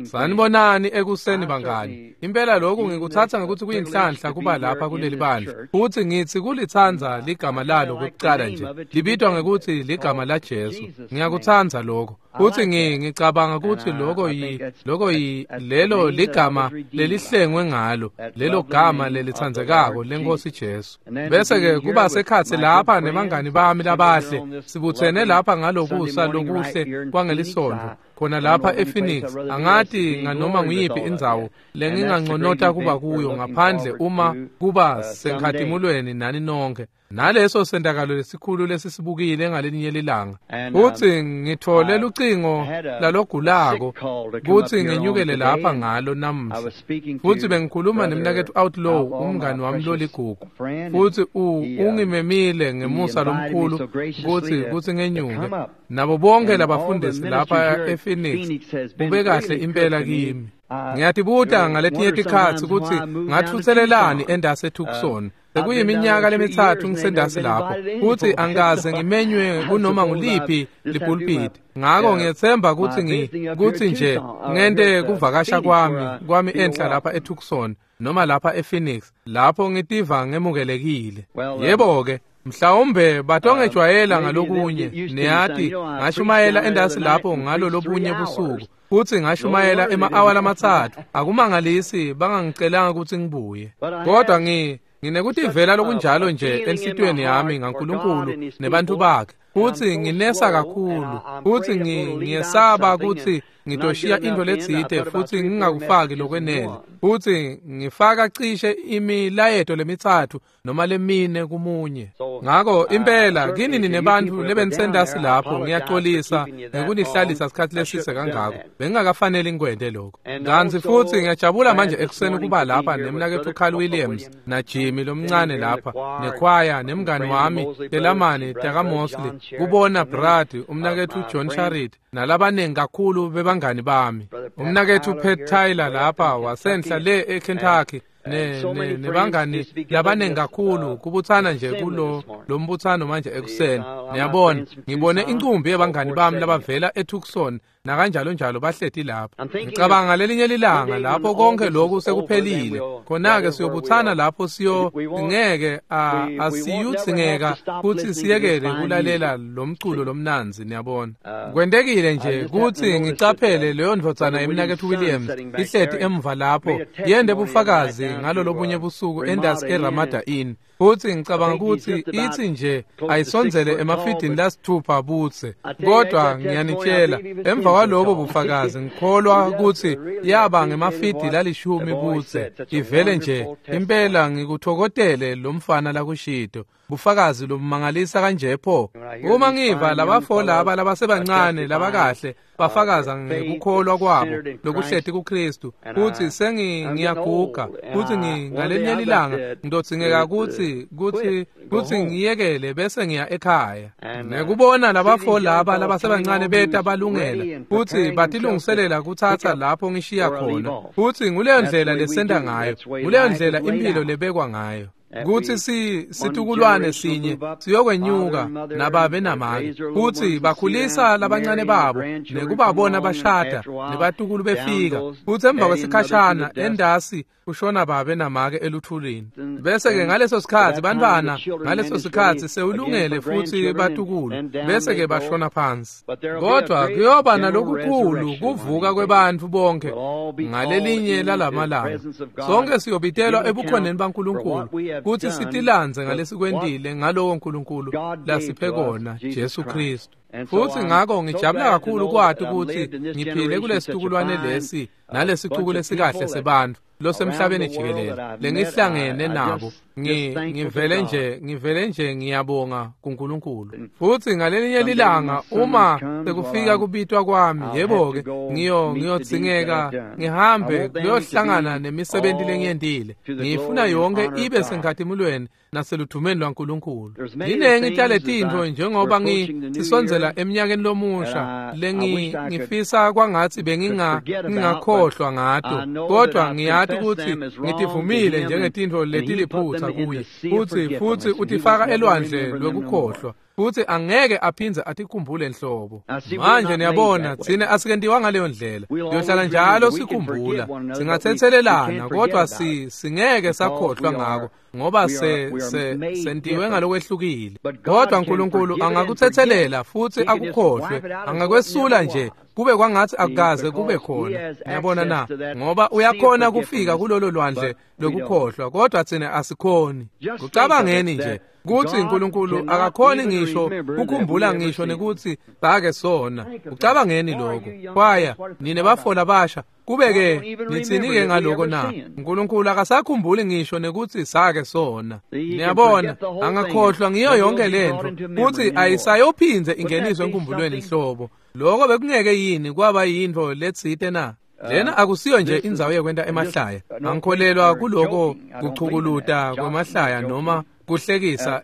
Sanibonani ekuseni bangani. Impela lokhu ngikuthatha ngokuthi kuyinhlanhla kuba lapha kuleli bandla. Futhi ngithi kulitsandza ligama lalo kokucala nje. Libitwa ngekuthi ligama la Jesu. Ngiyakutsandza lokho. Futhi ngicabanga ukuthi lokho lelo ligama lelihlengwe ngalo, lelo gama lelitsandzekako lenkosi Jesu. Bese ke kuba sekhatsi lapha nebangani bami labahle, sibuthene lapha ngalokusa lokuhle kwangelisonto. Khona lapha ePhoenix angati nganoma nguyiphi indzawo lenginganconota kuba kuyo ngaphandle uma kuba senkhatimulweni nani nonke. Naleso sentakalo lesikhulu lesisibukile ngalinye lilanga. Futhi ngithole lucingo lalogulako kuthi ngenyukele lapha ngalo namuhla. Futhi bengikhuluma nemnaketfu Outlaw, umngani wami loligugu. Futhi ungimemile ngemusa lomkhulu kuthi ngenyuke. Nabo bonke labafundisi lapha ePhoenix kube kahle impela kimi. Ngiyatibuta ngaletinye tikhatsi kutsi ngatfutselelani endase eTucson. Sekuyiminyaka lemithathu ngisendasi lapho futhi angikaze ngimenywe kunoma nguliphi lipulpiti. Ngako ngiyethemba kutsi kutsi nje ngente kuvakasha kwami enhla lapha eTucson noma lapha ePhoenix lapho ngitiva ngemukelekile. Yebo-ke, mhlawumbe batongejwayela ngalokunye. Niyati, ngashumayela endasi lapho ngalo lobunye busuku. Futhi ngashumayela ema-awa lamathathu. Akumangalisi bangangicelanga kutsi ngibuye. Kodwa nginekutivela lokunjalo nje enhlitiyweni yami ngaNkulunkulu nebantu bakhe. Futhi nginesa kakhulu. Futhi ngiyesaba kutsi ngitoshiya into letsite futhi ngingakufaki lokwenele. Futhi ngifaka cishe imilayeto lemithathu noma lemine kumunye. Ngako impela kini nebantfu lebenisendasi lapho ngiyaxolisa ngekunihlalisa isikhathi lesise kangako. Bengingakafanele ngikwente lokho. Kantsi futhi ngiyajabula manje ekuseni kuba lapha nemnaketfu Carl Williams na Jimmy lomncane lapha nekhwaya nemngani wami Telamani takaMosley, kubona Brad, umnaketfu John Charit nalabanengi kakhulu bebangani bami. Umnaketfu Pat Tyler lapha wasenhla le eKentucky nebangani labanengi kakhulu kubutsana nje kulo lombutsano manje ekuseni. Niyabona, ngibone incumbi yebangani bami labavela eTucson nakanjalo njalo bahleti lapha. Ngicabanga lelinye lilanga lapho konke lokhu sekuphelile, khona-ke siyobutsana lapho ngeke asiyudzingeka kutsi siyekele kulalela lomculo lomnandzi. Niyabona, kwentekile nje kutsi ngicaphele leyo ndvodzana yemnaketfu Williams ihleti emva lapho yende bufakazi ngalo lobunye busuku endasi eRamada Inn. Futhi ngicabanga kutsi itsi nje ayisondzele emafidini lasithupha butse. Kodwa ngiyanitshela, emva kwalobo bufakazi ngikholwa kutsi yaba ngemafidi lalishumi butse. Ivele nje impela ngikuthokotele lo mfana lakushito. Bufakazi lobumangalisa kanje pho. Uma ngiva labafo laba labasebancane labakahle bafakaza ngekukholwa kwabo lokuhleti kuKristu, kutsi sengiyaguga, kutsi ngalenye lilanga ngidodzingeka kutsi ngiyekele bese ngiya ekhaya. Nekubona labafo laba labasebancane beta balungela kutsi batilungiselela kutsatsa lapho ngishiya khona. Futsi nguleyo ndlela lesenta ngayo, nguleyo ndlela imphilo lebekwa ngayo. Kutsi situkulwane sinye siyokwenyuka nababe namake, kutsi bakhulisa labancane babo nekubabona bashada nebatukulu befika, kutsi emva kwesikhashana endasi kushona babe namake eluthulini. Bese-ke ngaleso sikhatsi bantfwana ngaleso sikhatsi sewulungele futsi batukulu, bese-ke bashona phansi. Kodwa kuyoba nalokukhulu kuvuka kwebantfu bonke ngalelinye lalamalanga. Sonke siyobitelwa ebukhoneni baNkulunkulu kutsi sitilandze ngalesikwentile ngalowo Nkulunkulu lasiphe kona, Jesu Kristu. Futhi ngako ngijabula kakhulu kwati kutsi ngiphile kulesitukulwane lesi nalesicuku lesikahle sebantfu losemhlabeni jikelele lengihlangene nabo. Ngivele nje ngiyabonga kuNkulunkulu. Futhi ngalelinye lilanga uma sekufika kubitwa kwami, yebo-ke, ngiyodzingeka ngihambe kuyohlangana nemisebenzi lengiyentile. Ngiyifuna yonke ibe senkhatimulweni naseluthumeni lwaNkulunkulu. Linengi taletintfo njengoba ngisondzela eminyakeni lomusha lengifisa kwangatsi bengingakhohlwa ngato, kodwa ngiyati kutsi ngitivumile njengetintfo letiliphutsa kuye. Futhi utifaka elwandle lwekukhohlwa. Futhi angeke aphindze atikhumbule nhlobo. Manje niyabona thina asikentiwa ngaleyo ndlela. Siyohlala njalo sikhumbula. Singathethelelana kodwa singeke sakhohlwa ngako ngoba sentiwe ngalokwehlukile. Kodwa uNkulunkulu angakuthethelela futhi akukhohlwe, angakwesula nje kube kwangathi akukaze kube khona. Niyabona na? Ngoba uyakhona kufika kulolo lwandle lokukhohlwa, kodwa thina asikhoni. Kucabangeni nje kuthi uNkulunkulu akakhoni ngisho ukukhumbula ngisho nekuthi sake sona. Ucabangeni lokho. Kwaya nine bafola basha kube-ke nithini-ke ngaloko na? uNkulunkulu akasakhumbuli ngisho nekuthi sake sona. Niyabona, angakhohlwa ngiyo yonke lento futhi ayisayophindze ingeniswe enkumbulweni nhlobo. Lokho bekungeke yini kwaba yintfo letsite na? Lena akusiyo nje indzawo yekwenta emahlaya. Angikholelwa kuloko kuchukuluta kwemahlaya noma kuhlekisa.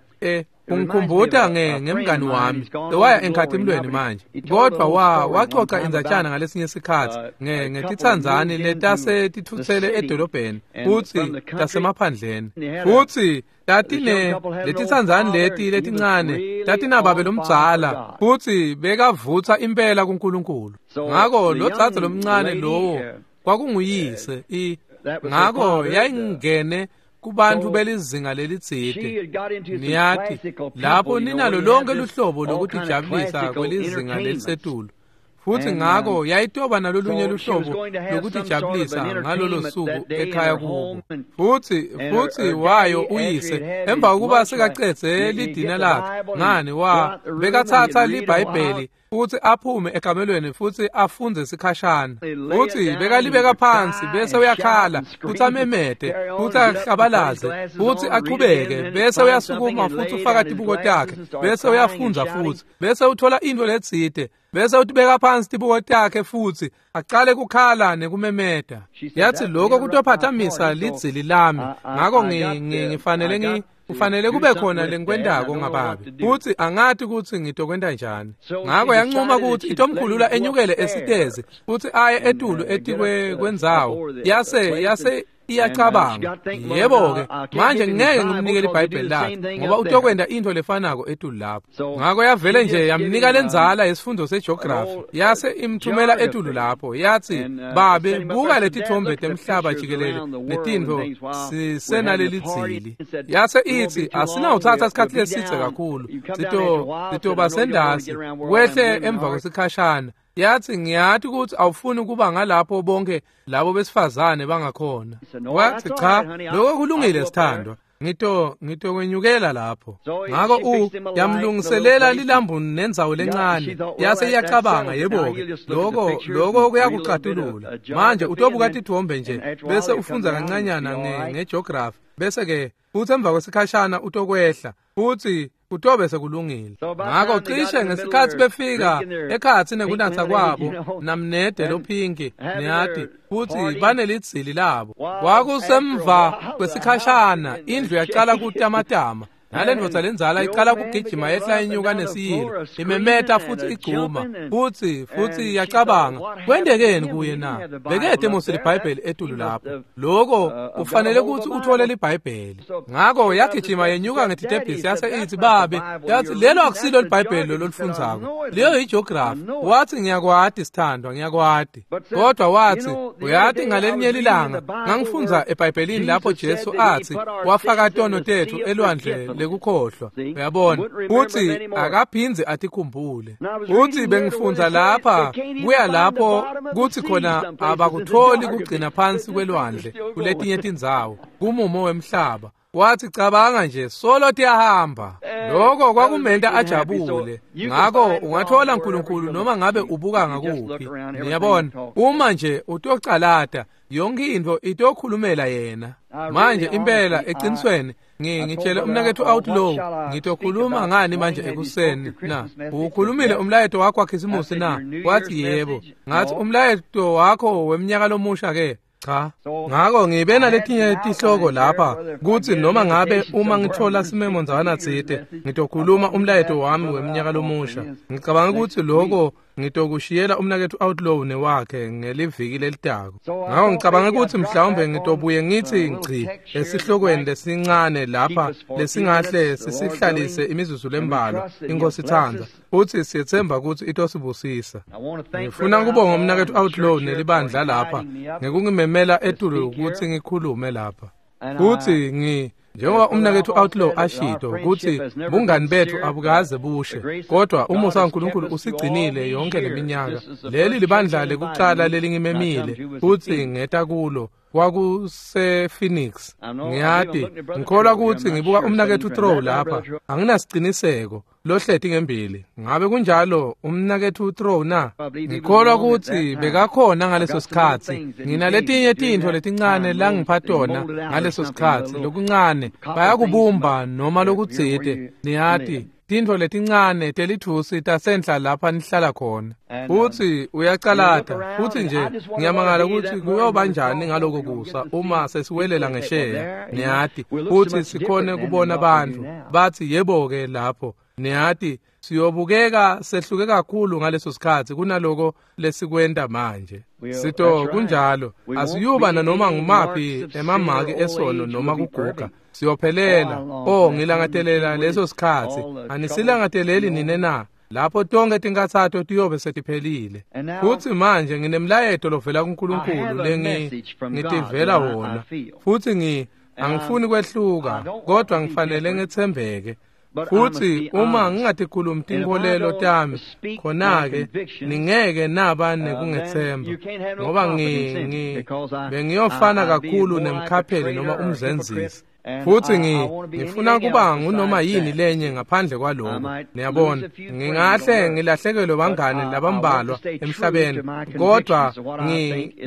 Ungikhumbuta ngemngani wami lowaya enkhathimlweni manje, kodwa waxoxa indzatshana ngalesinye sikhatsi ngetitsandzani letase titfutsele edolobheni futsi tasemaphandleni, futsi tatine letitsandzani leti letincane tatinababe lomdzala futsi bekavutsa impela kuNkulunkulu. Ngako lo dzadze lomncane lowo kwakunguyise, ngako yayingene kubantu belizinga lelitsite. Niyati lapho ninalo lonke luhlobo lokutijabulisa kwelizinga lelisetulu, futhi ngako yayitoba nalolunye luhlobo lokutijabulisa ngalolo suku ekhaya kubo. Futhi wayo uyise emva kokuba sekacedze lidina lakhe, ngani bekathatha liBhayibheli futhi aphume ekamelweni futhi afundze sikhashana, futhi bekalibeka phansi bese uyakhala futhi amemete futhi ahlabalaze futhi achubeke, bese uyasukuma futhi ufaka tibuko takhe bese uyafundza futhi bese uthola into letsite bese utibeka phansi tibuko takhe futhi aqale kukhala nekumemeta. Yathi lokho kutophathamisa lidzili lami, ngako ngifanele kufanele kube khona lengikwentako ngababe, futhi angathi ukuthi ngitokwenta njani. Ngako yanquma ukuthi itomkhulula enyukele esitezi futhi aye etulu etikwe kwendzawo. Yase iyacabanga, yebo-ke manje ngeke ngimnike liBhayibheli lakhe ngoba utokwenta into lefanako etulu lapho. Ngako yavele nje yamnika lenzala yesifundo segeography, yase imthumela etulu lapho. Yathi, babe, buka letithombe temhlaba jikelele netintfo sisenalelidzili. Yase ithi, asinawuthatha isikhathi lesidze kakhulu, sitoba sendasi wehle emva kwesikhashana. Yathi, ngiyathi ukuthi awufuni ukuba ngalapho bonke labo besifazane bangakhona. Wathi, cha, lokho kulungile sithandwa, ngitokwenyukela lapho. Ngako yamlungiselela lilambu nendzawo lencane. Yase iyacabanga, yebo-ke lokho kuyakucatulula. Manje utobuka tithombe nje bese ufundza kancanyana ngegeography, bese-ke futhi emva kwesikhashana utokwehla futhi kutobe sekulungile. Ngako cishe ngesikhathi befika ekhatsi nekunatsa kwabo namnede lophinki, niyati, futhi banelidzili labo. Kwakusemva kwesikhashana indlu yaqala kutamatama, nale ndvodza lenzala iqala kugijima yehla inyuka nesiyilo, imemeta futhi igcuma, futhi yacabanga, kwentekeni kuye na? Bekede mos liBhayibheli etulu lapho. Lokho ufanele ukuthi uthole liBhayibheli. Ngako yagijima yenyuka ngetitebhisi yase ithi, babe, yathi lelo akusilo liBhayibheli lolufundzako, leyo yigeography. Wathi, ngiyakwati sithandwa, ngiyakwati. Kodwa wathi, uyati ngalelinye lilanga ngangifundza eBhayibhelini lapho Jesu athi wafaka tono tethu elwandle lekukhohlwa. Uyabona, futhi akaphindze atikhumbule. Futhi bengifundza lapha kuya lapho kuthi khona abakutholi kugcina phansi kwelwandle kuletinye tindzawo kumumo wemhlaba. Wathi, cabanga nje, solo tiyahamba. Lokho kwakumenta ajabule. Ngako ungathola uNkulunkulu noma ngabe ubuka ngakuphi. Niyabona, uma nje utocalata yonke into itokhulumela yena. Manje impela eqinisweni ngitshele umnakethu Outlaw, ngitokhuluma ngani manje ekuseni na? Ukhulumile umlayeto wakho waKhisimusi na? Wathi yebo. Ngathi, umlayeto wakho weminyaka lomusha ke? Cha. Ngako ngibe naletinye tihloko lapha kuthi noma ngabe uma ngithola simemo ndzawana tsite ngitokhuluma umlayeto wami weminyaka lomusha. Ngicabanga ukuthi lokho Ngitokushiyela umnaketfu Outlaw newakhe ngeliviki lelitako. Ngako ngicabanga ukuthi mhlawumbe ngitobuye ngithi ngci esihlokweni lesincane lapha lesingahle sisihlalise imizuzu lembalwa, iNkosi itsandza, futhi siyetsemba ukuthi itosibusisa. Ngifuna kubonga umnaketfu Outlaw nelibandla lapha ngekungimemela etulu ukuthi ngikhulume lapha. Futhi njengoba umnaketfu Outlaw ashito ukuthi bungani bethu abukaze bushe, kodwa umusa waNkulunkulu usigcinile yonke leminyaka. Leli libandla lekucala lelingimemile futhi ngeta kulo kwakuse Phoenix. Ngiyati ngikholwa ukuthi ngibuka umnaketfu Trow lapha, anginasiciniseko lohleti ngembili. Ngabe kunjalo umnaketfu Trow na? Ngikholwa ukuthi bekakhona ngaleso sikhatsi. Nginaletinye tintfo letincane langipha tona ngaleso sikhatsi, lokuncane bayakubumba noma lokutsite, niyati, tintfo letincane telithusi tasenhla lapha nihlala khona. Futhi uyacalata, futhi nje ngiyamangala ukuthi kuyoba njani ngaloko kusa uma sesiwelela ngesheya, niyati, futhi sikhone kubona bantfu bathi yebo-ke lapho, niyati, siyobukeka sehluke kakhulu ngaleso sikhatsi kunaloko lesikwenta manje. Sito kunjalo, asiyuba nanoma ngumaphi emamaki esono noma kuguga. Siyophelela. Oh, ngilangatelela leso sikhatsi. Anisilangadeleli nine na? Lapho tonke tinkathato tiyobe setiphelile. Futhi manje nginemlayeto lovela kuNkulunkulu lengitivela wona. Futhi angifuni kwehluka, kodwa ngifanele ngetsembeke. Futhi uma ngingatikhulumi tinkholelo tami, khona-ke ningeke naba nekungethemba, ngoba bengiyofana kakhulu nemkhapheli noma umzenzisi. Futhi ngifuna kuba ngunoma yini lenye ngaphandle kwaloko. Niyabona, ngingahle ngilahlekelwe bangani labambalwa emhlabeni, kodwa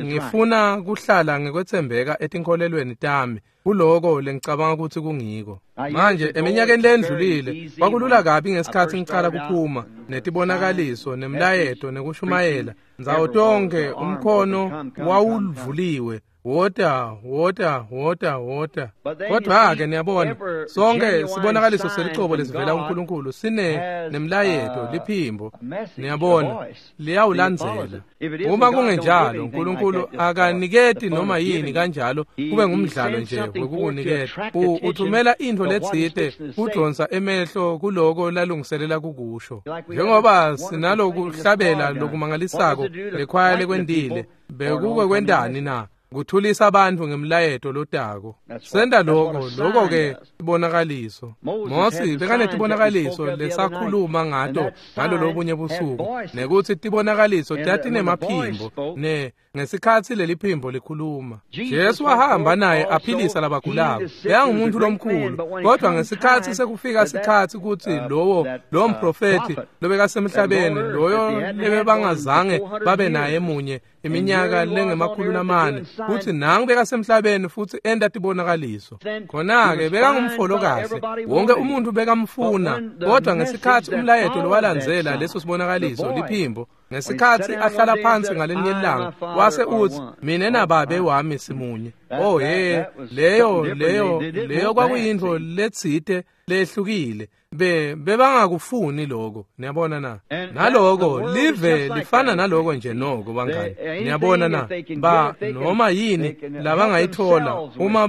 ngifuna kuhlala ngikwethembeka etinkholelweni tami kuloko lengicabanga ukuthi kungiko. Manje eminyakeni lendlulile kwakulula kabi ngesikhathi ngicala kuphuma netibonakaliso nemlayeto nekushumayela ndzawo tonke, umkhono wawuvuliwe, wota wota wota wota. Kodwa-ke niyabona, sonke sibonakaliso selicobo lesivela kuNkulunkulu sine nemlayeto, liphimbo, niyabona, liyawulandzela. Uma kungenjalo, uNkulunkulu akaniketi noma yini kanjalo kube ngumdlalo nje wekukuniketa. Uthumela intfo letsite kudonsa emehlo kuloko lalungiselela kukusho. Njengoba sinalokuhlabela lokumangalisako lekhwaya lekwentile, bekuke kwentani na? Kuthulisa abantu ngemlayeto lotako. Senta lokho, lokho-ke ibonakaliso. Mosi bekanetibonakaliso lesakhuluma ngato ngalolobunye busuku, nekuthi tibonakaliso tatinemaphimbo, ngesikhatsi leliphimbo likhuluma. Jesu wahamba naye aphilisa labagulako. Bekangumuntu lomkhulu, kodwa ngesikhatsi sekufika sikhatsi kutsi lowo mprofethi lobekasemhlabeni, loyo lebebangazange babe naye munye iminyaka lengemakhulu lamane, futhi nangu bekasemhlabeni futhi enta tibonakaliso. Khona-ke bekangumfolo kahle, wonke umuntu bekamfuna, kodwa ngesikhatsi umlayeto lowalandzela leso sibonakaliso, liphimbo, ngesikhatsi ahlala phansi ngalinye ilanga wase uthi, mina nababe wami simunye. Oh he, leyo kwakuyintfo letsite lehlukile. Bebangakufuni lokho, niyabona na? Naloko live lifana naloko nje noko bangani, niyabona na? Ba noma yini labangayithola uma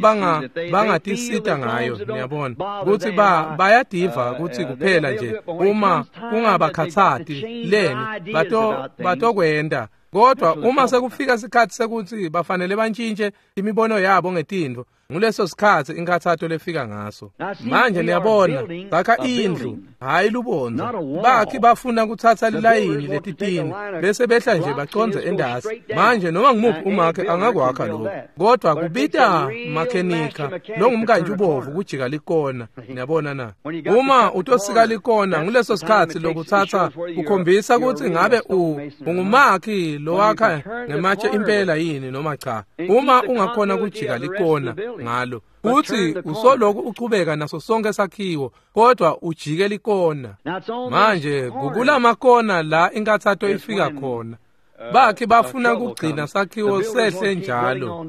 bangatisita ngayo, niyabona ukuthi bayadiva ukuthi kuphela nje uma kungabakhathati leni batokwenda. Kodwa uma sekufika sikhatsi sekuthi bafanele bantshintshe imibono yabo ngetintfo, nguleso sikhatsi inkathato lefika ngaso. Manje niyabona, bakha indlu, hhayi lubondza. Bakhi bafuna kutsatsa lilayini letitini bese behla nje bacondze endasi. Manje noma ngumuphi umakhe angakwakha lokho, kodwa kubita makhenika longumkantshi ubovu kujika likona, niyabona na? Uma utosika likona, nguleso sikhatsi lokutsatsa kukhombisa kutsi ngabe ungumakhi lowakha ngematshe impela yini noma cha. Uma ungakhona kujika likona ngalo, futhi usoloku uchubeka naso sonke sakhiwo, kodwa ujike likona. Manje kukulamakona la inkathato ifika khona. Bakhi bafuna kugcina sakhiwo sehle njalo,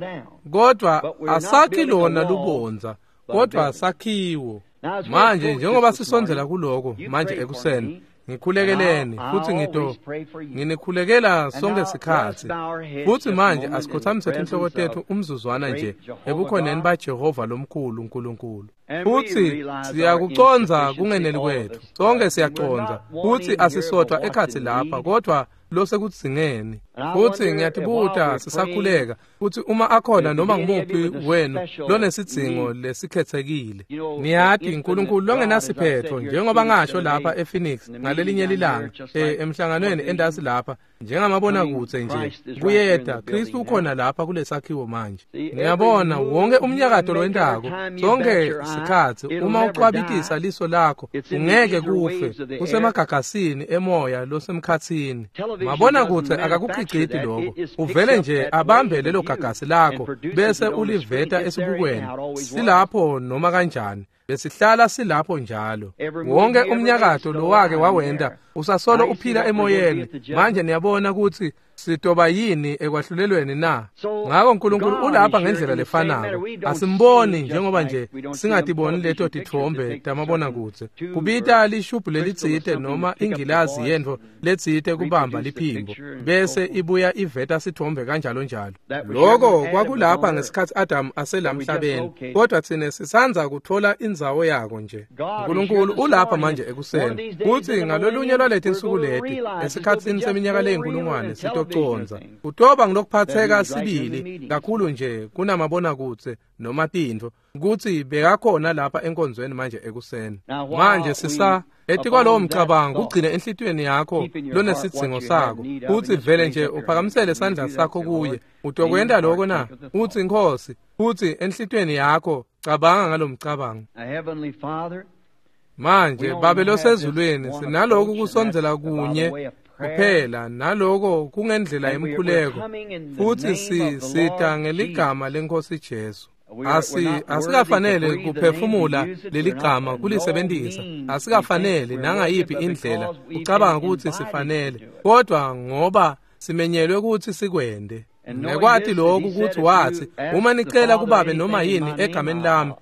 kodwa asakhi lona lubondza, kodwa sakhiwo. Manje njengoba sisondzela kuloko manje ekuseni, Ngikhulekeleni futhi nginikhulekela sonke sikhatsi. Futhi manje asikhothamise tinhloko tetfu umzuzwana nje ebukhoneni baJehova lomkhulu uNkulunkulu. Futhi siyakucondza kungeneli kwethu. Sonke siyacondza futhi asisodwa ekhatsi lapha kodwa losekudzingeni. Futhi ngiyatibuta sisakhuleka futhi uma akhona noma ngumuphi wenu lonesidzingo lesikhethekile. Niyati uNkulunkulu longenasiphetho njengoba ngasho lapha ePhoenix ngalelinye lilanga emhlanganweni endasi lapha njengamabona kutse nje kuyeda Kristu ukhona lapha kulesakhiwo manje. Ngiyabona wonke umnyakato lowentako sonke sikhatsi uma ucwabitisa liso lakho ungeke kufe usemagagasini emoya losemkhatsini. Mabona kutse akakukhiciti lokho uvele nje abambe lelo gagasi lakho bese uliveta esibukweni silapho noma kanjani besihlala silapho njalo. Wonke umnyakato lowake wawenda usasolo uphila emoyeni. Manje niyabona ukuthi sitoba yini ekwahlulelweni na? Ngako uNkulunkulu ulapha ngendlela lefanako. Asimboni njengoba nje singatiboni leto titfombe tamabonakudze. Kubita lishubhu lelitsite noma ingilazi yentfo letsite kubamba liphimbo bese ibuya iveta sitfombe kanjalo njalo. Loko kwakulapha ngesikhatsi Adam aselamhlabeni, kodwa tsine sisandza kutfola indzawo yako nje. uNkulunkulu ulapha manje ekuseni kutsi ngalolunye lwaletinsuku leti esikhatsini seminyaka leyinkulungwane sitoconza kutoba ngilokuphatheka sibili kakhulu nje kunamabonakudze noma tintfo kutsi bekakhona lapha enkonzweni manje ekuseni. Manje sisa etikwalowo mcabango kugcine enhlitiyweni yakho lonesidzingo sakho kutsi vele nje uphakamisele sandla sakho kuye. Utokwenta lokho na? Utsi Nkhosi, futsi enhlitiyweni yakho cabanga ngalomcabango. Manje Babe losezulwini, sinaloku kusondzela kunye kuphela naloko kungendlela yemkhuleko futhi sisita ngeligama leNkhosi Jesu. Asikafanele kuphefumula leligama kulisebentisa, asikafanele nangayiphi indlela ucabanga ukuthi sifanele, kodwa ngoba simenyelwe ukuthi sikwende. Nekwati lokhu ukuthi wathi uma nicela kubabe noma yini egameni lami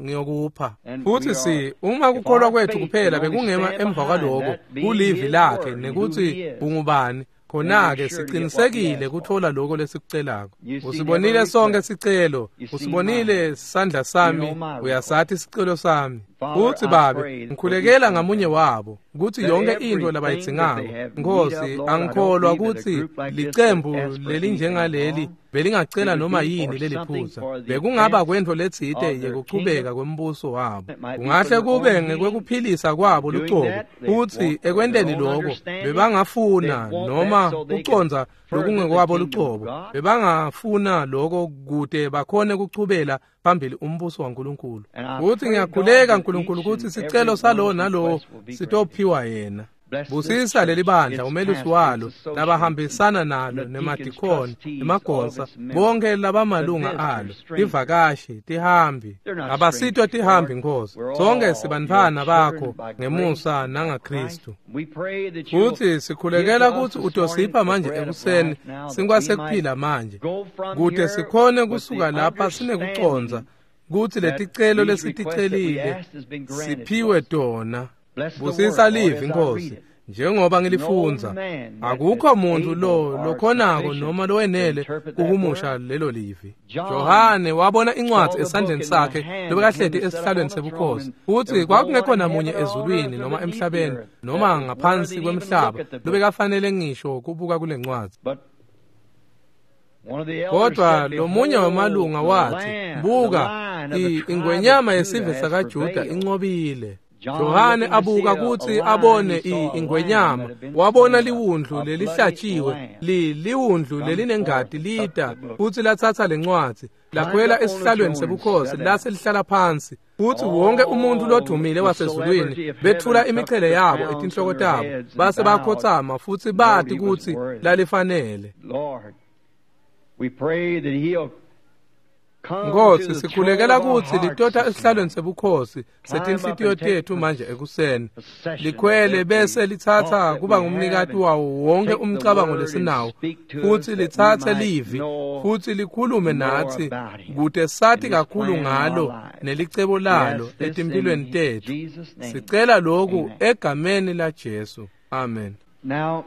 ngiyokupha. Futhi uma kukholwa kwethu kuphela bekungema emva kwaloko kulivi lakhe nekuthi ungubani, khona-ke siqinisekile kuthola lokho lesikucelako. Usibonile sonke sicelo, usibonile sandla sami, uyasathi isicelo sami. Uthi Babe, ngikhulekela ngamunye wabo ukuthi yonke into labayidzingako. Nkosi, angikholwa ukuthi licembu lelinjengaleli belingacela noma yini leliphutsa. Bekungaba kwentfo letsite yekuchubeka kwembuso wabo. Kungahle kube ngekwekuphilisa kwabo lucobo, futhi ekwenteni lokho bebangafuna noma kucondza lokungekwabo lucobo. Bebangafuna lokho kude bakhone kuchubela phambili umbuso waNkulunkulu. Futhi ngiyakhuleka uNkulunkulu ukuthi sicelo salowo nalowo sitophiwa yena. Busisa leli bandla, umelusi walo, labahambisana nalo, nemadikoni, nemagonsa, bonke labamalunga alo, tivakashi, tihambi. Abasitwa tihambi Nkosi, sonke sibantfwana bakho ngemusa nangaKristu. Futhi sikhulekela ukuthi utosipha manje ekuseni sinkwa sekuphila manje, kude sikhone kusuka lapha sinekucondza kutsi leticelo lesiticelile siphiwe tona. Busisa livi Nkosi njengoba ngilifundza. Akukho muntu lokhonako noma lowenele kuhumusha lelo livi. Johane wabona incwadi esandleni sakhe lobekahleti esihlalweni sebukhosi, futhi kwakungekho namunye ezulwini noma emhlabeni noma ngaphansi kwemhlaba lobekafanele ngisho kubuka kule ncwadi. Kodwa lomunye wamalunga wathi, buka, ingwenyama yesive sakaJuda inqobile. Johane abuka kutsi abone ingwenyama, wabona liwundlu lelihlatshiwe, liwundlu lelinengati lita, futsi latsatsa lencwadzi, lakhwela esihlalweni sebukhosi, lase lihlala phansi. Futsi wonke umuntu lodumile wasezulwini bethula imichele yabo etinhloko tabo, base bakhotsama futsi bati kutsi lalifanele. Nkosi, sikhulekela kutsi litota esihlalweni sebukhosi setinhlitiyo tetfu manje ekuseni, likhwele bese litsatsa kuba ngumnikati wawo wonke umcabango lesinawo, futsi litsatse livi futsi likhulume natsi kute sati kakhulu ngalo nelicebo lalo etimphilweni tetfu. Sicela lokhu egameni laJesu. Amen. Now,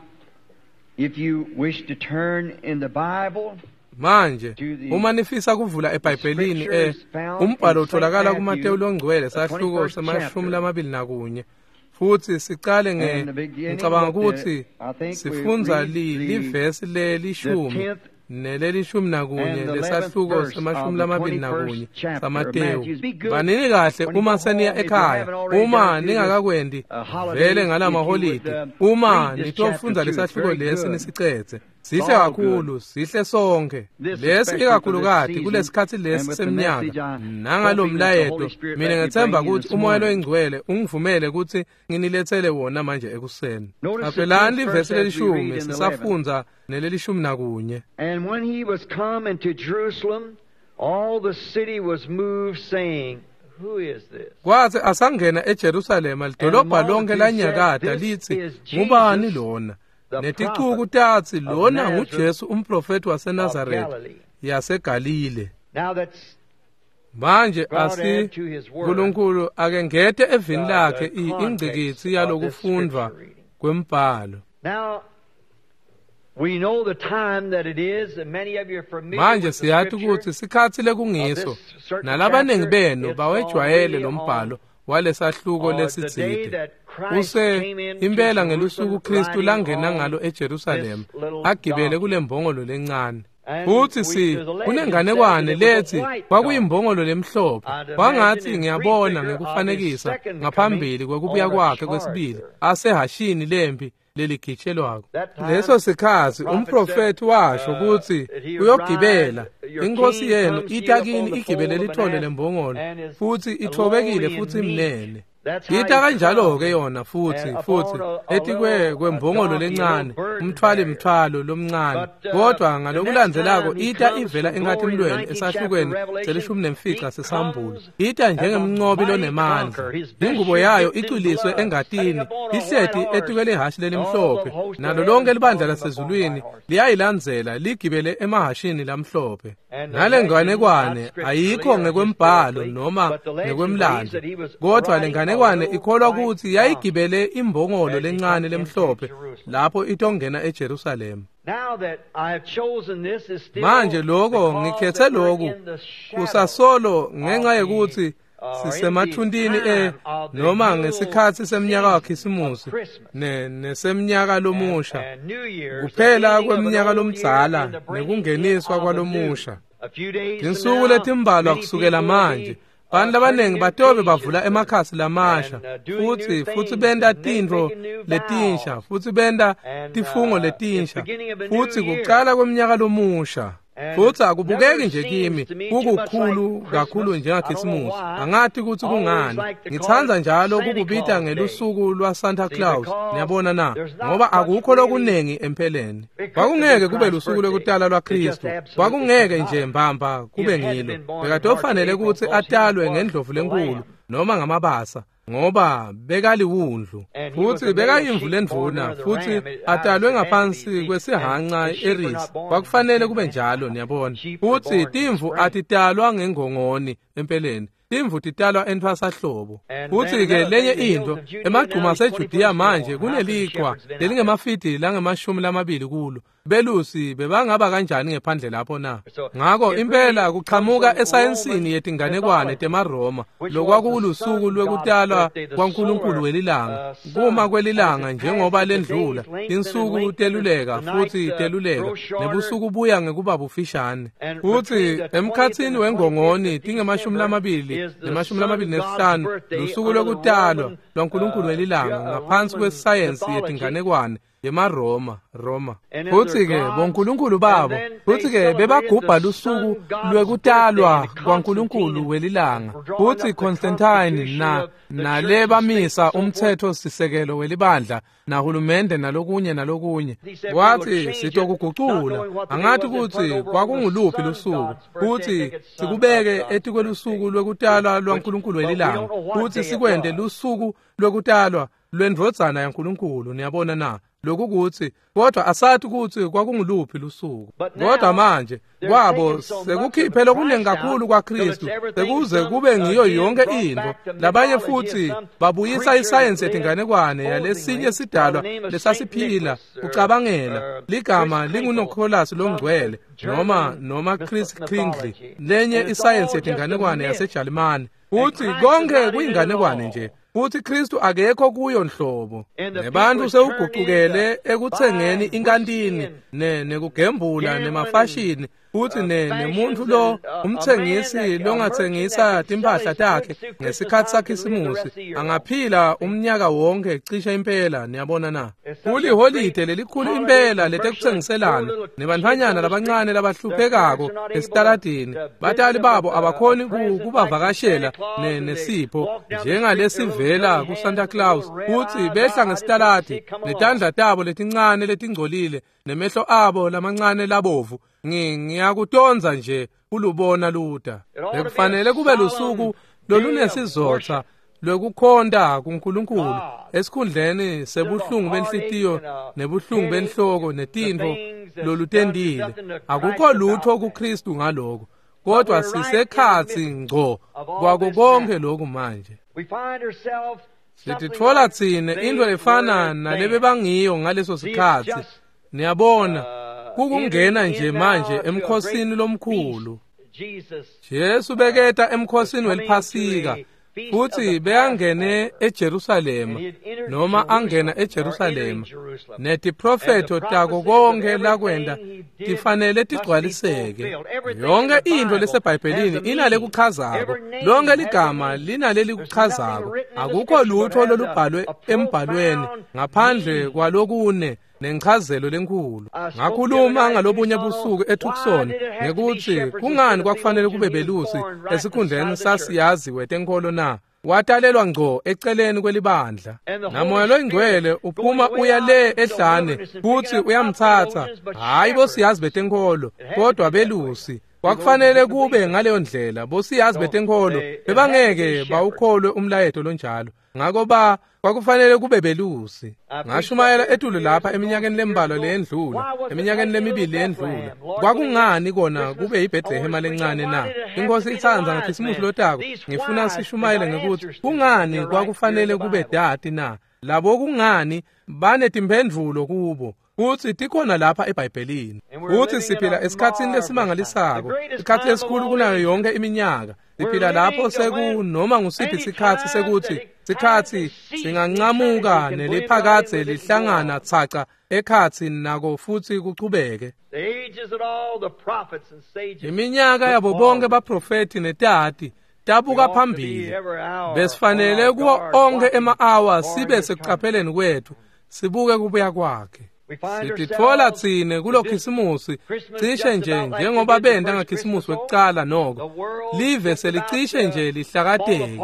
if you wish to turn in the Bible, manje uma nifisa kuvula eBhayibhelini, umbhalo utholakala kuMateyu longcwele sahluko se-21, futhi sicale ngicabanga ukuthi sifundza livesi lelishumi neleli-11 lesahluko se-21 saMateyu. Banini kahle uma seniya ekhaya, uma ningakakwendi vele ngalamaholidi, uma nitofundza lesahluko lesi nisicedze. Sihle kakhulu, sihle sonke. Lesi ikakhulukati kulesikhatsi lesi semnyaka nangalomlayeto, mina ngethemba ukuthi uMoya loyiNgcwele ungivumele ukuthi nginilethele wona manje ekuseni. Qaphelani livesi lelishumi sisafundza neleli-11. And when he was come into Jerusalem, all the city was moved, saying, Who is this? Kwathi asangena eJerusalema, lidolobha lonke lanyakata lithi, ngubani lona? Neticuku tatsi, lona nguJesu umprofeti waseNazaretha yaseGalile. Manje asi uNkulunkulu akengete evini lakhe ingcikitsi yalokufundvwa kwembhalo. Manje siyati ukuthi sikhatsi lekungiso, nalabaningi benu bawejwayele lo mbhalo walesahluko lesitsite. Use impela ngelusuku Kristu langena ngalo eJerusalema agibele kulembongolo lencane. Futhi kunenganekwane lethi kwakuyimbongolo lemhlophe. Kwangathi ngiyabona ngekufanekisa ngaphambili kwekubuya kwakhe kwesibili asehashini lempi leligitshelwako. Leso sikhatsi umprofeti washo ukuthi uyogibela, inkosi yenu ita kini igibele lithole lembongolo, futhi ithobekile futhi imnene. Ita kanjalo-ke yona futhi etikwe kwembongolo lencane, umthwali mthwalo lomncane. Kodwa ngalokulandzelako ita ivela enkatimulweni esahlukweni se-15 sesambulo. Ita njengemncobi lonemandla. Ingubo yayo icwiliswe engatini, ihleti etikwe lehhashi lelimhlophe, nalo lonke libandla lasezulwini liyayilandzela ligibele emahhashini lamhlophe. Nale nganekwane ayikho ngekwembhalo noma ngekwemlando, kodwa le nganekwane ikholwa ukuthi yayigibele imbongolo lencane lemhlophe lapho itongena eJerusalema. Manje lokho ngikhethe lokhu kusasolo ngenxa yokuthi sisemathundini noma ngesikhatsi semnyaka waKhisimusi nesemnyaka lomusha, kuphela kweminyaka lomdzala nekungeniswa kwalomusha. Tinsuku letimbalwa kusukela manje, bantu labaningi batobe bavula emakhasi lamasha futhi benta tintfo letinsha, futhi benta tifungo letinsha, futhi kucala kweminyaka lomusha. Futhi akubukeki nje kimi kukukhulu kakhulu njengaKhisimusi. Angathi ukuthi kungani ngithanda njalo kukubita ngelusuku lwa Santa Claus. Niyabona na? Ngoba akukho lokunengi empeleni. Kwakungeke kube lusuku lokutala lwaKristu, kwakungeke nje mbamba kube ngilo. Bekatofanele ukuthi atalwe ngendlovu lenkulu noma ngamabasa, ngoba bekaliwundlu, futhi bekayimvu lendvuna, futhi atalwe ngaphansi kwesihanca eris. Kwakufanele kube njalo, niyabona. Futhi timvu atitalwa ngengongoni empeleni, timvu titalwa entfwasahlobo. Futhi-ke lenye into, emagcuma aseJudiya manje kuneliqhwa lelingemafidi langama-20 kulo. Belusi bebangaba kanjani ngephandle lapho na? Ngakho impela kuchamuka esayensini yetinganekwane temaRoma, lokwakulusuku lwekutalwa kwaNkulunkulu welilanga. Kuma kwelilanga njengoba lendlula, tinsuku teluleka futhi teluleka, nebusuku buya ngekuba bufishane. Futhi emkhatsini wengongoni tinge-20 ne-25 lusuku lokutalwa lwaNkulunkulu welilanga ngaphansi kwesayensi yetinganekwane yemaRoma, Roma. Futsi-ke bonkulunkulu babo, futsi-ke bebagubha lusuku lwekutalwa kwaNkulunkulu welilanga. Futsi Constantine nalebamisa umtsetfo-sisekelo welibandla nahulumende nalokunye nalokunye. Wathi sitokugucula, angathi kutsi kwakunguluphi lusuku, futsi sikubeke etikwelusuku lwekutalwa lwaNkulunkulu welilanga, futsi sikwente lusuku lwekutalwa lwendvodzana yaNkulunkulu. Niyabona na? Lokhu kuthi kodwa asathi kutsi kwakunguluphi lusuku. Kodwa manje kwabo sekukhiphe lokuningi kakhulu kwaKristu sekuze kube ngiyo yonke intfo. Labanye futsi babuyisa isayensi yetinganekwane yalesinye sidalwa lesasiphila kucabangela ligama linguNicholas longcwele noma Chris Kringle, lenye isayensi yetinganekwane yaseJalimane. Futsi konke kuyinganekwane nje, futhi Kristu akekho kuyo nhlobo. Nebantu sewugucukele ekutsengeni inkantini nekugembula nemafashini, futhi nemuntu lo umtsengisi longatsengisa timphahla takhe ngesikhatsi saKhisimusi angaphila umnyaka wonke cishe impela. Niyabona na? Kuliholide lelikhulu impela letekutsengiselana, nebantfwanyana labancane labahluphekako esitaladini, batali babo abakhoni kubavakashela nesipho njengalesivela kuSanta Claus, futhi behla ngesitaladi netandla tabo letincane letingcolile nemehlo abo lamancane labovu. Ngiyakutonza nje kulubona luta. Bekufanele kube lusuku lolunesizotha lwekukhonta kuNkulunkulu esikhundleni sebuhlungu benhlitiyo nebuhlungu benhloko netintfo lolutendile. Akukho lutho kuKristu ngaloko, kodwa sisekhatsi ngco kwako konke lokhu manje. Sititfola tsine intfo efana nalebebangiyo ngaleso sikhatsi. Niyabona, kukungena nje manje emkhosini lomkhulu. Jesu beketa emkhosini weliphasika, futhi beyangene eJerusalema noma angena eJerusalema, netiprofetho tako konke lakwenta tifanele tigcwaliseke. Yonke intfo leseBhayibhelini inalekuchazako, lonke ligama linalelikuchazako. Akukho lutho lolubhalwe embhalweni ngaphandle kwalokune nenchazelo lenkhulu. Ngakhuluma ngalobunye busuku eTucson ngekutsi kungani kwakufanele kube belusi esikhundleni sasiyazi wetenkholo na. Watalelwa ngco eceleni kwelibandla, naMoya loyingcwele uphuma uya le ehlane futhi uyamthatha, hhayi bosiyazi betenkholo kodwa belusi. Kwakufanele kube ngaleyo ndlela. Bosiyazi betenkholo bebangeke bawukholwe umlayeto lonjalo, ngako kwakufanele kube belusi. Ngashumayela etulu lapha eminyakeni lembalwa leyendlula, eminyakeni lemibili leyendlula. Kwakungani kona kube yiBhethlehema lencane na? Inkosi itsandza, ngaKhisimusi lotako ngifuna sishumayele ngekuthi kungani kwakufanele kube dati na. Labo kungani banetimphendvulo kubo, kutsi tikhona lapha eBhayibhelini. Kutsi siphila esikhatsini lesimangalisako, isikhatsi lesikhulu kunayo yonke iminyaka. Siphila lapho sekunoma ngusiphi sikhatsi sekuthi sikhatsi singancamuka neliphakadze lihlangana tsaca ekhatsi nako futhi kuchubeke. Iminyaka yabo bonke baprofethi netati tabuka phambili. Besifanele kuwo onke ema-awa sibe sekucapheleni kwethu, sibuke kubuya kwakhe. Sititfola tsine kulo Khisimusi cishe nje njengoba benta ngaKhisimusi wekucala. Noko live selicishe nje lihlakateke.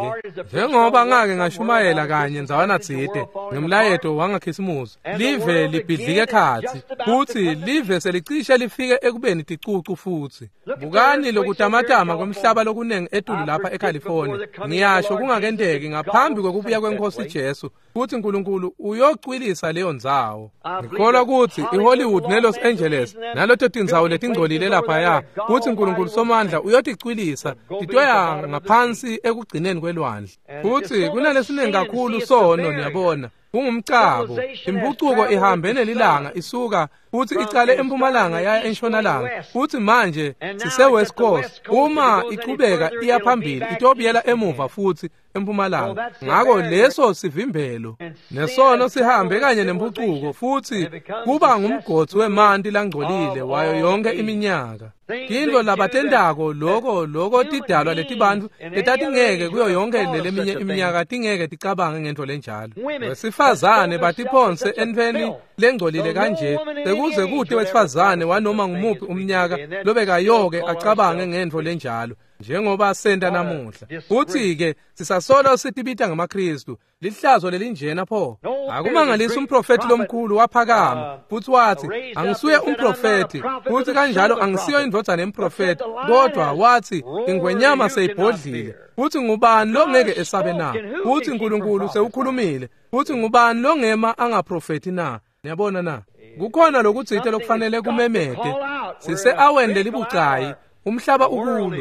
Njengoba ngake ngashumayela kanye ndzawana tsite ngemlayeto wangaKhisimusi, live libhidlike ekhatsi, futsi live selicishe lifike ekubeni ticucu futsi. Bukani lokutamatama kwemhlaba lokunengi etulu lapha eCalifornia. Ngiyasho kungakenteki ngaphambi kwekubuya kweNkosi Jesu kutsi Nkulunkulu uyocwilisa leyo ndzawo. Ngikholwa kutsi iHollywood neLos Angeles naleto tindzawo letingcolile laphaya, kutsi Nkulunkulu Somandla uyoticwilisa titoya ngaphansi ekugcineni kwelwandle. Futsi kunalesiningi kakhulu sono, niyabona, kungumcabo. Impucuko ihambe nelilanga isuka futhi icale empumalanga yaya entshonalanga, futhi manje sise-West Coast. Uma ichubeka iya phambili itobuyela emuva futhi empumalanga. Ngako leso sivimbelo, nesono sihambe kanye nempucuko, futhi kuba ngumgodzi wemanti langcolile wayo yonke iminyaka. Tintfo labatentako loko tidalwa letibantfu letatingeke kuyo yonke leleminye iminyaka tingeke ticabange ngentfo lenjalo. Wesifazane batiphonse entfweni lengcolile kanje, sekuze kute wesifazane wanoma ngumuphi umnyaka lobekayoke acabange ngentfo lenjalo njengoba senta namuhla. Futhi-ke sisasolo sitibita ngamaKristu. Lihlazo lelinjena pho. Akumangalisi umprofethi lomkhulu waphakama futhi wathi, angisuye umprofethi, futhi kanjalo angisiyo indvodzana yemprofethi, kodwa wathi ingwenyama seyibhodlile, futhi ngubani longeke esabe na? Futhi uNkulunkulu sewukhulumile, futhi ngubani longema angaprofethi na? Niyabona na? Kukhona lokutsite lokufanele kumemete. Sise-aweni lelibucayi, umhlaba ukulo.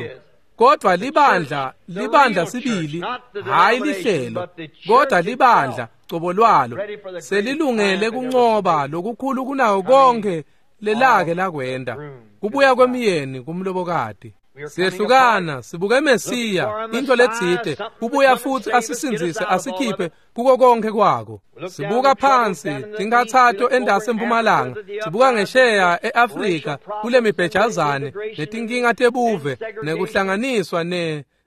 Kodwa libandla, libandla sibili, hayi lihlelo, kodwa libandla cobo lwalo selilungele kuncoba lokukhulu kunawo konke lelake lakwenda, kubuya kwemyeni kumlobokati. Siyehlukana, sibuke Mesiya, into letsite, kubuya futhi asisindzise asikhiphe kuko konke kwako. Sibuka phansi tinkhatsato endase empumalanga, sibuka ngesheya eAfrika kule mibhejazane netinkinga tebuve nekuhlanganiswa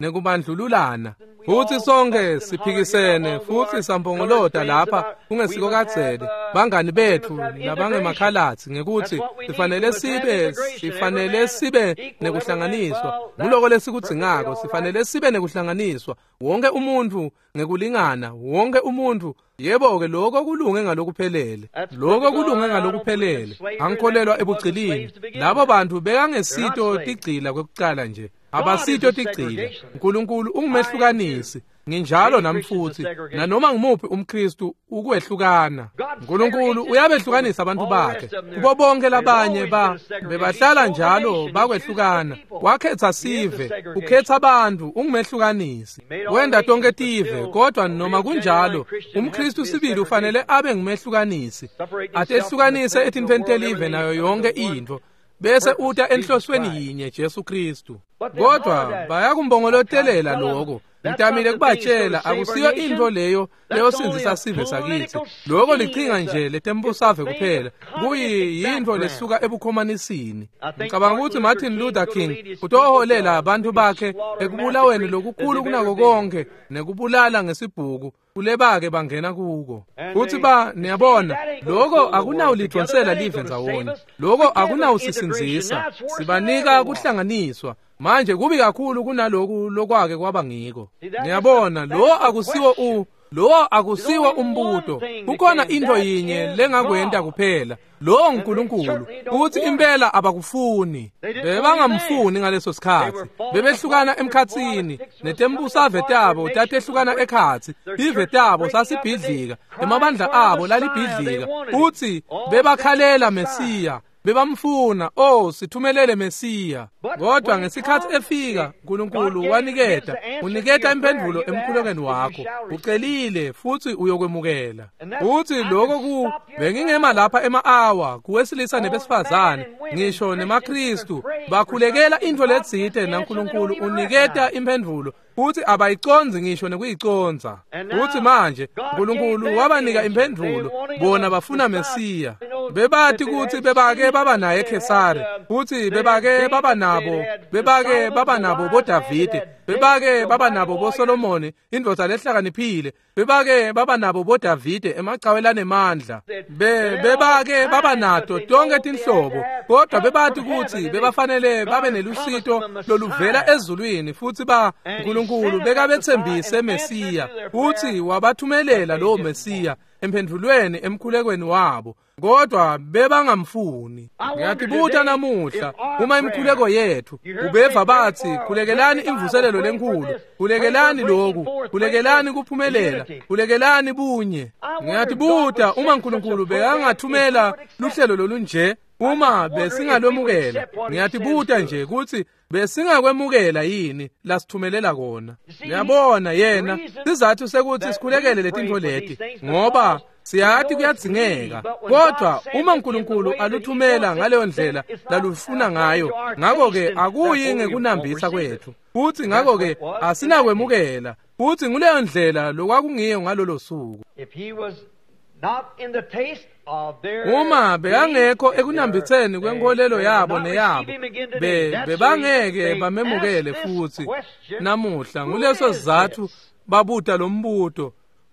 nekubandlululana. Futhi sonke siphikisene futhi sampongolota lapha kungesiko kadzeni, bangani bethu labangemakhalatsi, ngekuthi sifanele sibe nekuhlanganiswa. Nguloko lesikudzingako, sifanele sibe nekuhlanganiswa, wonke umuntu ngekulingana, wonke umuntu. Yebo-ke, lokho kulunge ngalokuphelele, lokho kulunge ngalokuphelele. Angikholelwa ebugcilini. Labo bantu bekangesito tigcila kwekucala nje, abasito tigcila. uNkulunkulu ungumehlukanisi, nginjalo nami futhi, nanoma ngimuphi umKristu ukwehlukana. uNkulunkulu uyabehlukanisa abantu bakhe kubo bonke labanye bebahlala njalo bakwehlukana. Wakhetha sive, ukhetha abantu, ungumehlukanisi. Wenda tonke tive, kodwa noma kunjalo umKristu sibili ufanele abe ngumehlukanisi, atehlukanise etintfweni telive nayo yonke intfo, bese uta enhlosweni yinye, Jesu Kristu. Kodwa bayakumbongolotelela lokho. Ngitamile kubatshela, akusiyo intfo leyo leyosindzisa sive sakithi. Lokho lichinga nje letembusave kuphela, kuyintfo lesuka ebukhomanisini. Ngicabanga ukuthi Martin Luther King utoholela abantu bakhe ekubulaweni lokukhulu kunako konke nekubulala ngesibhuku kulebake bangena kuko. Futhi niyabona, lokho akunawulidonsela live ndzawonye, lokho akunawusisindzisa. Sibanika kuhlanganiswa. Manje kubi kakhulu kunaloku lokwake kwaba ngiko. Niyabona, lo akusiwo umbuto. Kukhona into yinye lengakwenta kuphela, lo uNkulunkulu. Ukuthi impela abakufuni, bebangamfuni ngaleso sikhathi. Bebehlukana emkhatsini, netembusave tabo tatehlukana ekhatsi, tive tabo sasibhidlika, emabandla abo lalibhidlika. Uthi bebakhalela Mesiya, bebamfuna, oh sithumelele Mesiya. Kodwa ngesikhathi efika, uNkulunkulu waniketa, uniketa imphendvulo emkhulekweni wakho. Ucelile futhi uyokwemukela. Futhi lokho bengingema lapha ema-awa kuwesilisa nebesifazane, ngisho nemaKristu, bakhulekela intfo letsite naNkulunkulu uniketa imphendvulo, futhi abayiconzi ngisho nekuyiconza. Futhi manje uNkulunkulu wabanika imphendvulo, bona bafuna Mesiya. Bebathi ukuthi bebake baba naye Khesari, futhi bebake baba nabo, bebake baba nabo boDavide, bebake baba nabo boSolomoni, indvodza lehlakaniphile, bebake baba nabo boDavide emacawe lanemandla, bebake baba nato tonke tinhlobo, kodwa bebathi ukuthi bebafanele babe nelusito loluvela ezulwini, futhi uNkulunkulu bekabethembise Mesiya, futhi wabathumelela lowo Mesiya emphendvulweni emkhulekweni wabo, kodwa bebangamfuni. Ngiyatibuta namuhla, uma imikhuleko yethu ubeva bathi khulekelani imvuselelo lenkulu, khulekelani lokhu, khulekelani kuphumelela, khulekelani bunye. Ngiyatibuta uma uNkulunkulu bekangathumela luhlelo lolunje, uma besingalwemukela. Ngiyatibuta nje ukuthi besingakwemukela yini lasithumelela kona. Ngiyabona yena sizathu sekuthi sikhulekele letintfo leti, ngoba siyati kuyadzingeka. Kodwa uma uNkulunkulu aluthumela ngaleyo ndlela lalufuna ngayo, ngakho-ke akuyi ngekunambitha kwethu, futhi ngakho-ke asinakwemukela. Futhi nguleyo ndlela lokwakungiyo ngalolo suku. Uma bekangekho ekunambitheni kwenkolelo yabo neyabo, bebangeke bamemukele futhi namuhla. Nguleso sizathu babuta lombuto,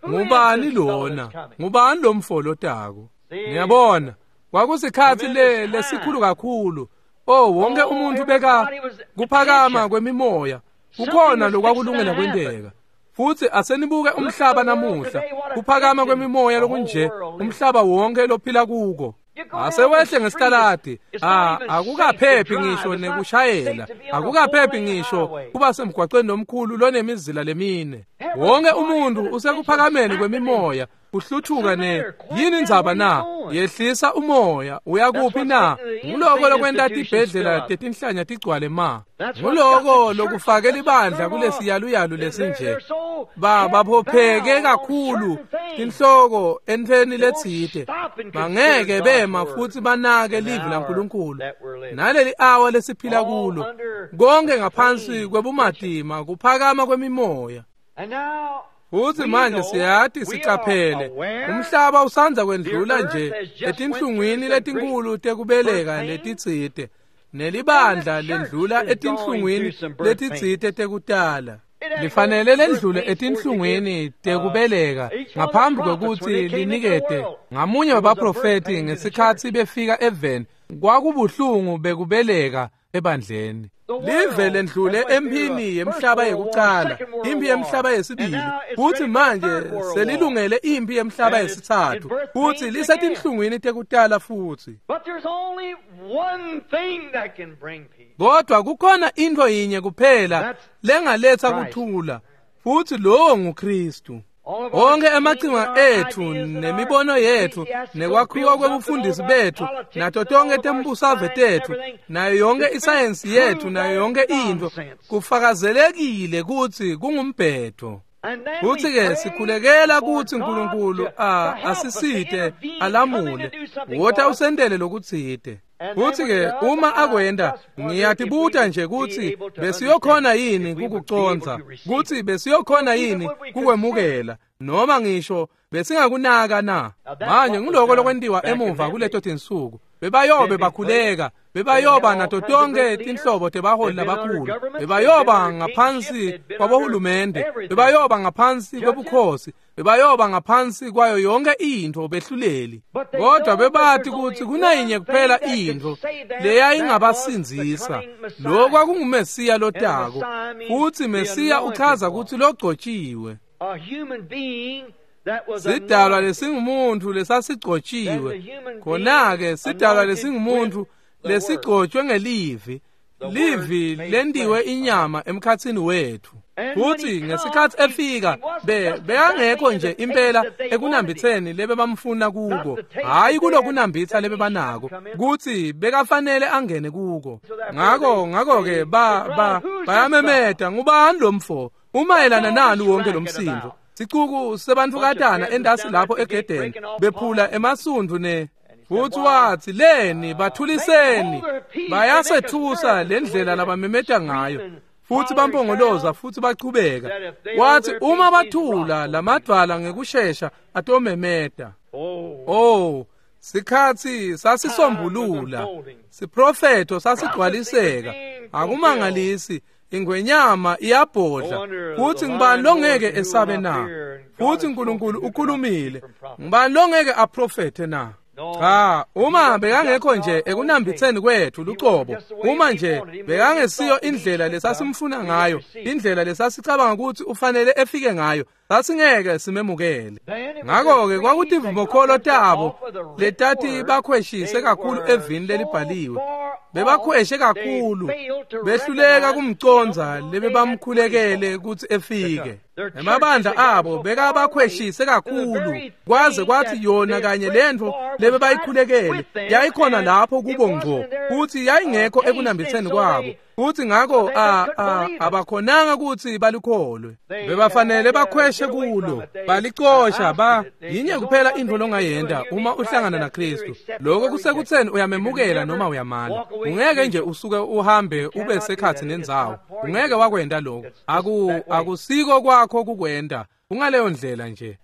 ngubani lona? Ngubani lomfo lotako? Ngiyabona kwakusikhatsi lesikhulu kakhulu. Oh, wonke umuntu beka kuphakama kwemimoya, kukhona lokwakulungela kwenteka. Futhi asenibuke umhlaba namuhla, kuphakama kwemimoya lokunje, umhlaba wonke lophila kuko. Asewehle ngesitaladi, akukaphephi ngisho nekushayela, akukaphephi ngisho kuba semgwaqweni lomkhulu lonemizila lemine. Wonke umuntu usekuphakameni kwemimoya, kuhluthuka ne yini indzaba na? Yehlisa umoya, uyakuphi na? Nguloko lokwenta tibhedlela tetinhlanya tigcwale ma. Nguloko lokufake libandla kulesiyaluyalu lesinje. Baphopheke kakhulu tinhloko entfweni letsite. Bangeke bema futhi banake livi laNkulunkulu. Naleli awa lesiphila kulo, konke ngaphansi kwebumatima, kuphakama kwemimoya. Futhi manje siyati sicaphele umhlaba usandza kwendlula nje etinhlungwini letinkulu tekubeleka letitsite, nelibandla lendlula etinhlungwini letitsite tekutala. Lifanele lendlule etinhlungwini tekubeleka ngaphambi kwekutsi linikete ngamunye wabaprofeti ngesikhatsi befika eveni. Kwakubuhlungu bekubeleka ebandleni. Live lendlule emphini yemhlaba yekucala, imphi yemhlaba yesibili, futhi manje selilungele imphi yemhlaba yesitsatfu, futhi lisetinhlungwini tekutala futhi. Kodwa kukhona intfo yinye kuphela lengaletsa kuthula, futhi lowo nguKristu. Onke emachinga ethu nemibono yethu nekwakhiwa kwebufundisi bethu nato tonke tembusave tethu nayo yonke isayensi yethu nayo yonke intfo kufakazelekile kutsi kungumbhedo. Futhi-ke sikhulekela kutsi Nkulunkulu asisite alamule, wota usentele lokutsite. Futhi-ke uma akwenta, ngiyatibuta nje kutsi besiyokhona yini kukucondza, kutsi besiyokhona yini kukwemukela, noma ngisho besingakunaka na. Manje nguloko lokwentiwa emuva kuleto tinsuku. Bebayobe bakhuleka, bebayoba nato tonke tinhlobo tebaholi labakhulu, bebayoba ngaphansi kwabohulumende, bebayoba ngaphansi kwebukhosi, bebayoba ngaphansi kwayo yonke intfo behluleli. Kodwa bebati kutsi kunayinye kuphela intfo leyayingabasindzisa, lokho kwakunguMesiya lotako. Futhi Mesiya uchaza kutsi logcotshiwe. Sidalwa lesingumuntu lesasigcotshiwe. Khona-ke sidalwa lesingumuntu lesigcotshwe ngelivi, livi lentiwe inyama emkhatsini wethu. Futhi ngesikhatsi efika bekangekho nje impela ekunambitseni lebebamfuna kuko, hhayi kulokunambitsa lebebanako, kutsi bekafanele angene kuko. Ngako-ke bayamemeta, ngubani lo mfo? Umayelana nani wonke lo msindo? Sicuku sebantukatana endasi lapho egedeni bephula emasundvu ne. Futhi wathi, leni bathuliseni, bayasethusa lendlela labamemeta ngayo. Futhi bampongoloza futhi bachubeka. Wathi uma bathula lamadvwala ngekushesha atomemeta. Oh, sikhatsi sasisombulula, siprofetho sasigcwaliseka. Akumangalisi ingwenyama iyabhodla. Futhi ngibani longeke esabe na? Futhi uNkulunkulu ukhulumile, ngibani longeke aprofethe na? Cha, uma bekangekho nje ekunambitseni kwethu lucobo, uma nje bekangesiyo indlela lesasimfuna ngayo, indlela lesasicabanga ukuthi ufanele efike ngayo, sasingeke simemukele. Ngakho-ke kwakutivumokholo tabo letati bakhweshise kakhulu evini lelibhaliwe. Bebakhweshe kakhulu, behluleka kumcondza lebebamkhulekele kutsi efike. Emabandla abo bekabakhweshise kakhulu, kwaze kwathi yona kanye lentfo lebebayikhulekele yayikhona lapho kubo ngco, futhi yayingekho ekunambitseni kwabo. Futhi ngakho abakhonanga kutsi balikholwe. Bebafanele bakhweshe kulo, balicosha. Yinye kuphela intfo longayenta uma uhlangana naKristu, lokho kusekutseni uyamemukela noma uyamala. Ungeke nje usuke uhambe ube sekhatsi nendzawo, ungeke wakwenta lokho. Akusiko kwakho kukwenta, kungaleyo ndlela nje.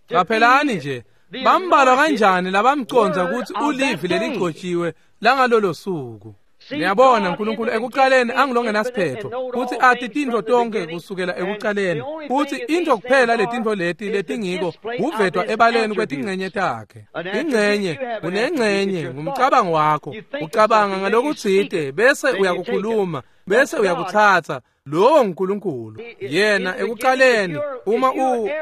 Qaphelani nje, bambalwa kanjani labamcondza kutsi ulivi leligcotshiwe langalolo suku. Niyabona uNkulunkulu ekuqaleni angilongenasiphetho futhi athi tintfo tonke kusukela ekuqaleni futhi into kuphela letintfo leti letingiko kuvetwa ebaleni kwetingcenye takhe. Ingcenye unengcenye ngumcabango wakho, ucabanga ngalokutsite bese uyakukhuluma bese uyakutsatsa. Lowo nguNkulunkulu. Yena ekuqaleni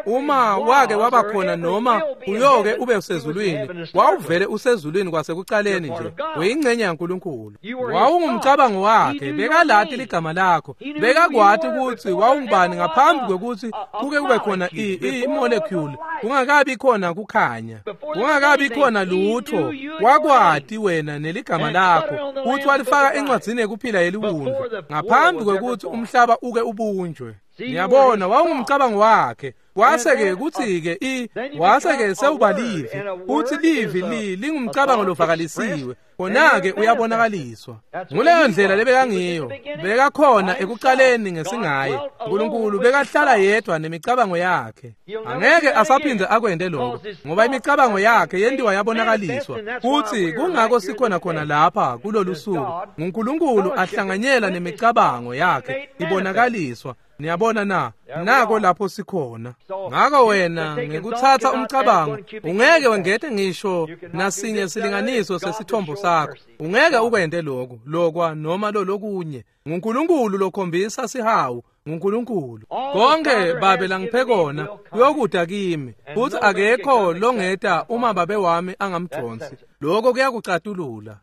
uma wake waba khona noma uyoke ube usezulwini, wawuvele usezulwini kwasekuqaleni nje, uyingcenye yaNkulunkulu. Wawungumcabango wakhe, bekalati ligama lakho, bekakwati ukuthi wawungubani ngaphambi kwekuthi kuke kube khona i-molecule, kungakabi khona kukhanya, kungakabi khona lutho, wakwati wena neligama lakho, futhi walifaka encwadzini yekuphila yeliwundlu ngaphambi kwekuthi umhlaba uke ubunjwe. Ngiyabona wawungumcabango wakhe. Wase-ke kuthi-ke wase-ke sewuba livi, uthi livi lingumcabango lovakalisiwe, khona-ke uyabonakaliswa. Nguleyo ndlela lebekangiyo, bekakhona ekuqaleni ngesingaye. uNkulunkulu bekahlala yedwa nemicabango yakhe. Angeke asaphinde akwente lokho, ngoba imicabango yakhe yentiwa yabonakaliswa. Futhi kungako sikhona khona lapha kulolu suku, nguNkulunkulu ahlanganyela nemicabango yakhe ibonakaliswa. Niyabona na? Nako lapho sikhona. Ngako wena ngekuthatha umcabango ungeke wengete ngisho nasinye silinganiso sesithombo sakho. Ungeke ukwente lokhu, lokwa noma lolokunye. NguNkulunkulu lokhombisa sihawu, nguNkulunkulu. Konke babe langiphe kona kuyokuda kimi, futhi akekho longeta uma babe wami angamdonsi. Lokho kuyakucatulula.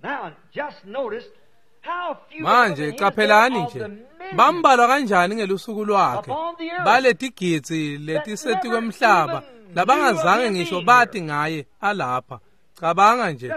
Manje qaphelani nje, bambalwa kanjani ngelusuku lwakhe baletigidzi letiseti kwemhlaba labangazange ngisho bati ngaye alapha. Cabanga nje,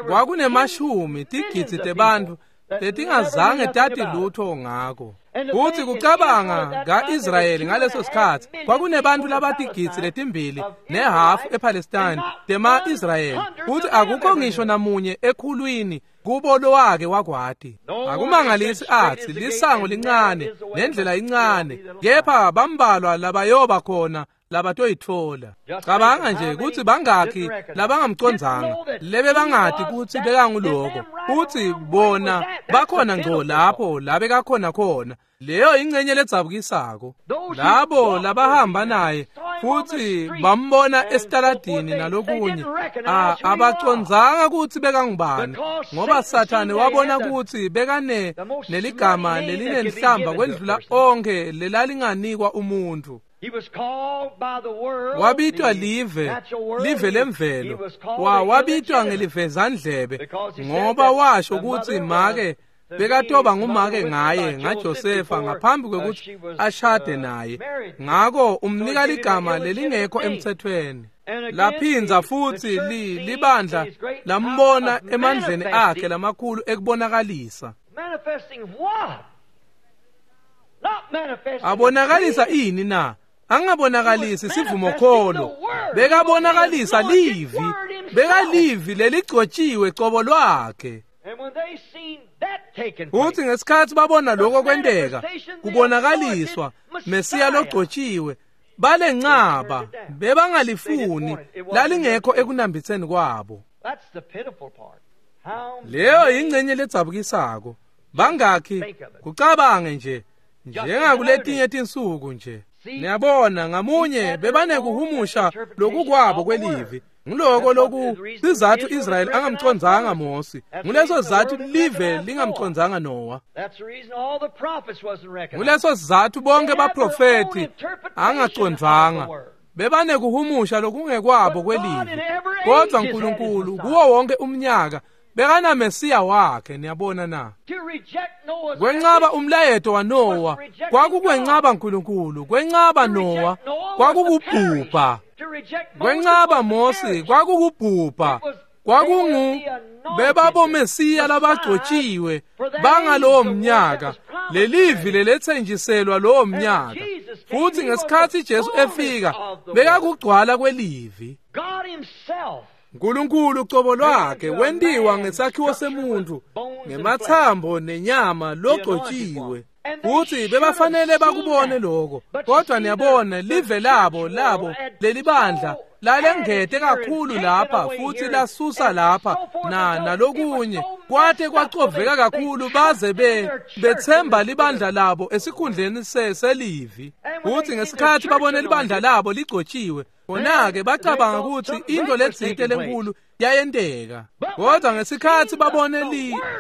kwakunemashumi tigidzi tebantfu letingazange tati lutho ngako. Kuthi kucabanga ka-Israyeli ngaleso sikhathi kwakunebantfu labatigidzi letimbili nehafu ePalestine tema-Israyeli, futhi akukho ngisho namunye ekhulwini kubo lowake wakwati. Akumangalisi athi lisango lincane nendlela incane, kepha bambalwa labayoba khona labatoyitfola. Cabanga nje kutsi bangakhi labangamcondzanga, lebe bangati kutsi bekanguloko, kutsi bona bakhona ngco lapho labekakhona khona. Leyo ingcenye ledzabukisako. Labo labahamba naye futhi bambona esitaladini nalokunye, abacondzanga kutsi bekangubani, ngoba Sathane wabona kutsi bekane neligama lelinenhlamba kwendlula onke lelalinganikwa umuntu. Wabitwa live, live lemvelo, wabitwa ngelivezandlebe, ngoba washo kutsi make bekatoba ngumake ngaye ngaJosefa ngaphambi kwekuthi ashade naye. Ngako umnika ligama lelingekho emthethweni. Laphinza futhi libandla lambona emandleni akhe lamakhulu ekubonakalisa. Abonakalisa ini na? Angabonakalisi sivumokholo, bekabonakalisa livi, bekalivi leligcotshiwe cobo lwakhe. Futhi ngesikhathi babona lokho kwenteka, kubonakaliswa Mesiya logcotshiwe, balencaba bebangalifuni, lalingekho ekunambitseni kwabo. Leyo ingcenye ledzabukisako. Bangakhi kucabange nje njengakuletinye tinsuku nje. Niyabona ngamunye bebanekuhumusha lokukwabo kwelivi. Ngiloko loku sizathu Israyeli angamcondzanga Mosi. Nguleso sizathu live lingamcondzanga Noah. Nguleso sizathu bonke baprofeti angacondzanga. Bebanekuhumusha lokungekwabo kwelivi. Kodwa uNkulunkulu kuwo wonke umnyaka bekana Mesiya wakhe. Niyabona na? Kwencaba umlayeto waNoah kwakukwencaba uNkulunkulu, kwencaba Noah kwakukubhubha, kwencaba Mosi kwakukubhubha, kwakungu bebabomesiya labagcotshiwe bangalowo mnyaka, lelivi lelethenjiselwa lowo mnyaka. Futhi ngesikhathi Jesu efika bekakugcwala kwelivi. uNkulunkulu cobo lwakhe wentiwa ngesakhiwo semuntu ngemathambo nenyama logcotshiwe. Futhi bebafanele bakubone lokho. Kodwa niyabona live labo lelibandla lalengete kakhulu lapha futhi lasusa lapha na nalokunye kwathe kwacoveka kakhulu baze bethemba libandla labo esikhundleni selivi. Futhi ngesikhathi babone libandla labo ligcotshiwe, khona-ke bacabanga ukuthi into letsite lenkulu yayenteka. Kodwa ngesikhathi babone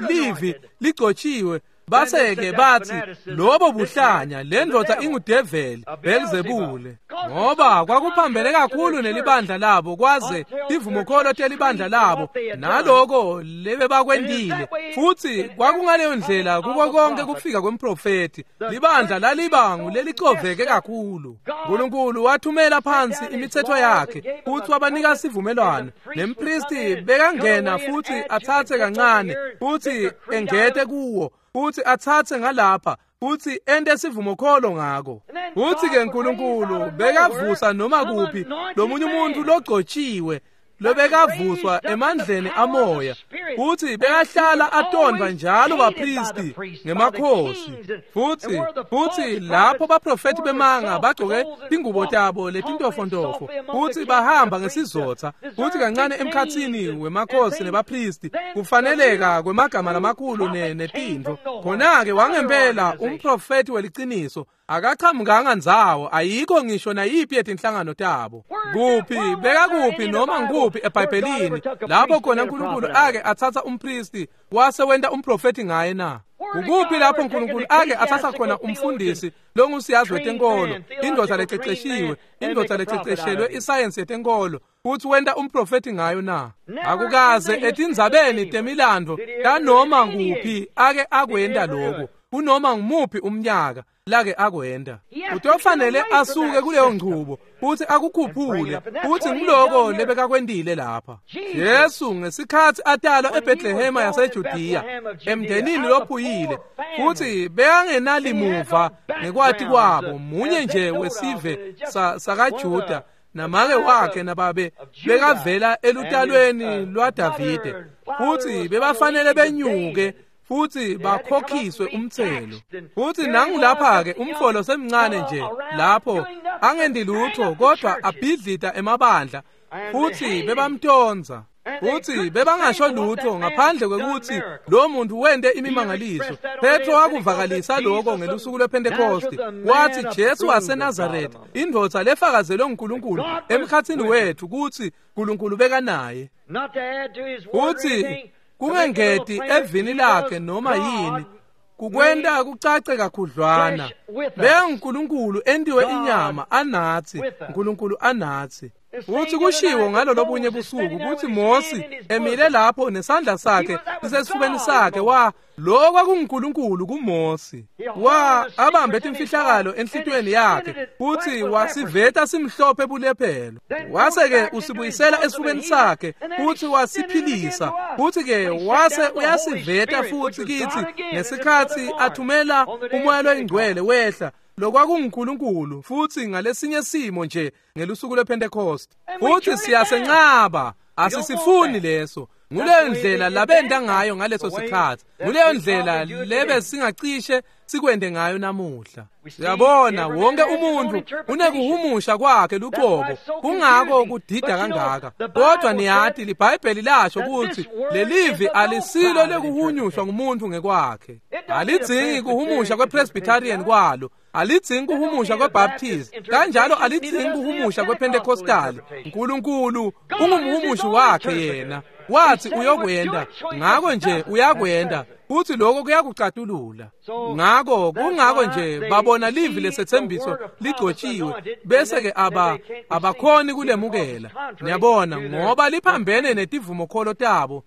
livi ligcotshiwe, base-ke bathi lobo buhlanya, le ndoda ingudeveli Belzebule, ngoba kwakuphambene kakhulu nelibandla labo kwaze tivumokholo telibandla labo naloko lebebakwentile. Futhi kwakungaleyo ndlela kuko konke kufika kwemprofethi, libandla lalibangu lelicoveke kakhulu. Nkulunkulu wathumela phansi imithetho yakhe futhi wabanika sivumelwano, nempristi bekangena futhi athathe kancane futhi engete kuwo, futhi athathe ngalapha futhi ente sivumokholo ngako. Futhi ke Nkulunkulu bekavusa noma kuphi lomunye umuntu logcotshiwe lobekavuswa emandleni amoya, futhi bekahlala atondwa njalo bapristi ngemakhosi. Futhi lapho baprofethi bemanga bagcoke tingubo tabo letintofontofo futhi bahamba ngesizotha, futhi kancane emkhathini wemakhosi nebapristi kufaneleka kwemagama lamakhulu netintfo. Khona-ke wangempela umprofethi weliciniso akachamukanga ndzawo, ayikho ngisho nayiphi yetinhlangano tabo. Kuphi bekakuphi noma nguphi eBhayibhelini lapho khona uNkulunkulu ake athatha umpristi wase wenta umprofethi ngaye na? Ukuphi lapho uNkulunkulu ake athatha khona umfundisi longusiyazi wetenkolo, indoda lececeshiwe, indoda lececeshelwe isayensi yetenkolo, futhi wenta umprofethi ngayo na? Akukaze etindzabeni temilando tanoma kuphi ake akwenta lokho kunoma ngumuphi umnyaka lake akwenda. Utofanele asuke kuleyo ngcubo futhi akukhuphule, futhi ngiloko lebekakwentile lapha. Jesu ngesikhathi atalwa eBethlehema yaseJudiya emndenini lophuyile, futhi bekangenalimuva ngekwati kwabo, munye nje wesive sakaJuda, namake wakhe nababe bekavela elutalweni lwaDavide, futhi bebafanele benyuke futhi bakhokhiswe umthelo. Futhi nangulapha-ke umfolo semncane nje lapho angendi lutho kodwa abhidlita emabandla, futhi bebamtonza, futhi bebangasho lutho ngaphandle kwekuthi lo muntu wente imimangaliso. Petro wakuvakalisa lokho ngelusuku lwePhentekoste, wathi Jesu waseNazaretha, indvodza lefakazelwe nguNkulunkulu emkhathini wethu ukuthi uNkulunkulu bekanaye. Futhi kungengeti evini lakhe noma yini kukwenta kucace kakhudlwana, benguNkulunkulu entiwe inyama anathi, uNkulunkulu anathi. Uthi kushiwo ngalo lobunye busuku ukuthi Mose emile lapho nesandla sakhe sisesifubeni sakhe, wa lo kwakunguNkulunkulu kuMose, wa abambe timfihlakalo enhlitiyweni yakhe futhi wasiveta simhlophe bulephelo, wase-ke usibuyisela esifubeni sakhe futhi wasiphilisa, futhi-ke wase uyasiveta futhi kithi ngesikhathi athumela umoya loyingcwele wehla lokwakunguNkulunkulu futhi ngalesinye simo nje ngelusuku lwePhentekoste. Futhi siyasenqaba, asisifuni leso. Nguleyo ndlela labenda ngayo ngaleso sikhathi, nguleyo ndlela lebe singacishe sikwende ngayo namuhla. Siyabona wonke umuntu unekuhumusha kwakhe luqobo, kungako kudida kangaka. Kodwa niyati liBhayibheli lasho ukuthi lelivi alisilo lekuhunyushwa ngumuntu ngekwakhe. Alidzingi kuhumusha kwePresbyterian kwalo, alidzingi kuhumusha kweBaptist, kanjalo alidzingi kuhumusha kwePentecostal. uNkulunkulu ungumhumushi wakhe yena, wathi uyokwenda, ngako nje uyakwenda, futhi lokho kuyakucatulula. Ngako kungako nje babona livi lesethembiso ligcotshiwe, bese-ke abakhoni kulemukela. Niyabona, ngoba liphambene netivumokholo tabo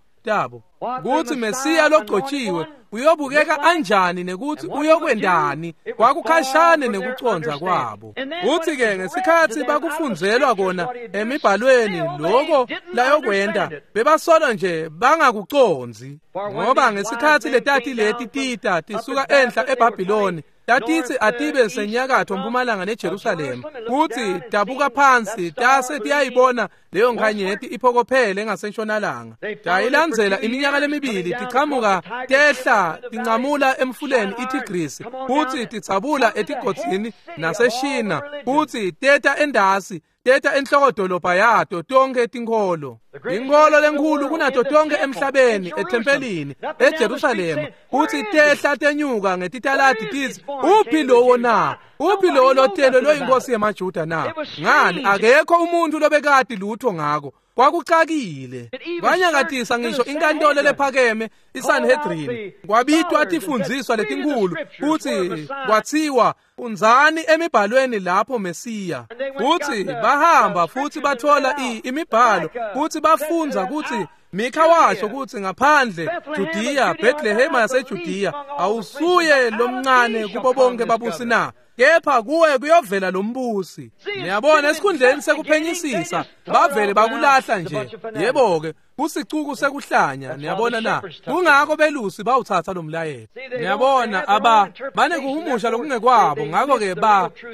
kuthi Mesiya logcotshiwe uyobukeka anjani nekuthi uyokwendani, kwakukhashane nekucondza kwabo. Uthi-ke ngesikhathi bakufunzelwa kona emibhalweni lokho layokwenda, bebasolo nje bangakucondzi, ngoba ngesikhathi letati leti tita tisuka enhla eBhabhiloni Tatitsi atibe senyakatho mpumalanga neJerusalema, kutsi tabuka phansi tase tiyayibona leyo nkhanyeti iphokophele ngasentshonalanga. Tayilandzela iminyaka lemibili tichamuka tehla tincamula emfuleni iTigrisi, kutsi titsabula etigodzini naseShina, kutsi teta endasi teta enhlokodolobha yato tonkhe tinkholo. Inkholo lenkhulu kunato tonkhe emhlabeni ethempelini eJerusalema, kutsi tehla tenyuka ngetitaladi titsi, uphi lowo na? Uphi lowo lotelwe loyinkosi yemaJuda na? Ngani, akekho umuntu lobekati lutho ngako. Kwakucakile. Kwanyakatisa ngisho inkantolo lephakeme iSanhedrin. Kwabitwa tifundziswa letinkhulu kutsi kwatsiwa unzani emibhalweni lapho Mesiya. Kutsi bahamba futsi bathola imibhalo kutsi bafundza kutsi Mikha washo kutsi ngaphandle Judiya, Bethlehem yaseJudiya, awusuye lomncane kubo bonke babusi na? Kepha kuwe kuyovela lombusi. Niyabona, esikhundleni sekuphenyisisa bavele bakulahla nje. Yebo-ke, kusicuku sekuhlanya. Niyabona na? Kungako belusi bawuthatha lo mlayeto. Niyabona, aba banekuhumusha lokungekwabo, ngako-ke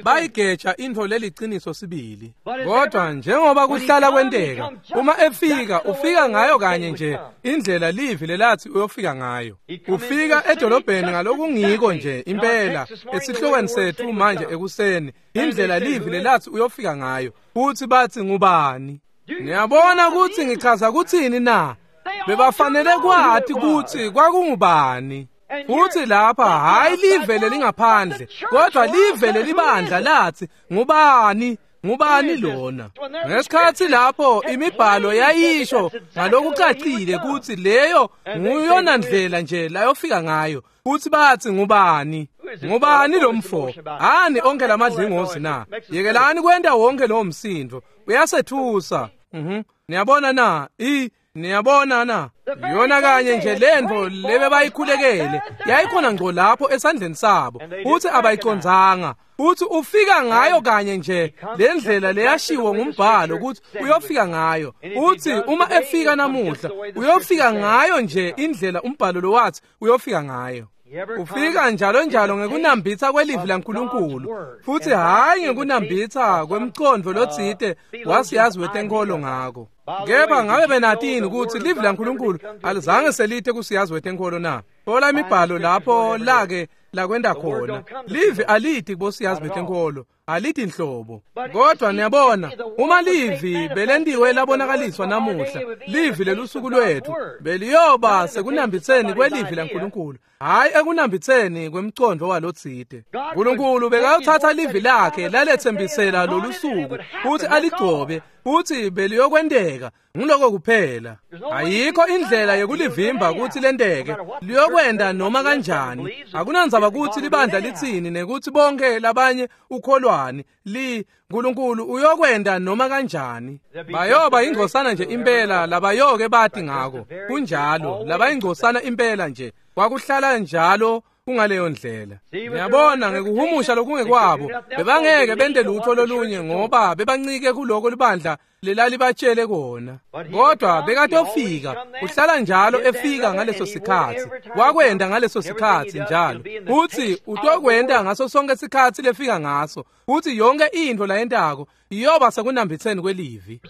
bayigeja intfo leliciniso sibili. Kodwa njengoba kuhlala kwenteka, uma efika ufika ngayo kanye nje indlela livi lelatsi uyofika ngayo. Ufika edolobheni ngalokungiko nje impela esihlokweni sethu manje ekuseni, indlela livi lelatsi uyofika ngayo. Futhi bathi ngubani? Niyabona kutsi ngichaza kutsini na? Bebafanele kwati kutsi kwakungubani. Futhi lapha hayi live lelingaphandle, kodwa live lelibandla lathi ngubani? Ngubani lona? Ngesikhatsi lapho imibhalo yayisho ngalokucacile kutsi leyo nguyona ndlela nje layofika ngayo. Futhi bathi ngubani? Ngubani lo mfo? Hani onke lamadlingozi na? Yekelani kwenta wonke lowo msindo. Uyasethusa. Niyabona na? Niyabona na? Yona kanye nje lentfo lebe bayikhulekele yayikhona ngco lapho esandleni sabo, futhi abayicondzanga. Futhi ufika ngayo kanye nje le ndlela leyashiwo ngumbhalo ukuthi uyofika ngayo. Uthi uma efika namuhla uyofika ngayo nje indlela umbhalo lowathi uyofika ngayo. Ufika njalo njalo ngekunambitsa kwelivi laNkulunkulu, futhi hhayi ngekunambitsa kwemcondvo lotsite wasiyazi wetenkholo ngako. Kepha ngabe benatini ukuthi livi laNkulunkulu alizange selite kusiyazi wetenkholo na? Thola imibhalo lapho lake lakwenda khona. Livi aliti kubosiyazi betenkholo, aliti nhlobo. Kodwa niyabona, uma livi belentiwe labonakaliswa namuhla, livi lelusuku lwethu beliyoba sekunambitseni kwelivi laNkulunkulu, hhayi ekunambitseni kwemcondvo walotsite. Nkulunkulu bekayothatha livi lakhe laletsembisela lolusuku futhi aligcobe, futhi beliyokwenteka. Nguloko kuphela. Ayikho indlela yekulivimba kutsi lenteke. Liyokwenda noma kanjani. Akunandzaba kutsi libandla litsini nekuthi bonke labanye ukholwani. Nkulunkulu uyokwenda noma kanjani. Bayoba ingcosana nje impela labayoke bati ngako. Kunjalo, labayingcosana impela nje. Kwakuhlala njalo kungaleyo ndlela. Niyabona, ngekuhumusha lokungekwabo bebangeke bente lutho lolunye ngoba bebancike kuloko libandla lelalibatshele kona. Kodwa bekatofika, uhlala njalo efika ngaleso sikhatsi. Wakwenda ngaleso sikhatsi njalo. Uthi utokwenda ngaso sonke sikhatsi lefika ngaso. Uthi yonke intfo layentako iyoba sekunambitseni kwelivi.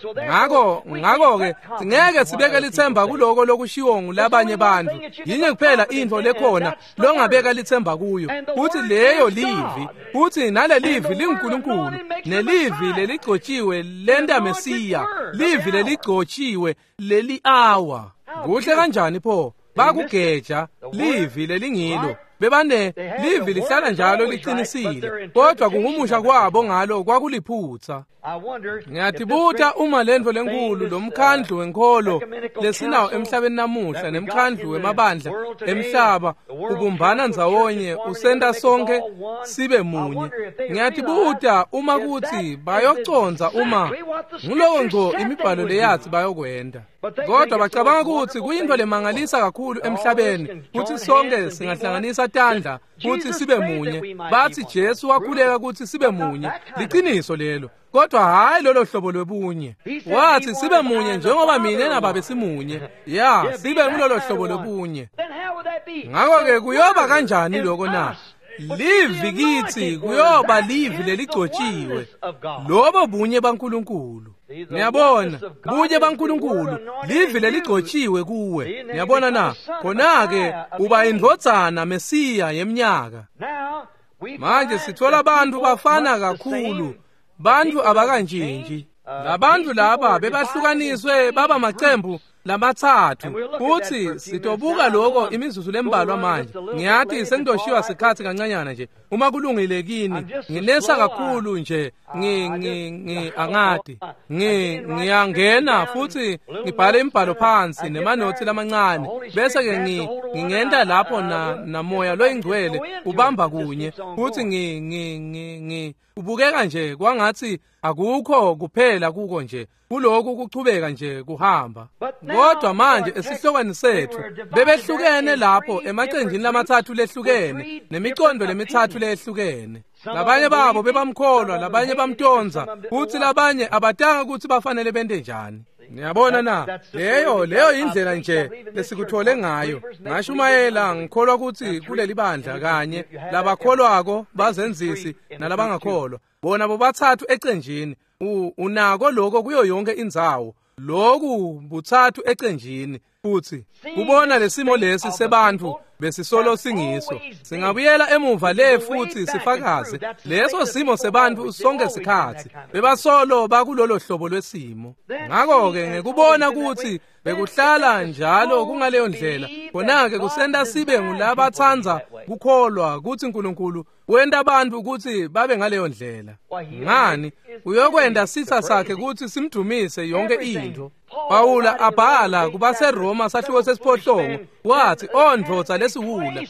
Ngako-ke singeke sibeke litsemba kuloko lokushiwo ngulabanye bantfu. Yinye kuphela intfo lekhona longabeka litsemba kuyo, uthi leyo livi. Uthi nale livi linguNkulunkulu, nelivi leligcotshiwe lenta Mesiya, livi leligcotshiwe leli awa. Kuhle kanjani pho? Bakugeja livi lelingilo. Bebane livi lihlala njalo liqinisile, kodwa kuhumusha kwabo ngalo kwakuliphutsa. Ngiyatibuta uma lentfo lenkulu lomkhandlu wenkholo lesinawo emhlabeni namuhla nemkhandlu wemabandla emhlaba ubumbana ndzawonye usenta sonke sibe munye. Ngiyatibuta uma kutsi bayocondza uma nguloko ngco imibhalo leyathi bayokwenda. Kodwa bacabanga kutsi kuyintfo lemangalisa kakhulu emhlabeni kutsi sonke singahlanganisa tandla kutsi sibe munye. Bathi Jesu wakhuleka kutsi sibe munye. Liqiniso lelo. Kodwa hhayi lolo hlobo lwebunye. Wathi sibe munye njengoba mina nababe simunye. Ya, sibe ngulolo hlobo lwebunye. Ngakho-ke kuyoba kanjani lokho na? Livi kithi kuyoba livi leligcotshiwe, lobo bunye baNkulunkulu. Niyabona, bunye baNkulunkulu, livi leligcotshiwe kuwe. Niyabona na? Khona-ke uba indvodzana Mesiya yeminyaka. Manje sithola abantu bafana kakhulu, bantu abakantshintshi. Labantu laba bebahlukaniswe baba macembu lamathathu, futhi sitobuka lokho imizuzu lembalwa manje. Ngiyathi sengidoshiwa sikhathi kancanyana nje, uma kulungile kini. Nginesa kakhulu nje, angadi ngiyangena futhi ngibhale imibhalo phansi nemanothi lamancane, bese ke ngingenda lapho namoya loyingcwele ubamba kunye, futhi ngi ubukeka nje kwangathi akukho kuphela kuko nje, kuloku kuchubeka nje kuhamba. Kodwa manje esihlokweni sethu bebehlukene lapho emacenjini lamathathu lehlukene nemicondo lemithathu lehlukene. Labanye babo bebamkholwa, labanye bamtonza, futhi labanye abatanga ukuthi bafanele bente njani. Niyabona na? Leyo indlela nje lesikuthole ngayo. Ngashumayela ngikholwa ukuthi kuleli bandla kanye labakholwako bazenzisi nalabangakholwa, bona bobathathu ecenjini. Unako lokho kuyo yonke indzawo, lokhu buthathu ecenjini. Futhi kubona lesimo lesi sebantu besisolo singiso, singabuyela emuva le futhi sifakaze leso simo sebantu sonke sikhathi bebasolo bakulolo hlobo lwesimo. Ngakho-ke ngekubona ukuthi bekuhlala njalo kungaleyo ndlela, khona-ke kusenta sibe ngulabathandza kukholwa ukuthi uNkulunkulu wenta abantu ukuthi babe ngaleyo ndlela. Ngani? Uyokwenda sitha sakhe ukuthi simdumise yonke into. Pawula abhala kubaseRoma sahluko sesiphohlongo, wathi, "O ndvodza lesiwula,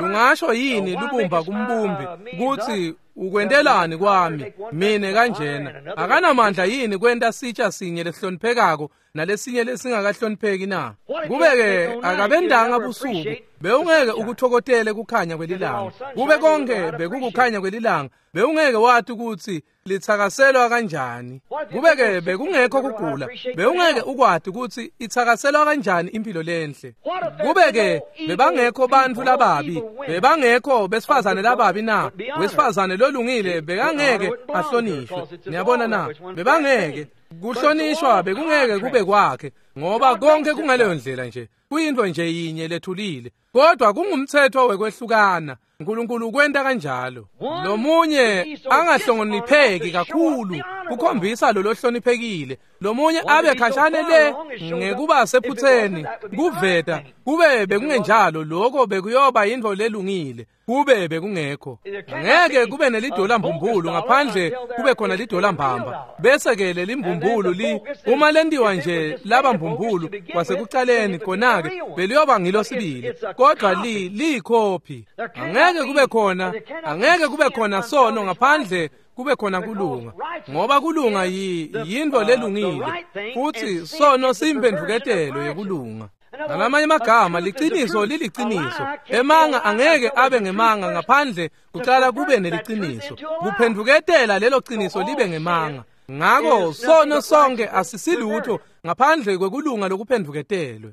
lungasho yini lubumba kumbumbi ukuthi ukwentelani kwami mine kanjena? Akanamandla yini kwenta sitsha sinye lesihloniphekako nalesinye lesingakahlonipheki na? Kube-ke akabendanga busuku, bewungeke ukuthokotele kukhanya kwelilanga. Kube konke bekukukhanya kwelilanga, bewungeke wathi ukuthi lithakaselwa kanjani. Kube-ke bekungekho kugula, bewungeke ukwati ukuthi ithakaselwa kanjani impilo lenhle. Kube-ke bebangekho bantfu lababi, bebangekho besifazane lababi na? Wesifazane lolungile bekangeke ahlonishwe. Niyabona na? Bebangeke kuhlonishwa, bekungeke kube kwakhe, ngoba konke kungaleyo ndlela nje, kuyinto nje yinye lethulile. Kodwa kungumthetho wekwehlukana. uNkulunkulu ukwenta kanjalo. Lomunye angahlonipheki kakhulu kukhombisa lo lohloniphekile, lomunye abe khashane le ngekuba sephutheni kuveta. Kube bekungenjalo, lokho bekuyoba yintfo lelungile. Kube bekungekho, ngeke kube nelidola mbumbulu ngaphandle kube khona lidola mbamba. Bese ke lelimbumbulu li uma lentiwa nje laba mbumbulu kwasekucaleni, khona-ke beliyoba ngilo sibili, kodwa liyikhophi. Angeke kube khona, angeke kube khona sono ngaphandle kube khona kulunga, ngoba kulunga yintfo lelungile, futhi sono siyimphendvuketelo yekulunga. Ngalamanye amagama, liciniso liliciniso. Emanga angeke abe ngemanga ngaphandle kucala kube neliciniso. Kuphendvuketela lelo ciniso libe ngemanga. Ngakho sono sonke asisilutho ngaphandle kwekulunga lokuphendvuketelwe.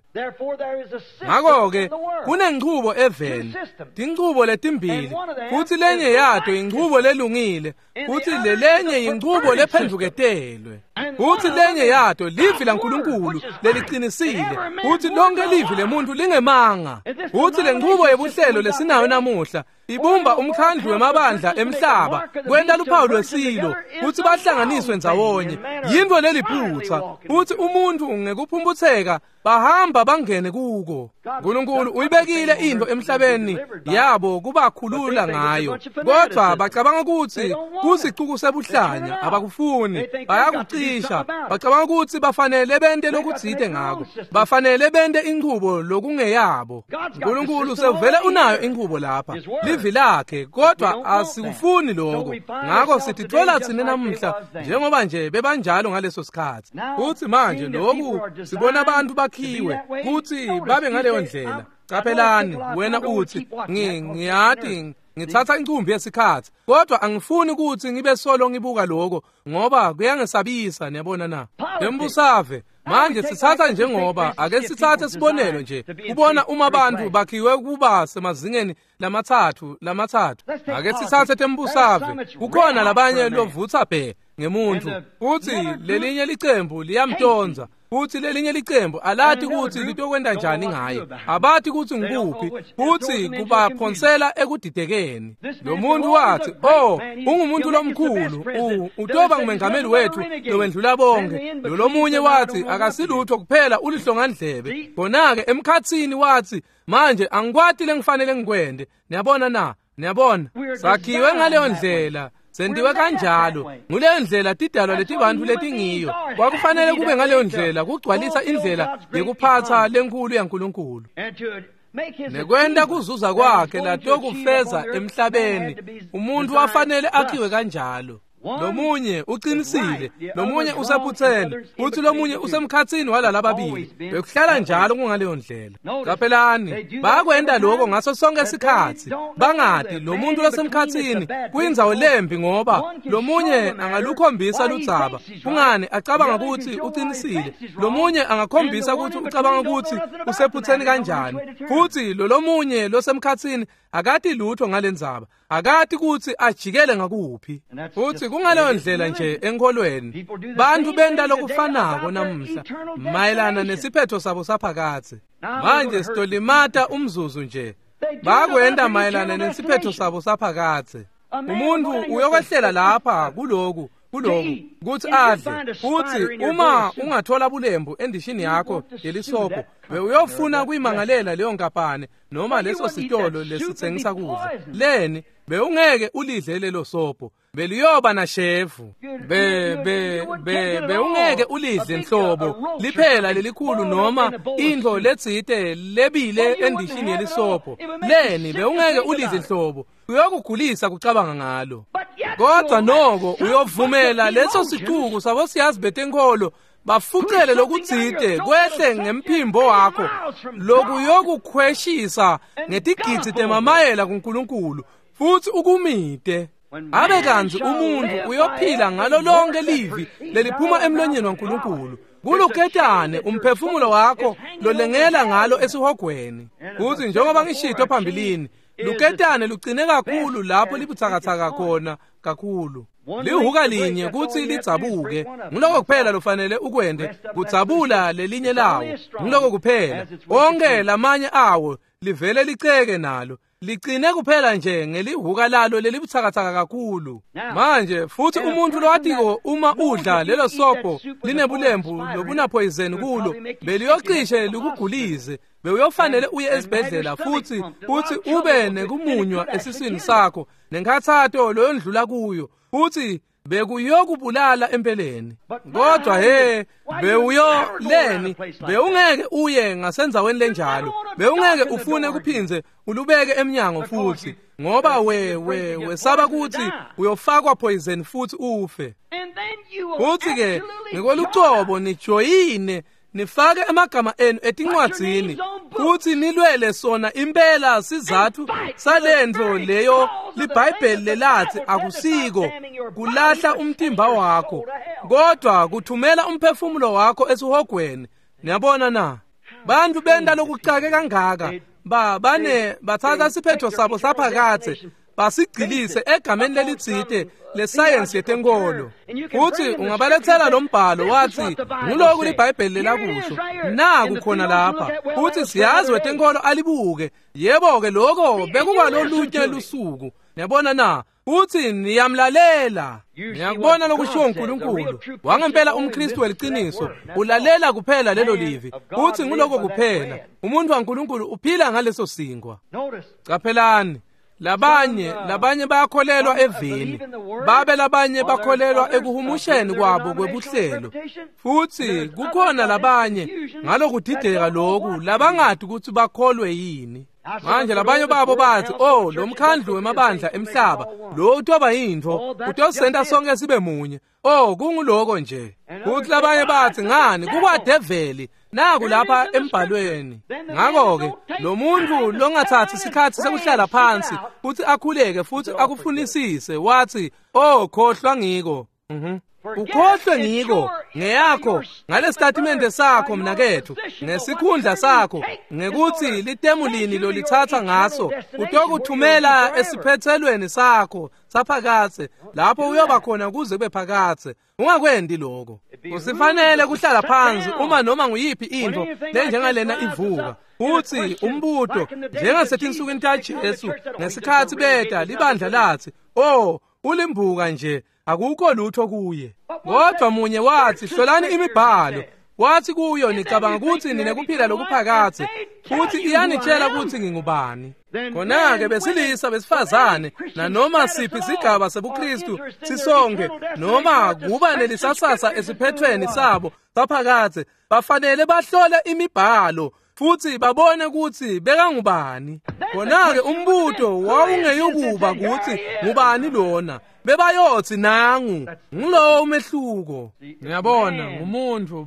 Ngakho-ke kunenchubo eveni, tinchubo letimbili, futhi lenye yato inchubo lelungile, futhi lelenye inchubo lephendvuketelwe. Futhi lenye yato livi laNkulunkulu leliqinisile, futhi lonke livi lemuntu lingemanga. Futhi lenchubo yebuhlelo lesinayo namuhla ibumba umkhandlu wemabandla emhlaba kwenta luphawu lwesilo futhi bahlanganiswe ndzawonye. Yintfo leliphutsa, futhi umuntu ngekuphumputseka bahamba bangene kuko. uNkulunkulu uyibekile into emhlabeni yabo kubakhulula ngayo, kodwa bacabanga ukuthi kusicuku sebuhlanya, abakufuni, bayakucisha. Bacabanga ukuthi bafanele bente lokutsite ngako, bafanele bente inchubo lokungeyabo. uNkulunkulu sevele unayo inchubo lapha, livi lakhe, kodwa asikufuni lokho. Ngakho sitithola thina namuhla njengoba nje bebanjalo ngaleso sikhathi. Futhi manje lokhu sibona abantu bakhiwe kuthi babe ngaleyo ndlela. Qaphelani, wena uthi, ngiyati ngithatha incumbi yesikhathi, kodwa angifuni ukuthi ngibe solo ngibuka lokho ngoba kuyangesabisa. Niyabona na? Lembusave Manje sitsatsa njengoba ake sitsatse sibonelo nje kubona uma bantu bakhiwe kuba semazingeni lamathathu. Ake sitsatse tembusave, kukhona labanye lovutsa bhe ngemuntu, futhi lelinye licembu liyamtonza, futhi lelinye licembu alati kutsi litokwenta njani ngaye, abati kutsi ngikuphi, futhi kubaphonsela ekudidekeni. Lo muntu wathi, oh, ungumuntu lomkhulu, utoba ngumengameli wethu lowendlula bonke. Lo wathi akasilutho kuphela ulihlongandlebe. Khona-ke emkhathini wathi, manje angikwati lengifanele ngikwende. Niyabona na? Niyabona? Sakhiwe ngaleyo ndlela. Sendiwe kanjalo. Nguleyo ndlela tidalwa letibantu letingiyo. Kwakufanele kube ngaleyo ndlela kugcwalisa indlela yekuphatha lenkulu yaNkulunkulu. Nekwenta kuzuza kwakhe latokufeza emhlabeni, umuntu wafanele akhiwe kanjalo. Lomunye uqinisile, lomunye usephutheni, futhi lomunye usemkhathini walalababili. Bekuhlala njalo kungaleyo ndlela. Qaphelani, bakwenta lokho ngaso sonke isikhathi. Bangati lo muntu losemkhathini kuyindzawo lembi ngoba lomunye angalukhombisa ludzaba. Kungani acabanga ukuthi uqinisile, lomunye angakhombisa ukuthi ucabanga ukuthi usephutheni kanjani. Futhi lo lomunye losemkhathini akati lutho ngalendzaba, akati ukuthi ajikele ngakuphi. Futhi kungaleyo ndlela nje enkholweni, bantu benta lokufanako namuhla mayelana nesiphetho sabo saphakatsi. Manje sitolimata umzuzu nje. Bakwenta mayelana nesiphetho sabo saphakatsi. Umuntu uyokwehlela lapha kuloku kuthi adle, futhi uma ungathola bulembu endishini yakho yelisobho, bewuyofuna kuyimangalela leyo nkampani noma leso sitolo lesitsengisa kudla. Leni bewungeke ulidle lelo sobho, beliyoba nashevu. Bewungeke ulidle nhlobo liphela lelikhulu noma intfo letsite lebile endishini yelisobho. Leni bewungeke ulidle nhlobo, uyokugulisa kucabanga ngalo. Kodwa noko uyovumela leso sicuku sabo siyazi betenkolo bafucele lokutsite kwehle ngemphimbo wakho, lokuyokukhweshisa ngetigidzi temamayela kuNkulunkulu, futhi ukumite. Abe kantsi umuntu uyophila ngalo lonke livi leliphuma emlonyeni waNkulunkulu. Kuluketane umphefumulo wakho lolengela ngalo esihogweni. Kuthi njengoba ngishito phambilini, luketane lugcine kakhulu lapho libuthakathaka khona kakhulu. Lihuka linye kutsi lidzabuke, nguloko kuphela lofanele ukwente, kudzabula lelinye lawo, nguloko kuphela. Onke lamanye awo livele liceke nalo, ligcine kuphela nje ngelihuka lalo lelibuthakathaka kakhulu. Manje futhi umuntu lowatiko uma udla lelo sobho linebulembu lobunaphoyizeni kulo, beliyocishe likugulize, bewuyofanele uye esibhedlela futhi ube nekumunywa esiswini sakho nenkhathato loyondlula kuyo, futhi bekuyokubulala empeleni. Kodwa he, bewuyoleni, bewungeke uye ngasendzaweni lenjalo, bewungeke ufune kuphindze ulubeke emnyango futhi, ngoba wesaba ukuthi uyofakwa poison futhi ufe. Futhi ke ngikolucobo nijoyine, nifake emagama enu etincwadzini futhi nilwele sona impela sizathu salentfo leyo liBhayibheli lelathi akusiko kulahla umtimba wakho, kodwa kuthumela umphefumulo wakho esihogweni. Niyabona na? Bantu benta lokucake kangaka, bathatha siphetho sabo saphakathe basigcilise egameni lelitsite lesayensi yetenkolo. Futhi ungabalethela lo mbhalo wathi nguloku liBhayibheli lelakusho, naku khona lapha, futhi siyazi wetenkolo alibuke. Yebo-ke lokho bekukwalolunye lusuku. Niyabona na? Futhi niyamlalela. Niyakubona lokushiwo uNkulunkulu. Wangempela umKristu weliciniso ulalela kuphela lelo livi, futhi nguloko kuphela. Umuntu waNkulunkulu uphila ngaleso singwa. Qaphelani, labanye bayakholelwa evini, babe labanye bakholelwa ekuhumusheni kwabo kwebuhlelo. Futhi kukhona labanye ngalokudideka lokhu labangadi ukuthi bakholwe yini. Manje labanye babo bathi, oh, lo mkhandlu wemabandla emhlaba lo utoba yintfo, utosenta sonke sibe munye. Oh, kunguloko nje. Kuthi labanye bathi, ngani kukwadeveli, naku lapha embhalweni. Ngakho-ke lo muntu longathathi isikhathi sekuhlala phansi futhi akhuleke futhi akufunisise wathi, oh, khohlwa ngiko. Ukhohlwe ngiko ngeyakho ngalesitatimende sakho mnakethu, ngesikhundla sakho, ngekuthi litemu lini lolithatha ngaso, utokuthumela esiphethelweni sakho saphakathe, lapho uyoba khona kuze kube phakathe. Ungakwendi lokho. Kusifanele kuhlala phansi uma noma nguyiphi into lenjengalena ivuka. Uthi umbuto njengasetinsukwini taJesu ngesikhathi beta libandla lathi, "Oh, ulimbuka nje, akukho lutho kuye." Kodwa munye wathi, "Hlolani imibhalo." Wathi kuyo, "Nicabanga ukuthi ninekuphila lokuphakathe, futhi iyanitshela ukuthi ngingubani." Khona-ke besilisa besifazane nanoma siphi isigaba sebuKristu sisonke noma kuba nelisasasa esiphethweni sabo saphakathe, bafanele bahlole imibhalo futhi babone ukuthi bekangubani. Khona-ke umbuto wawungeyukuba ukuthi ngubani lona, bebayothi nangu. Ngulowo umehluko. Ngiyabona ngumuntu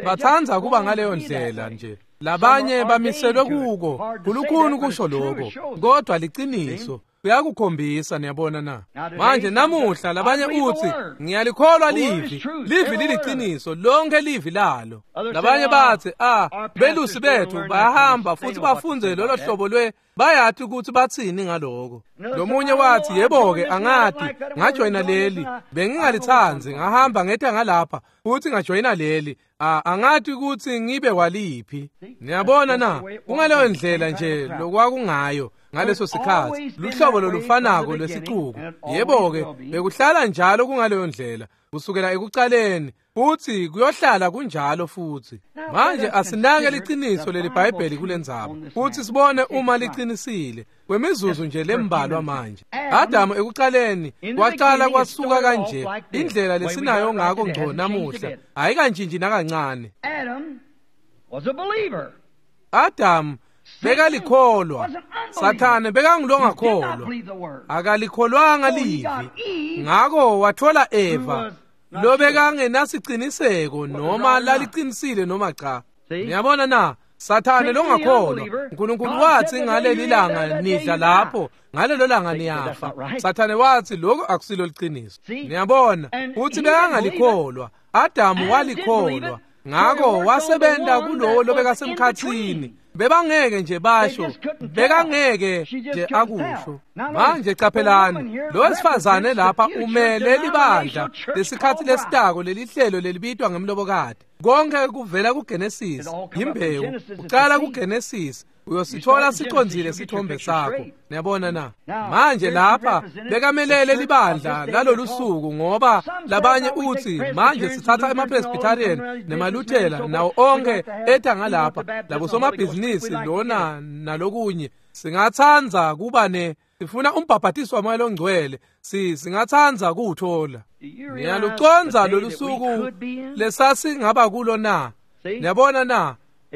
bathanda kuba ngaleyo ndlela nje. Labanye bamiselwe kuko, kulukhuni kusho lokho, kodwa liciniso kuyakukhombisa. Niyabona na? Manje namuhla labanye uthi, "Ngiyalikholwa livi, livi liliciniso, lonke livi lalo." Labanye bathi, belusi bethu bayahamba futhi bafunze lolo hlobo lwe, bayathi ukuthi bathini ngaloko. Lomunye wathi, "Yebo-ke, angati, ngajoyina leli, bengingalithandi, ngahamba ngetha ngalapha futhi ngajoyina leli, angathi ukuthi ngibe waliphi." Niyabona na? Kungaleyo ndlela nje lokwakungayo ngaleso sikhathi, luhlobo lolufanako lwesicuku. Yebo-ke, bekuhlala njalo kungaleyo ndlela kusukela ekucaleni, futhi kuyohlala kunjalo futhi. Manje asinake liciniso leliBhayibheli kulendzaba futhi sibone uma liqinisile kwemizuzu nje lembalwa. Manje Adamu ekucaleni waqala kwasuka kanje, indlela lesinayo ngako ngco namuhla ayikantshintshi nakancane. Adamu bekalikholwa, Sathane bekangulongakholwa, akalikholwanga livi. Ngako wathola Eva lobekangenasiciniseko noma laliqinisile noma cha. Niyabona na? Sathane longakholwa, uNkulunkulu wathi ngaleli langa nidla lapho, ngalelo langa niyafa. Sathane wathi lokho akusilo liqiniso. Niyabona uthi bekangalikholwa, Adamu walikholwa. Ngako wasebenta kulowo lobekasemkhathini. Bebangeke nje basho, bekangeke nje akusho. Manje caphelani, lo wesifazane lapha umele libandla lesikhathi lesitako, lelihlelo lelibitwa ngemlobokati. Konke kuvela kuGenesis, imbewu uqala kuGenesis, uyosithola sicondzile sithombe sakho. Niyabona na? Manje lapha bekamelele libandla lalolu suku, ngoba labanye uthi manje sithatha emaPresbyterian nemaLuthela nawo onke etha ngalapha, labo somabhizinisi lona nalokunye, singathanza kuba ne sifuna umbhabhatiso wamoya ongcwele, singathanza kuwuthola. Niyaluconza lolu suku lesasingaba kulo na? Niyabona na?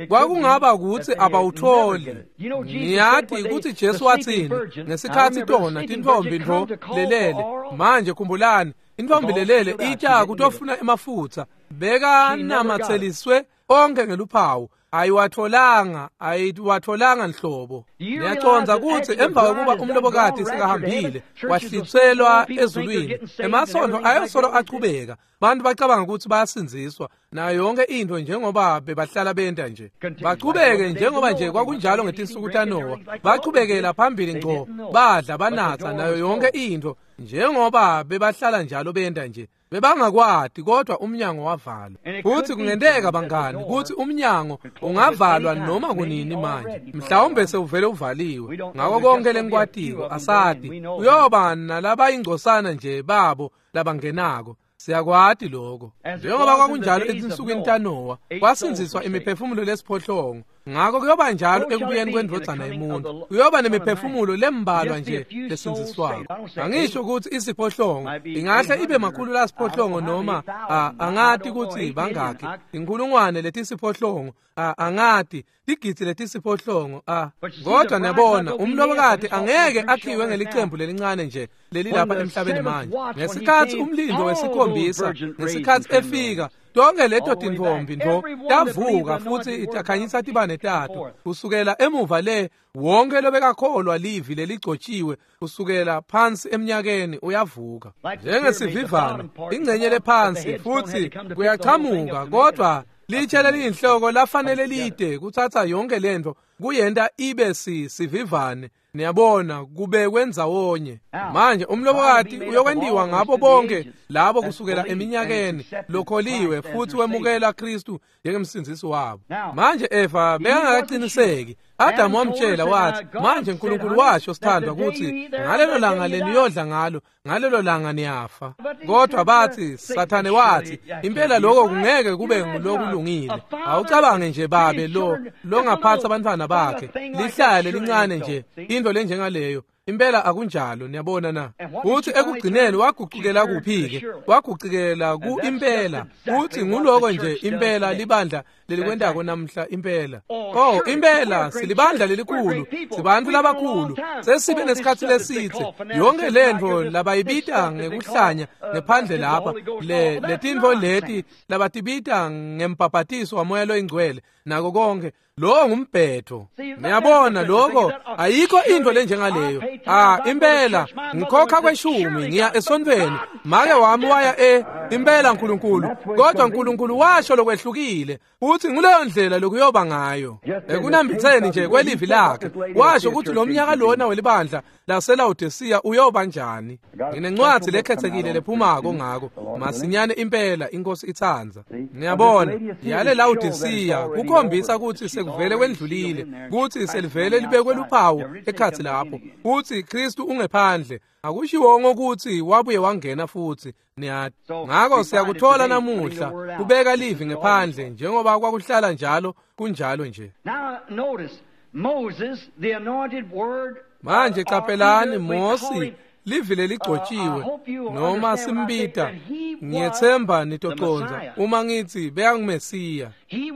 Kwakungaba ukuthi abawutholi. Niyati ukuthi Jesu wathini ngesikhathi tona tintfombi ntfo lelele. Manje khumbulani, intfombi lelele itsha kutofuna emafutha, bekanamatseliswe onke ngeluphawu, ayiwatholanga nhlobo. Niyacondza ukuthi emva kokuba umlobokati sekahambile wahlitselwa ezulwini, emasonto ayosolo achubeka, bantu bacabanga ukuthi bayasindziswa nayo yonke into njengoba bebahlala benta nje, bachubeke njengoba nje kwakunjalo ngetinsuku taNowa, bachubekela phambili ngco, badla banatha nayo yonke into njengoba bebahlala njalo benta nje. Bebangakwati, kodwa umnyango wavalwa. Futhi kungenteka bangani ukuthi umnyango ungavalwa noma kunini manje, mhlawumbe sewuvele uvaliwe. Ngako konke lengikwatiko asati, uyoba nalabayingcosana nje babo labangenako. Siyakwati lokho. Njengoba kwakunjalo etinsukwini taNowa, kwasindziswa imiphefumulo lesiphohlongo. Ngako kuyoba njalo ekubuyeni kwendvodzana yemuntu, kuyoba nemiphefumulo lembalwa nje lesindziswako. Angisho ukuthi isiphohlongo ingahle ibe makhulu lasiphohlongo noma angati ukuthi bangakhi, inkulungwane letisiphohlongo, angati tigidzi letisiphohlongo. Kodwa niyabona, umlobokati angeke akhiwe ngelicembu lelincane nje lelilapha emhlabeni manje. Ngesikhathi umlindo wesikhombisa, ngesikhathi efika, Tonke leto tintfombi ntfo tavuka futsi takhanyisa tibane tato. Kusukela emuva le, wonke lobekakholwa livi leligcotshiwe kusukela phansi eminyakeni uyavuka. Njengesivivane, ingcenye lephansi futsi kuyachamuka, kodwa litshe leliyinhloko lafanele lide kutsatsa yonke lentfo kuyenta ibe sivivane. Niyabona, kubekwe ndzawonye. Manje umlobokati uyokwentiwa ngabo bonke labo kusukela eminyakeni lokholiwe futhi wemukela Kristu njengemsindzisi wabo. Manje Eva bekangakaqiniseki. Adamu wamtshela wathi, manje uNkulunkulu washo sithandwa ukuthi ngalelo langa leniyodla ngalo, ngalelo langa niyafa. Kodwa bathi, Sathane wathi, impela lokho kungeke kube ngulokulungile. Awucabange nje babe lo longaphatha abantwana bakhe, lihlale lelincane nje, into lenjengaleyo. Impela akunjalo, niyabona na. Uthi ekugcineni wagucukela kuphi-ke? Wagucukela ku impela. Uthi nguloko nje impela libandla lelikwentako namhla impela. Oh, impela silibandla lelikhulu, sibantfu labakhulu, sesibe nesikhatsi lesitse. Yonke lentfo labayibita ngekuhlanya ngephandle lapha, le letintfo leti labatibita ngembhabhatiso waMoya loyiNgcwele nako konke. Lo ngumbhetho. Niyabona lokho ayikho into lenjengaleyo. Impela ngikhokha kweshumi ngiya esontfweni. Make wami waya impela uNkulunkulu, kodwa uNkulunkulu washo lokwehlukile. Uthi nguleyo ndlela lokuyoba ngayo. Ekunambitseni nje kwelivi lakhe, washo ukuthi lo mnyaka lona welibandla laseLawodisiya uyoba njani. Nginencwadi lekhethekile lephumako ngako masinyane impela inkosi itsandza. Niyabona, yale Lawodisiya kukhombisa ukuthi sekuvele kwendlulile, kuthi selivele libekwe luphawu ekhatsi lapho, kuthi Kristu ungephandle. Akushiwongo ukuthi wabuye wangena futhi, niyati. Ngako siyakuthola namuhla kubeka livi ngephandle njengoba kwakuhlala njalo, kunjalo nje. Manje qaphelani, Mosi livi leligcotshiwe noma simbita, ngiyethemba nitoconza uma ngithi bekanguMesiya.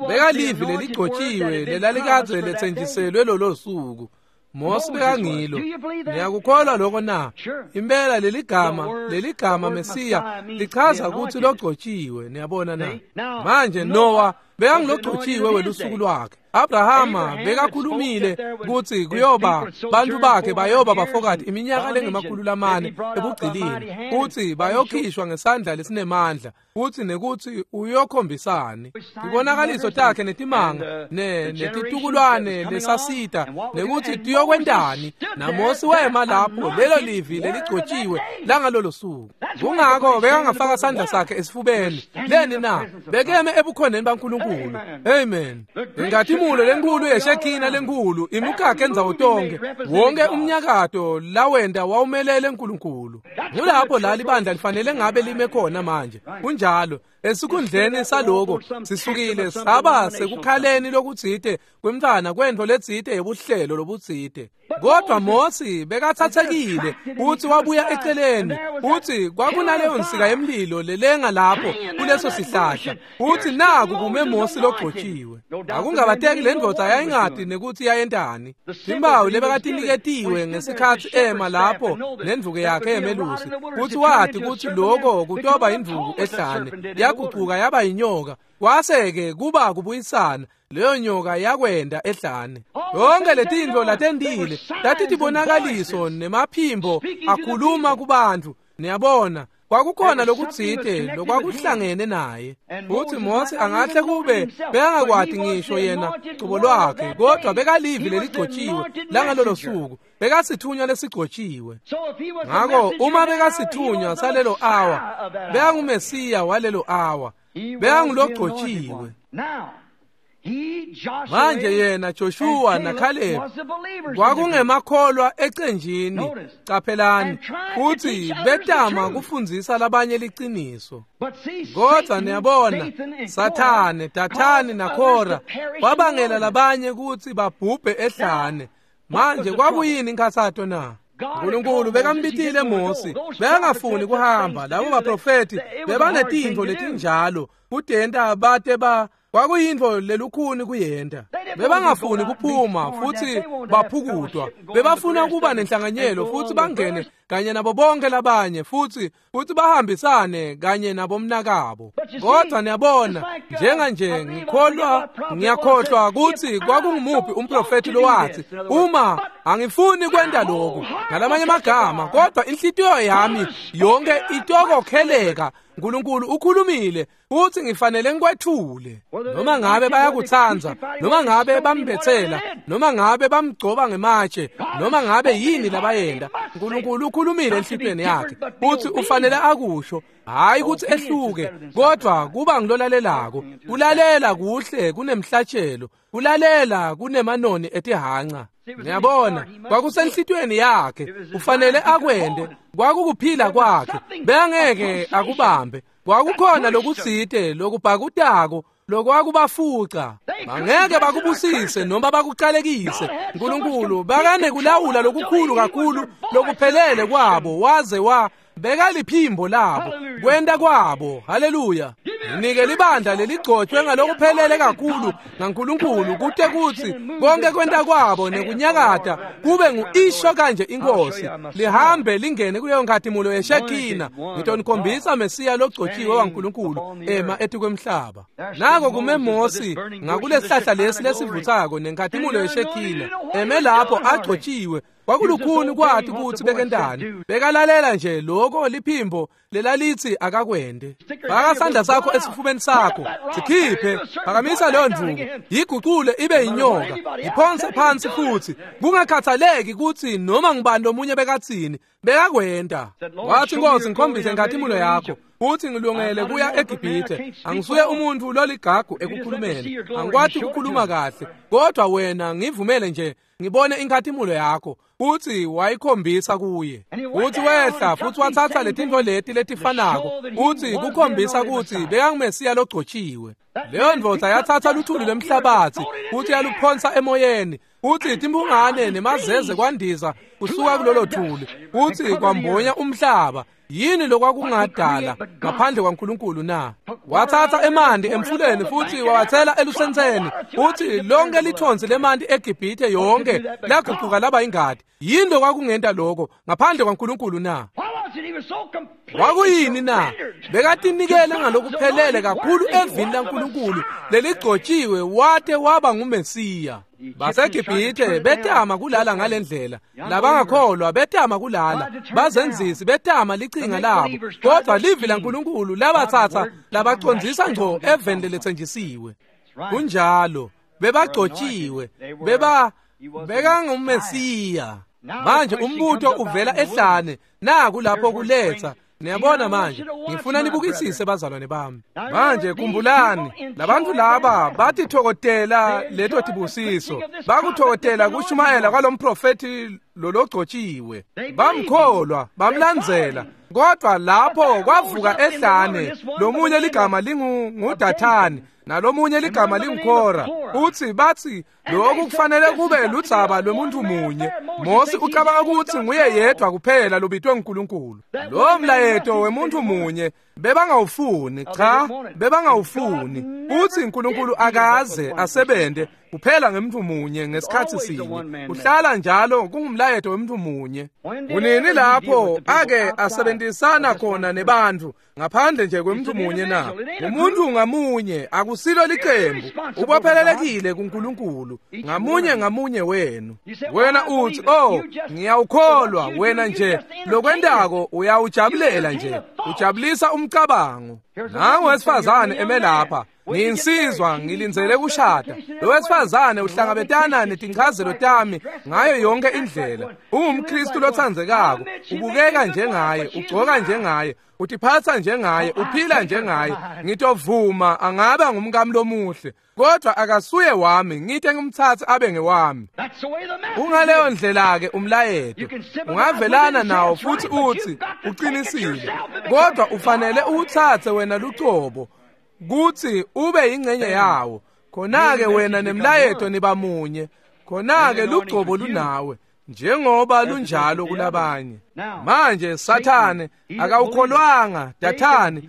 Bekalivi leligcotshiwe lelalikadze letsenjiselwe lolo suku. Mosi bekangilo. Niyakukholwa lokho na? Impela leligama Mesiya lichaza ukuthi logcotshiwe, niyabona na? Manje Noah bekangilogcotshiwe welusuku lwakhe. Abrahama bekakhulumile ukuthi kuyoba bantu bakhe bayoba bafokati iminyaka lengama-400 ebugcilini, uthi bayokhishwa ngesandla lesinemandla, uthi nekuthi uyokhombisani tibonakaliso takhe netimanga netitukulwane lesasita nekuthi tiyokwentani. NaMosi wema lapho, lelo livi leligcotshiwe langalolo suku. Kungako bekangafaka sandla sakhe esifubeni. Leni na? Bekeme ebukhoneni baNkulunkulu. Amen. Inkhatimulo lenkulu yeshekina lenkulu imukakhe endzawo tonke, wonke umnyakato lawenda wawumelele uNkulunkulu. Ngulapho la libandla lifanele ngabe lime khona manje. Kunjalo, esikhundleni saloko sisukile saba sekukhaleni lokutsite kwemntfwana kwentfo letsite yebuhlelo lobutsite. Kodwa Mosi bekathathekile uthi wabuya eceleni, uthi kwakunaleyo nsika yemlilo lelenga lapho kuleso sihlahla, uthi naku kume Mosi logcotshiwe. Akungabateki le ndvodza yayingati nekuthi yayentani. Timbawu lebekatiniketiwe ngesikhatsi ema lapho nendvuku yakhe yemelusi, uthi wati ukuthi lokho kutoba indvuku ehlane, yagucuka yaba yinyoka. Kwase-ke kuba kubuyisana, leyo nyoka yakwenda ehlane. Yonke letintfo latentile tatitibonakaliso nemaphimbo akhuluma kubantu. Niyabona, kwakukhona lokutsite lokwakuhlangene naye. Futhi Mosi angahle kube bekangakwati ngisho yena cobo lwakhe, kodwa bekalivi leligcotshiwe langalolo suku, bekasithunywa lesigcotshiwe. Ngako uma bekasithunywa salelo awa, bekanguMesiya walelo awa, bekangulogcotshiwe. Manje yena Joshua naKhalebi kwakungemakholwa ecenjini, qaphelani, futhi betama kufundzisa labanye liciniso. Kodwa niyabona, Sathane, Dathani naKhora wabangela labanye kutsi babhubhe ehlane. Manje kwakuyini inkhatsato na? uNkulunkulu bekambitile Mosi, bekangafuni kuhamba. Labo baprofethi bebanetintfo letinjalo kutenta bate ba kwakuyintfo lelukhuni kuyenta. Bebangafuni kuphuma futhi baphukutwa. Bebafuna kuba nenhlanganyelo futhi bangene kanye nabo bonke labanye futhi bahambisane kanye nabomnakabo. Kodwa niyabona, njenganje ngikholwa, ngiyakhohlwa ukuthi kwakungumuphi umprofethi lowathi, uma angifuni kwenta lokhu ngalamanye amagama, kodwa inhlitiyo yami yonke itokokheleka. uNkulunkulu ukhulumile futhi ngifanele ngikwethule. Noma ngabe bayakutsandza, noma ngabe bambethela, noma ngabe bamgcoba ngematshe, noma ngabe yini labayenda, uNkulunkulu ukhulumile enhlitiyweni yakhe futhi ufanele akusho. Hayi ukuthi ehluke, kodwa kuba ngilolalelako. Kulalela kuhle kunemhlatshelo, kulalela kunemanoni etihanca. Ngiyabona kwakusenhlitiyweni yakhe, ufanele akwende. Kwakukuphila kwakhe, bengeke akubambe. Kwakukhona lokutsite lokubhakutako lokwakubafuca. Bangeke bakubusise noma bakuqalekise. uNkulunkulu bakanеkulawula lokukhulu kakhulu lokuphelele kwabo, waze wa bekaliphimbo labo, kwenta kwabo. Haleluya. Nginike libandla leligcotshwe ngalokuphelele kakhulu ngaNkulunkulu, kute kutsi konke kwenta kwabo nekunyakata kube nguisho kanje inkosi, lihambe lingene kuleyo nkhatimulo yeshekina. Ngitonikhombisa Mesiya logcotshiwe waNkulunkulu ema etikwemhlaba. Nako kume Mosi ngakulesihlahla lesi lesivutsako nenkhatimulo yeshekina, eme lapho agcotshiwe. Kwakulukhuni kwathi kutsi bekentani, bekalalela nje lokho liphimbo lelalithi akakwende. Faka sandla sakho esifubeni sakho, sikhiphe, phakamisa leyo ndvuku, yigucule ibe yinyoka, yiphonse phansi futhi, kungakhathaleki kutsi noma ngubani lomunye bekatsini, bekakwenta. Wathi, Nkosi, ngikhombise inkhatimulo yakho, futhi ngilungele kuya eGibhithe. Angisuye umuntu loligagu ekukhulumeni, angikwati ukukhuluma kahle, kodwa wena ngivumele nje ngibone inkhatimulo yakho. Futhi wayikhombisa kuye. Futhi wehla futhi wathatha letintfo leti letifanako, futhi kukhombisa kutsi bekangumesiya logcotshiwe. Leyo ndvodza yathatha luthuli lwemhlabathi futhi yaluphonsa emoyeni, futhi timphungane nemazeze kwandiza kusuka kulolo thuli, futhi kwambonya umhlaba. Yini lokwakungadala ngaphandle kwaNkulunkulu na? Wathatha emanti emfuleni futhi wawathela elusentseni, futhi lonke lithonsi lemanti eGibhithe yonke laguquka laba ingadi. Yini lokwakungenta lokho ngaphandle kwaNkulunkulu na? Kwakuyini na? Bekatinikele ngalokuphelele kakhulu evini laNkulunkulu leligcotshiwe, wate waba nguMesiya. BaseGibhithe betama kulala ngalendlela, labangakholwa betama kulala, bazenzisi betama licinga labo, kodwa livi laNkulunkulu labatsatsa labacondzisa ngco eveni leletsenjisiwe. Kunjalo, bebagcotshiwe, bekanguMesiya. Manje umbuto uvela ehlane, naku lapho kuletha. Niyabona manje, ngifuna nibukisise bazalwane bami. Manje khumbulani, labantu laba batithokotela leto tibusiso, bakuthokotela kushumayela kwalomprofethi lologcotshiwe, bamkholwa, bamlandzela. Kodwa lapho kwavuka ehlane lomunye ligama linguDathani nalomunye ligama linguKhora, uthi bathi lokhu kufanele kube ludzaba lwemuntu munye. Mosi ucabanga ukuthi nguye yedwa kuphela lobitwe nguNkulunkulu. Lo mlayeto wemuntu munye bebangawufuni, cha, bebangawufuni. Uthi uNkulunkulu akaze asebente kuphela ngemuntu munye ngesikhathi sinye. Uhlala njalo kungumlayeto wemuntu munye. Kunini lapho ake asebenzisana khona nebantu ngaphandle nje kwemuntu munye na? Umuntu ngamunye akusilo liqembu, ubophelelekile kuNkulunkulu ngamunye ngamunye wenu. Wena uthi, oh, ngiyawukholwa. Wena nje lokwentako uyawujabulela nje, ujabulisa umcabango. Nangu wesifazane eme lapha, ngiyinsizwa, ngilindzele kushada. Lo wesifazane uhlangabetana netinchazelo tami ngayo yonke indlela. UngumKristu lotsandzekako, ubukeka njengaye, ugcoka njengaye, utiphatsa njengaye, uphila njengaye. Ngitovuma angaba ngumkami lomuhle, kodwa akasuye wami, ngite ngimtsatse abe ngewami. Kungaleyo ndlela-ke umlayeto ungavelana nawo futhi uthi uqinisile, kodwa ufanele uwutsatse wena lucobo kuthi ube yingcenye yawo. Khona-ke wena nemlayeto nibamunye, khona-ke lugcobo lunawe njengoba lunjalo kulabanye. Manje Sathane akawukholwanga Dathani,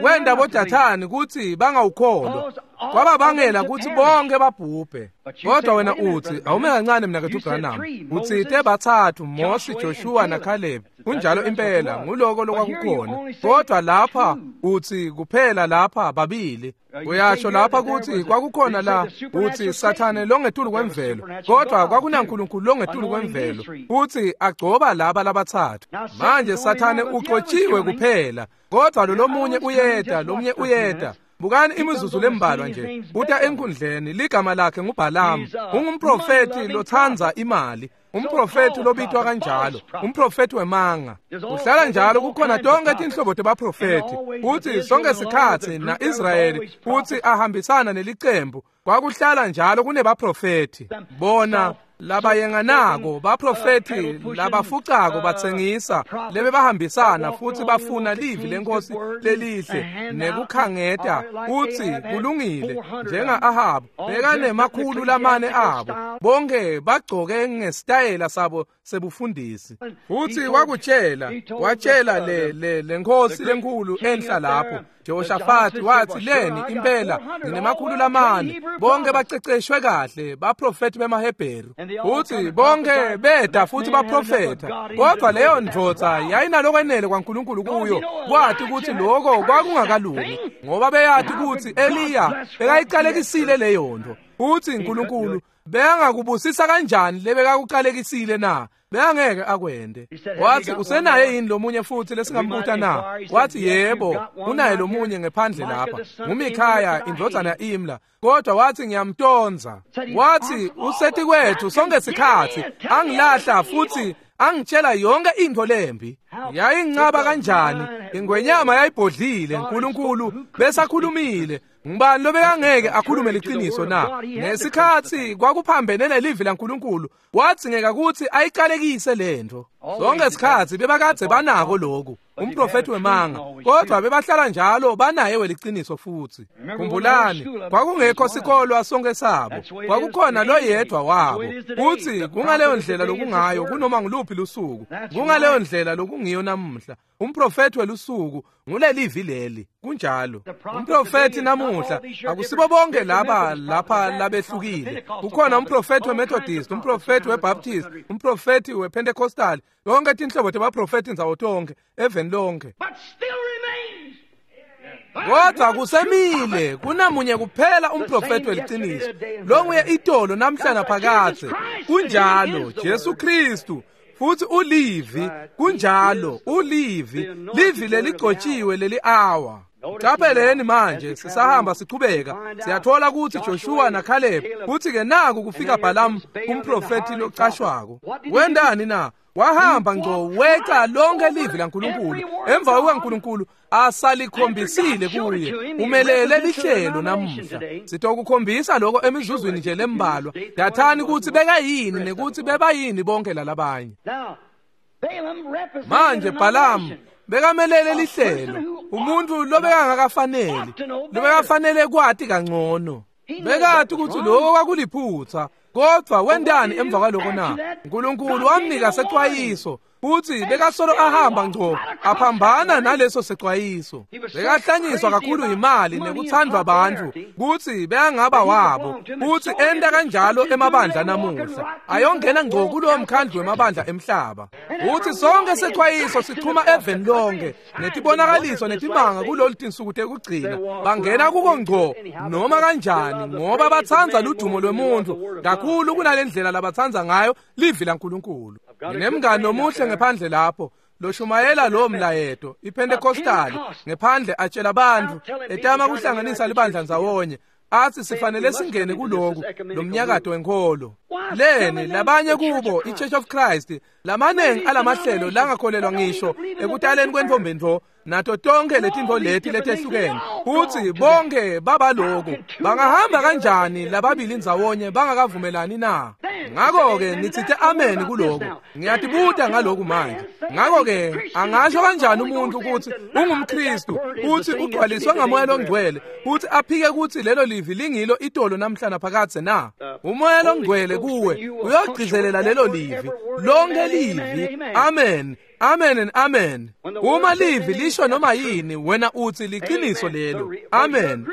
wenda boDathani kuthi bangawukholwa. Kwababangela kutsi bonke babhubhe. Kodwa wena utsi, awume kancane mnaketfu Branham, utsite batsatfu, Mosi, Joshua naKhalebi. Kunjalo impela, nguloko lokwakukhona. Kodwa lapha utsi kuphela lapha babili. Uyasho lapha kutsi kwakukhona la utsi Sathane longetulu kwemvelo, kodwa kwakunaNkulunkulu longetulu kwemvelo, utsi agcoba laba labatsatfu. Manje Sathane ugcotshiwe kuphela, kodwa lo lomunye uyeta, lomunye uyeta. Bukani imizuzu lembalwa nje, uta enkundleni, ligama lakhe nguBhalamu, ungumprofethi lotsandza imali, umprofethi lobitwa kanjalo, umprofethi wemanga. Uhlala njalo kukhona tonke tinhlobo tebaprofethi, utsi sonke sikhatsi na-Israyeli utsi ahambisana nelicembu, kwakuhlala njalo kunebaprofethi. Bona labayenganako, baprofethi labafucako batsengisa, lebebahambisana futsi bafuna livi lenkosi lelihle nekukhangeta utsi kulungile, njenga-Ahabu bekanemakhulu lamane abo, bonke bagcoke ngesitayela sabo sebufundisi. Futsi wakutshela, watshela le lenkosi lenkhulu enhla lapho, Jehoshafati, watsi leni impela nginemakhulu lamane, bonke baceceshwe kahle, baprofethi bemaHebheru. Futsi bonke beda futhi baprofetha, kodwa leyo ndvodza yayinalokwenele kwaNkulunkulu kuyo kwati kutsi loko kwakungakalungi, ngoba beyati kutsi Eliya bekayiqalekisile leyo nto. Futsi uNkulunkulu bekangakubusisa kanjani lebekakuqalekisile na? Bekangeke akwente. Wathi, usenaye yini lomunye futhi lesingambuta na? Wathi, yebo, unaye lomunye ngephandle lapha, nguMikhaya indvodzana ya-Imla, kodwa wathi ngiyamtonza. Wathi useti kwethu sonke sikhatsi angilahla futhi angitshela yonke intfo lembi. Yayingcaba kanjani ingwenyama yayibhodlile! Nkulunkulu besakhulumile, ngubani lobekangeke akhulume liciniso na? Ngesikhatsi kwakuphambene nelivi laNkulunkulu, wadzingeka kutsi ayiqalekise lentfo. Sonke sikhatsi bebakadze banako loku, umprofethi wemanga, kodwa bebahlala njalo banaye weliciniso futhi. Khumbulani, kwakungekho sikolwa sonke sabo, kwakukhona loyedwa wabo. Futhi kungaleyo ndlela lokungayo kunoma nguluphi lusuku, kungaleyo ndlela lokungiyo namuhla. Umprofethi welusuku ngulelivi leli. Kunjalo, umprofethi namuhla akusibo bonke laba lapha labehlukile. Kukhona umprofethi weMethodist, umprofethi weBaptist, umprofethi wePentecostal, yonke tinhlobo tebaprofethi ndzawo tonke eveni lonke. But still remains. Kodwa kusemile kunamunye kuphela umprofethi weliciniso, longuye itolo, namhla naphakadze. Kunjalo, Jesu Kristu, futhi ulivi. Kunjalo, ulivi, livi leligcotshiwe leli awa. Capheleni manje, sisahamba sichubeka, siyathola ukuthi Joshua naCaleb, kuthi ke naku kufika Balaam, umprofethi locashwako. Wendani na? Wahamba ngco weca lonke livi laNkulunkulu emva kukaNkulunkulu asalikhombisile kuye. Umelele lihlelo namuhla. Sitokukhombisa lokho emizuzwini nje lembalwa. Dathani kutsi bekayini nekuthi bebayini bonke lalabanye. Now, Balaam represented Manje Balaam denomination. bekamelele lihlelo, umuntu lobekangakafaneli, lobekafanele kwati kangcono. Bekati kutsi lokho kwakuliphutha, kodwa wendani emva kwaloko na? Nkulunkulu wamnika secwayiso, futhi bekasolo ahamba ngco aphambana naleso secwayiso. Bekahlanyiswa kakhulu imali nekuthandwa bantfu kutsi bekangaba wabo, futhi enta kanjalo emabandla namuhla, ayongena ngco kulowo mkhandlu wemabandla emhlaba. Futhi sonke secwayiso sichuma eveni lonke netibonakaliso netimanga kulolu tinsuku tekugcina, bangena kuko ngco noma kanjani, ngoba batsandza ludumo lwemuntu kakhulu kunale ndlela labatsandza ngayo livi laNkulunkulu. Nginemngani omuhle ngephandle lapho loshumayela lowo mlayeto, iPentecostal, ngephandle atshela abantu, etama kuhlanganisa libandla ndzawonye, athi sifanele singene kuloku lo mnyakato wenkholo. Leni, labanye kubo i-Church of Christ, lamaningi alamahlelo langakholelwa ngisho ekutaleni kwentombentfo nato tonke letintfo leti letehlukene, futhi bonke babaloku. Bangahamba kanjani lababili ndzawonye bangakavumelani na? Ngakho-ke nitsite amen kuloku. Ngiyatibuta ngaloku manje. Ngakho-ke angasho kanjani umuntu ukuthi ungumKristu futhi ugcwaliswe ngamoya longcwele, futhi aphike ukuthi lelo livi lingilo itolo, namhla naphakadze na? Umoya longcwele kuwe uyogcizelela lelo livi, lonke livi. Amen. Amen and amen. Uma livi lisho noma yini, wena uthi liqiniso lelo. Amen.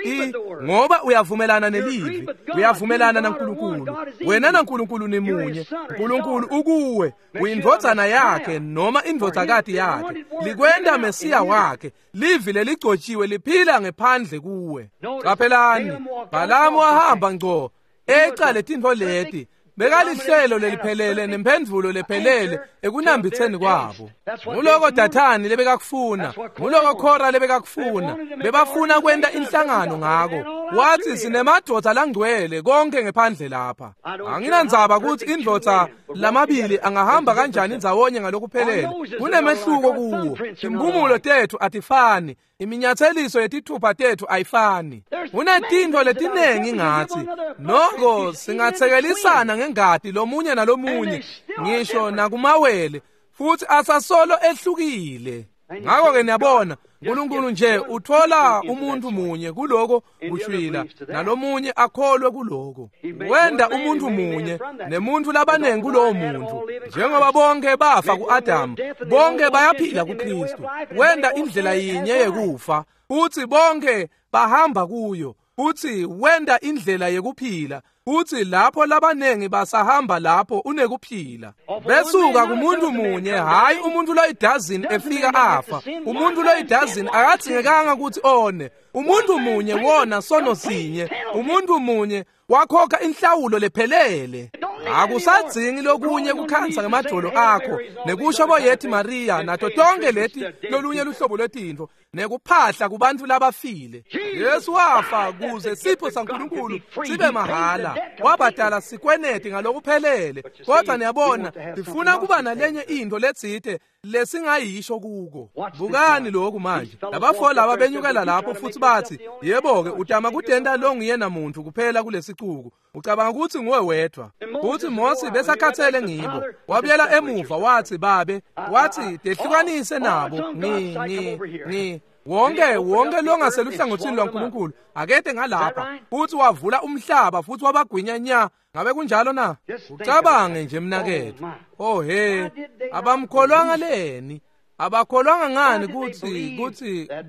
Ngoba uyavumelana nelivi, uyavumelana naNkulunkulu. Wena naNkulunkulu nimunye. uNkulunkulu ukuwe, uyindvodzana yakhe noma indvodzakati yakhe. Likwenta Mesiya wakhe. Livi leligcotshiwe liphila ngephandle kuwe. Qaphelani, Bhalamu wahamba ngco eca letintfo leti. Bekalihlelo leliphelele nemphendvulo lephelele ekunambitseni kwabo. Nguloko Dathani lebekakufuna, nguloko Khora lebekakufuna. Bebafuna kwenta inhlangano ngako. Wathi sinemadvodza langcwele konke ngephandle lapha. Anginandzaba ukuthi indvodza lamabili angahamba kanjani ndzawonye ngalokuphelele. Kunemehluko kuwo. Timphumulo tethu atifani. Iminyatheliso yetithupha tethu ayifani. Kunetintfo letinengi ngathi. Noko singathekelisana ngengati lomunye nalomunye, ngisho nakumawele, futhi asasolo ehlukile. Ngakho-ke niyabona, uNkulunkulu nje uthola umuntu munye kuloko kushwila nalomunye akholwe kuloko. Wenda umuntu munye nemuntu labanengi kulowo muntu. Njengoba bonke bafa ku-Adamu, bonke bayaphila kuKristu. Wenda indlela yinye yekufa, futhi bonke bahamba kuyo. Futhi wenda indlela yekuphila, futhi lapho labanengi basahamba lapho unekuphila. Besuka kumuntu munye, hayi umuntu loyidazini efika afa. Umuntu loyidazini akadzingekanga ukuthi one. Umuntu munye wona sono sinye. Umuntu munye wakhokha inhlawulo lephelele. Akusadzingi lokunye kukhansa ngemadolo akho nekusho boyethi Maria nato tonke leti lolunye luhlobo lwetintfo nekuphahla kubantu labafile. Yesu wafa kuze sipho saNkulunkulu sibe mahala. Wabhadala sikweneti ngalokuphelele. Kodwa niyabona, sifuna kuba nalenye into letsite lesingayisho kuko. Bukani lokhu manje. Labafo laba benyukela lapho futhi bathi, yebo-ke utama kutenta lo nguyena muntu kuphela kulesicuku. Ucabanga ukuthi nguwe wedwa. Futhi Mose besakhathele ngibo. Wabuyela emuva wathi, babe, wathi tehlukanise nabo. Ngi wonke longaseluhlangothini lwaNkulunkulu akede ngalapha. Futhi wavula umhlaba futhi wabagwinya nya. Ngabe kunjalo na? Ucabange nje mnakethu. Oh he, abamkholwanga leni? Abakholwanga ngani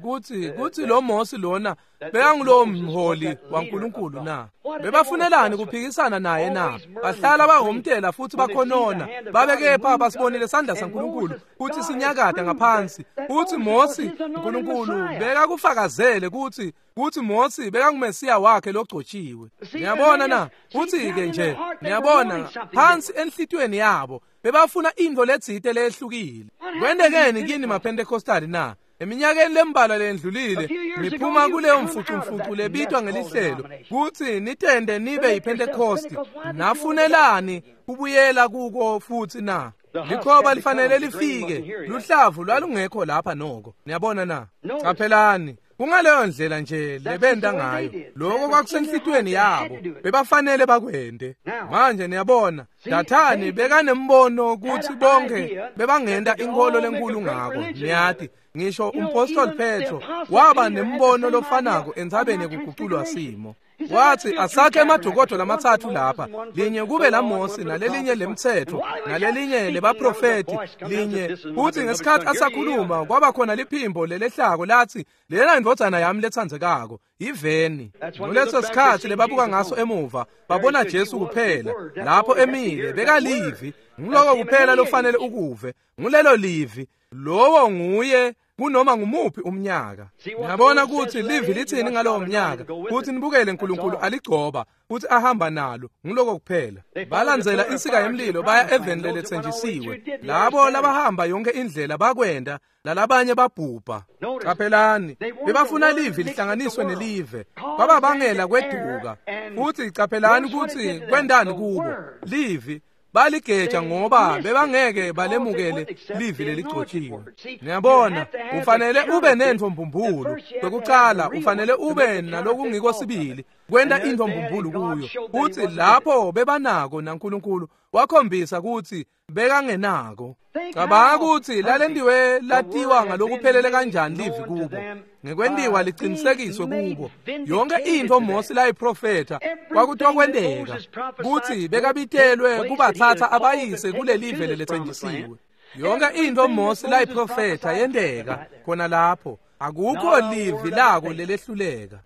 kuthi lo Mose lona bekangulowo mholi waNkulunkulu na? Bebafunelani kuphikisana naye na? Bahlala bahomtela futhi bakhonona. Babekepha basibonile sandla saNkulunkulu kuthi sinyakada ngaphansi. Uthi Mose uNkulunkulu bekakufakazele kuthi Mose bekangumesiya wakhe logcotshiwe. Niyabona na? Uthi-ke nje, niyabona, phansi enhlitiyweni yabo bebafuna into letsite lehlukile. Kwentekeni kini maPentecostali na? Eminyakeni lembalwa lendlulile niphuma kuleyo mfucumfucu lebitwa ngelihlelo kuthi nitende nibe yiPentecost. Nafunelani kubuyela kuko futhi na? Likhoba lifanele lifike. Luhlavu lwalungekho lapha noko. Niyabona na? Qaphelani. Kungaleyo ndlela nje lebenta ngayo. Lokho kwakusenhlitiyweni yabo. Bebafanele bakwente. Manje niyabona, Dathani bekanembono kuthi bonke bebangenta inkolo lenkulu ngako. Niyati, ngisho umpostoli Petro waba nembono lofanako entsabeni yekuguculwa simo. Wathi asakhe emadokodo lamathathu lapha, linye kube laMose nalelinye lemthetho nalelinye lebaprofeti linye. Futhi ngesikhathi asakhuluma kwaba khona liphimbo lelehlako lathi, lena indvodzana yami letsandzekako, iveni. Nguleso sikhathi lebabuka ngaso emuva, babona Jesu kuphela lapho emile, bekalivi. Nguloko kuphela lofanele ukuve, ngulelo livi. Lowo nguye kunoma ngumuphi umnyaka. Niyabona ukuthi livi lithini ngalowo mnyaka, kuthi nibukele uNkulunkulu aligcoba futhi ahamba nalo. Nguloko kuphela. Balandzela insika yemlilo baya eveni leletsenjisiwe. Labo labahamba yonke indlela bakwenda, lalabanye babhubha. Qaphelani, bebafuna livi lihlanganiswe nelive. Kwababangela kweduka. Futhi qaphelani ukuthi kwendani kubo. Livi baligeja ngoba bebangeke balemukele livi leligcotshiwe. Niyabona, ufanele ube nentfo mbumbulu. Kwekucala ufanele ube nalokungiko sibili kwenta intfo mbumbulu kuyo. Futhi lapho bebanako naNkulunkulu wakhombisa ukuthi bekangenako. Cabanga ukuthi lalentiwe latiwa ngalokuphelele kanjani livi kubo. Ngekwentiwa liqinisekiswe kubo. Yonke intfo Mose layiprofetha kwakuthiwa kwenteka kuthi bekabitelwe kubathatha abayise kulelive leletsenjisiwe. Yonke into Mose layiprofetha yenteka khona lapho. Akukho livi lako lelehluleka.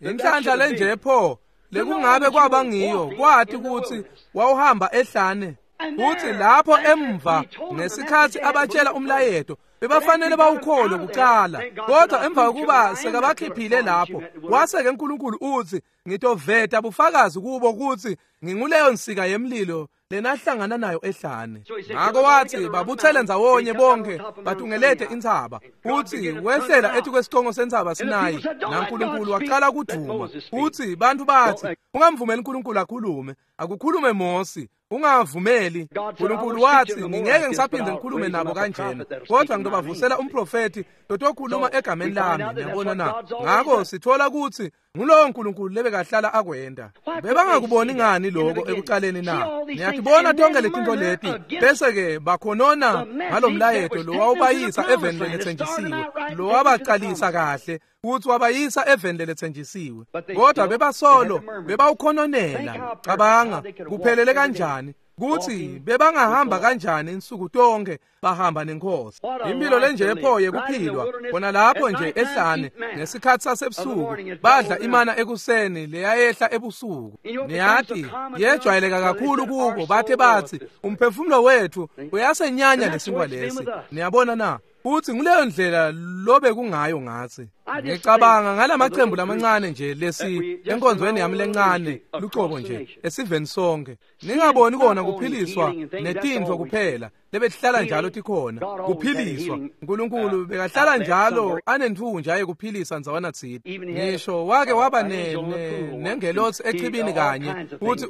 Inhlanhla lenje pho lekungabe kwaba ngiyo kwathi ukuthi wawuhamba ehlane. Futhi lapho emva ngesikhathi abatshela umlayeto bebafanele bawukholwe kuqala, kodwa emva kokuba sekabakhiphile lapho wase-ke uNkulunkulu uthi ngitoveta bufakazi kubo ukuthi nginguleyo nsika yemlilo lenahlangana nayo ehlane. Ngakho wathi babuthele ndzawonye bonke batungelete intsaba. Uthi wehlela ethi kwesicongo sentsaba Sinayi naNkulunkulu waqala kuduma. Uthi bantu bathi ungamvumeli uNkulunkulu akhulume, akukhulume Mose, ungavumeli. uNkulunkulu wathi ngingeke ngisaphinde ngikhulume nabo kanjena, kodwa ngitobavusela umprofethi lotokhuluma egameni lami. Niyabona na? Ngakho sithola ukuthi ngulowo uNkulunkulu lebekahlala akwenda. Bebangakuboni ngani lokho ekuqaleni na? Niyatibona tonke letinto leti bese-ke bakhonona ngalomlayeto lo wawubayisa eveni lelethenjisiwe, lo wabaqalisa kahle ukuthi wabayisa eveni lelethenjisiwe, kodwa bebasolo bebawukhononela. Cabanga kuphelele kanjani kuthi bebangahamba kanjani insuku tonke bahamba nenkosi. Impilo lenje pho yekuphilwa khona lapho nje ehlane ngesikhathi sasebusuku badla imana ekuseni leyayehla ebusuku. Niyathi yejwayeleka kakhulu kubo, bathe bathi umphefumulo wethu uyasenyanya lesinkwa lesi. Niyabona na? Uthi nguleyo ndlela lobe kungayo ngathi. Ngicabanga ngalamaqembu lamancane nje lesi enkonzweni yami lencane luqobo nje esiveni sonke. Ningaboni kona kuphiliswa netintfo kuphela lebehlala njalo tikhona kuphiliswa. uNkulunkulu bekahlala njalo anenthunja yekuphilisa ndzawana tsite. Ngisho wake waba nengelosi echibini kanye futhi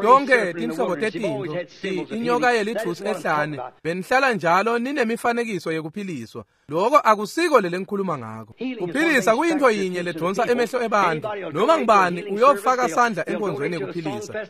yonke tinhlobo tetintfo inyoka yelithusi ehlane benihlala njalo ninemifanekiso yekuphiliswa. Lokho akusiko lele ngikhuluma ngako. Kuphilisa kuyinto yinye ledonsa emehlo ebantu. Noma ngibani uyofaka sandla enkonzweni yekuphilisa,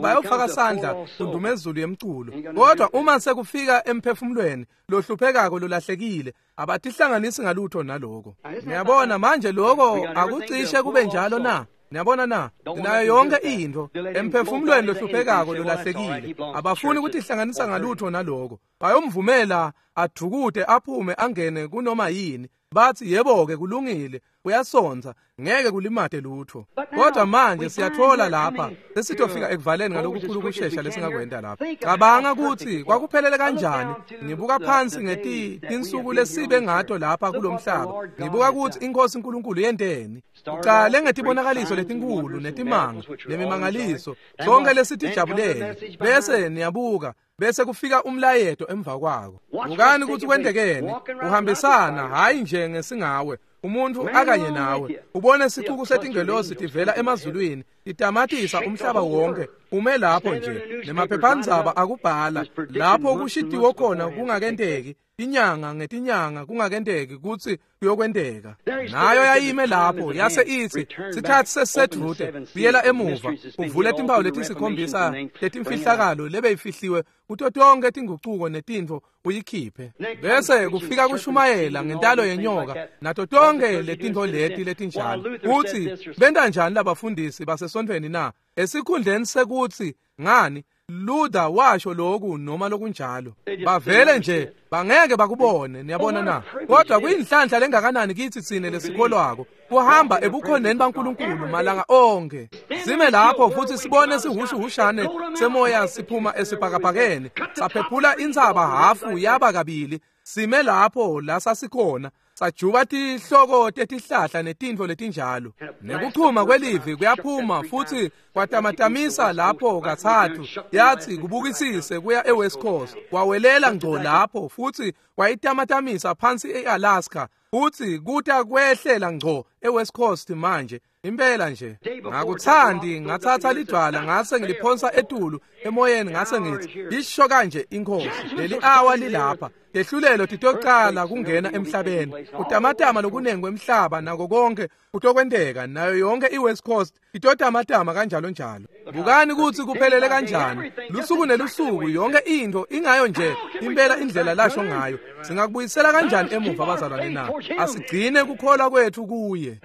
bayofaka sandla kundumezulu yemculo, kodwa uma sekufika emphefumulweni lohluphekako lolahlekile abatihlanganisi ngalutho naloko. Niyabona manje lokho akucishe kube njalo na? Niyabona na? Nayo yonke into emphefumulweni lohluphekako lolahlekile abafuni ukutihlanganisa ngalutho naloko. Bayomvumela adukute aphume angene kunoma yini, bathi yebo-ke kulungile uyasonza ngeke kulimate lutho. Kodwa manje siyathola lapha sesitofika ekuvaleni ngalokukhulu ukushesha lesingakwenda lapha. Cabanga ukuthi kwakuphelele kanjani. Ngibuka phansi ngetinsuku lesibe ngato lapha kulomhlaba, ngibuka ukuthi inkosi uNkulunkulu yenteni. Uqale ngetibonakaliso letinkulu netimanga nemimangaliso sonke lesitijabulele, bese niyabuka bese kufika umlayeto emva kwako. Bukani ukuthi kwentekeni. Uhambisana hayi nje ngesingawe umuntu akanye nawe, ubone sicuku setingelosi tivela emazulwini titamatisa umhlaba wonke ume lapho nje nemaphephandzaba akubhala lapho kushitiwe khona kungakenteki inyanga ngetinyanga kungakenteki kutsi kuyokwenteka. Nayo yayime lapho yase ithi sikhathi sesisedvute, buyela emuva uvule timpawu letisikhombisa letimfihlakalo lebeyifihliwe kuto tonke tingucuko netintfo uyikhiphe. Bese kufika kushumayela ngentalo yenyoka nato tonke letintfo leti letinjalo. Uthi benta njani labafundisi basesontfweni na? Esikhundleni sekuthi ngani Luther washo lokhu noma lokunjalo, bavele nje bangeke bakubone. Niyabona na? Kodwa kuyinhlanhla lengakanani kithi tsine lesikholwako kuhamba ebukhoneni baNkulunkulu malanga onke, sime lapho futhi sibone sihushuhushane semoya siphuma esibhakabhakeni saphephula intsaba hafu yaba kabili. Sime lapho la sasikhona sajuba tihloko tetihlahla netintfo letinjalo, nekuchuma kwelivi kuyaphuma futhi kwatamatamisa lapho kathathu. Yathi kubukisise kuya eWest Coast, kwawelela ngco lapho futhi kwayitamatamisa phansi eAlaska, futhi kuta kwehlela ngco eWest Coast. Manje impela nje ngakuthandi ngathatha lidwala ngase ngiliphonsa etulu emoyeni ngase ngithi isho kanje inkosi, leli awa lilapha, lehlulelo titoqala kungena emhlabeni, utamatama lokunengi kwemhlaba nako konke kutokwenteka, nayo yonke iWest Coast itotamatama kanjalo njalo. Bukani ukuthi kuphelele kanjani lusuku nelusuku, yonke into ingayo nje impela indlela lasho ngayo. Singakubuyisela kanjani emuva bazalwane na? Asigcine kukholwa kwethu kuye.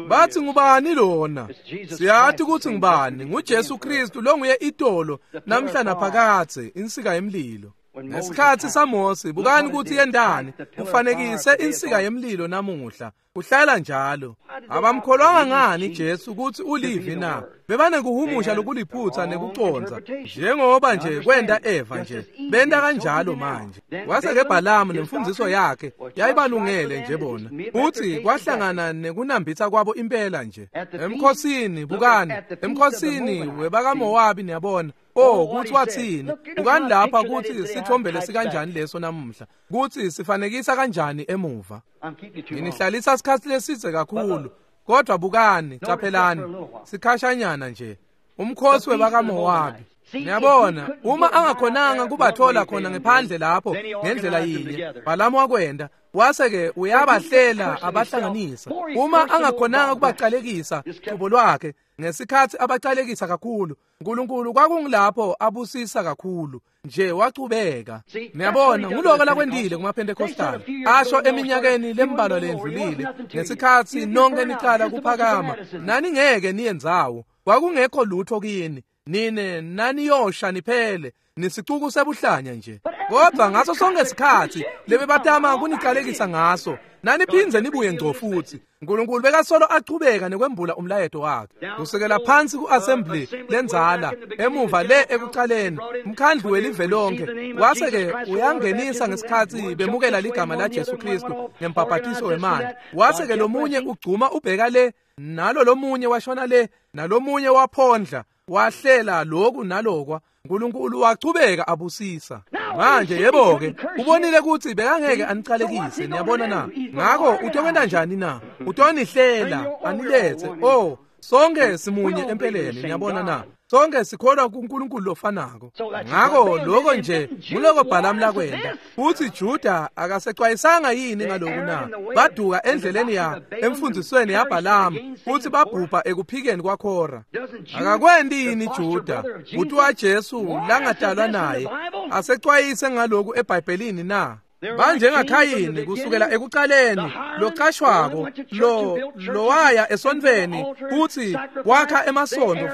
Bathi ngubani lona? Siyathi ukuthi ngubani, nguJesu Kristu longuye itolo namhla naphakadze, insika yemlilo. Ngesikhathi saMose, bukani ukuthi yendani, kufanekise insika yemlilo namuhla. Kuhlala njalo. Abamkholwanga ngani Jesu ukuthi ulivi na? Bebanekuhumusha lokuliphutha nekuconza, njengoba nje kwenda Eva nje. Benda kanjalo manje. Wase-ke Bhalamu nemfundiso yakhe yayibalungele nje bona. Futhi kwahlangana nekunambitha kwabo impela nje. Emkhosini, bukani, emkhosini webakaMowabi niyabona. Oh, kuthi wathini? Bukani lapha kuthi sithombele sikanjani leso namuhla. Kuthi sifanekisa kanjani emuva. Nginihlalisa isikhathi leside kakhulu. Kodwa bukani, caphelani, sikhashanyana nje. Umkhosi webakaMowabi. Niyabona, uma angakhonanga kubathola khona ngephandle lapho ngendlela yinye, Bhalamu wakwenda, wase-ke uyabahlela abahlanganisa. Uma angakhonanga kubaqalekisa cubo lwakhe, ngesikhathi abaqalekisa kakhulu, uNkulunkulu kwakungilapho abusisa kakhulu nje wachubeka. Niyabona, nguloko lakwendile kumaPentecostal. Asho eminyakeni lembalwa lendlulile, ngesikhathi nonke niqala kuphakama, nani ngeke niyenzawo. Kwakungekho lutho kini. Nine naniyosha niphele, nisicuku sebuhlanya nje. Kodwa ngaso sonke isikhathi lebebatama kuniqalekisa ngaso, naniphindze nibuye ngco futhi. uNkulunkulu bekasolo achubeka nekwembula umlayeto wakhe. Kusukela phansi ku-assembly lenzala emuva le ekuqaleni, umkhandlu welive lonke wase-ke uyangenisa ngesikhathi bemukela ligama la Jesu Kristu ngembhabhatiso wemanti. Wase-ke lomunye ugcuma ubheka le, nalo lomunye washona le, nalomunye waphondla, wahlela lokhu nalokwa. uNkulunkulu wachubeka abusisa. Manje yebo-ke, ubonile ukuthi bekangeke aniqalekise, niyabona na? Ngakho utokwenta njani na? Utonihlela, anilethe. Oh, sonke simunye empeleni, niyabona na? Sonke sikholwa kuNkulunkulu lofanako. Ngakho lokho nje nguloko Bhalamu lakwenda. Futhi Juda akasexwayisanga yini ngaloku na? Baduka endleleni ya emfundisweni yaBhalamu futhi babhubha ekuphikeni kwaKhora. Akakwendi yini Juda, uthi waJesu langadalwa naye, asexwayise ngaloku eBhayibhelini na? BanjengaKhayini kusukela ekuqaleni, loqashwako, lowaya esontfweni futhi wakha emasondo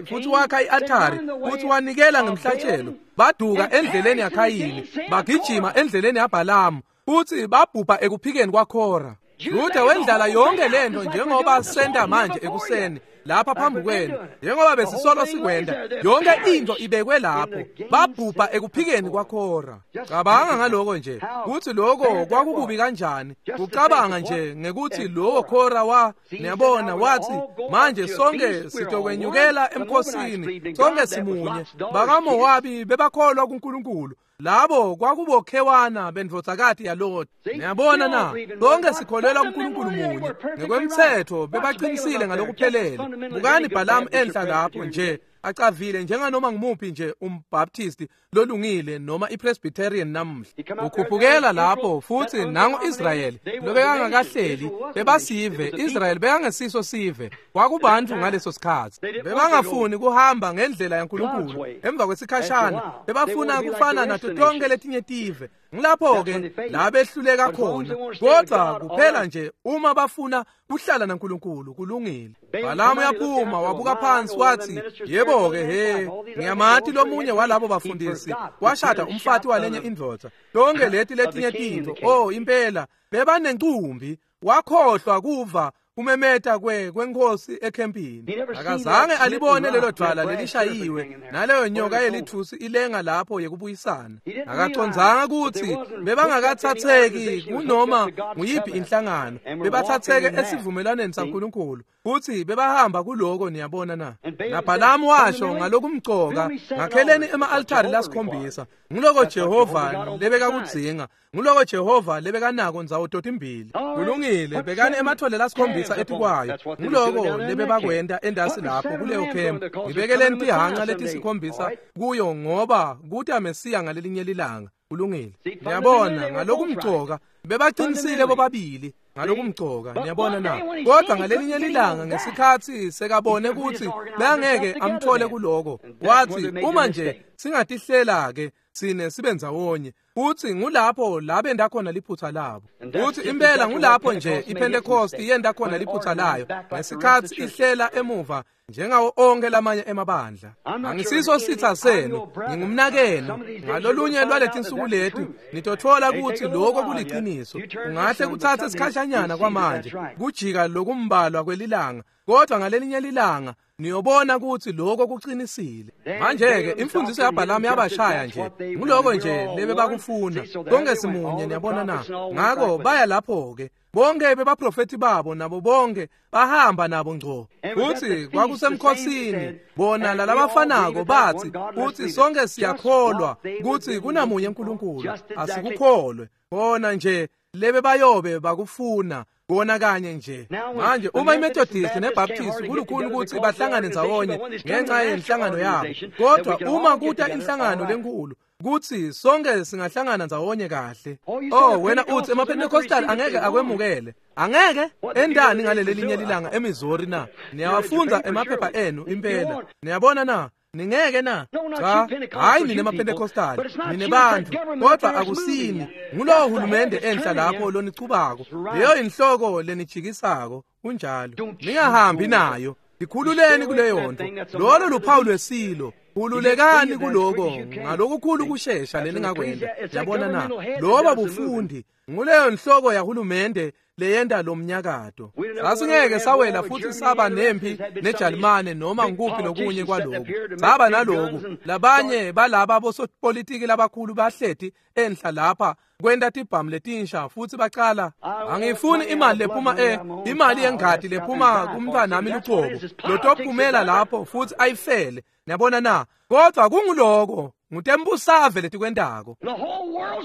futhi wakha i-altari futhi wanikela ngemhlatshelo. Baduka endleleni yaKhayini, bagijima endleleni yaBhalamu futhi babhubha ekuphikeni kwaKhora. Juda wendlala yonke lento njengoba senta manje ekuseni lapha phambi kwenu, njengoba besisolo sikwenda, yonke into ibekwe lapho. Babhubha ekuphikeni kwaKhora. Cabanga ngaloko nje, kuthi lokho kwakukubi kanjani. Kucabanga nje ngekuthi lowo Khora wa, niyabona, wathi manje sonke sitokwenyukela emkhosini, sonke simunye. BakaMowabi bebakholwa kuNkulunkulu. Labo kwakubokhewana bendvodzakati yaLoti. Niyabona na? Sonke sikholelwa kuNkulunkulu munye. Ngekwemthetho bebaqinisile ngalokuphelele. Bukani Bhalamu enhla lapho nje acavile njenganoma ngumuphi nje umbaptisti lolungile noma iPresbyterian namuhla. Ukhuphukela lapho futhi nango Israyeli lobekangakahleli, bebasive. Israyeli bekangesiso sive, kwakubantu ngaleso sikhathi. Bebangafuni kuhamba ngendlela yaNkulunkulu. Emva kwesikhashana bebafuna kufana nato tonke letinye tive. Ngilapho-ke la behluleka khona. Kodwa kuphela nje uma bafuna kuhlala naNkulunkulu kulungile. Bhalamu yaphuma wabuka phansi wathi, yebo-ke he, ngiyamati lomunye walabo bafundisi washada umfati walenye indvodza. Tonke leti letinye tintfo, oh impela bebanencumbi. Wakhohlwa kuva kumemeta kwenkosi ekhempini. Akazange alibone lelo dwala lelishayiwe naleyo nyoka yelithusi ilenga lapho yekubuyisana. Akacondzanga ukuthi bebangakathatheki kunoma nguyiphi inhlangano, bebathatheke esivumelwaneni saNkulunkulu futhi bebahamba kuloko, niyabona na? NaBhalamu washo ngalokumcoka, ngakheleni ema-altari lasikhombisa. Nguloko Jehova lebekakudzinga, nguloko Jehova lebekanako ndzawo totimbili. Kulungile, bekani emathole lasikhombisa etikwayo. Nguloko lebebakwenta endasi lapho kuleyo khempu. Ngibekeleni tihanca letisikhombisa kuyo ngoba kuta Mesiya ngalelinye lilanga. Kulungile. Niyabona, ngalokumcoka bebaqinisile bobabili. Ngalokumcoka, niyabona na? Kodwa ngalelinye lilanga ngesikhathi sekabone ukuthi bangeke amthole kuloko, wathi uma nje singatihlela ke sine sibe ndzawonye. Futhi ngulapho la benda khona liphutha labo. Futhi impela ngulapho nje iPentecost yenda khona liphutha layo ngesikhathi ihlela emuva njengawo onke lamanye emabandla. Angisiso sitha senu, ngingumnakenu. Ngalolunye lwaletinsuku leti nitothola ukuthi lokho kuliqiniso. Ungahle kuthathe isikhashanyana kwamanje kujika lokumbalwa kwelilanga, kodwa ngalelinye lilanga niyobona ukuthi lokho kuqinisile. Manje ke imfundiso yaBhalamu yabashaya nje, nguloko nje lebe bakufuna. Konke simunye, niyabona na? Ngakho baya lapho ke bonke bebaprofeti babo nabo bonke bahamba nabo ngco. Futhi kwakusemkhosini bona lalabafanako bathi, futhi sonke siyakholwa ukuthi kunamunye uNkulunkulu, asikukholwe. Bona nje lebe bayobe bakufuna kona kanye nje. Manje uma iMethodist neBaptist kulukhuni ukuthi bahlangane ndzawonye ngenxa yenhlangano yabo, kodwa uma kuta inhlangano lenkulu kuthi sonke singahlangana ndzawonye kahle. Oh, wena uthi emaPentecostal angeke akwemukele. Angeke endani ngaleli linye lilanga eMissouri na? Niyawafunda emaphepha enu impela. Niyabona na? Ningeke na? Cha, hayi nine maPentecostal, nine bantu, kodwa akusini. Ngulowo hulumende enhla lapho lonichubako. Leyo inhloko lenijikisako, kunjalo. Ningahambi nayo. Ikhululeni kuleyo nto. Lolo luphawu lwesilo. Khululekani kuloko ngalokukhulu kushesha leningakwenda. Yabona na? Loba bufundi nguleyo nhloko yahulumende leyenda lo mnyakato. Sasingeke sawela futhi saba nempi neJalimane noma ngikuphi lokunye kwaloku. Saba naloku labanye balaba bosopolitiki labakhulu bahleti enhla lapha kwenta tibhamu letinsha futhi bacala. Angifuni imali lephuma imali yengadi lephuma kumntwanami luqobo lotophumela lapho futhi ayifele. Niyabona na? Kodwa kunguloko ngutembusave letikwentako.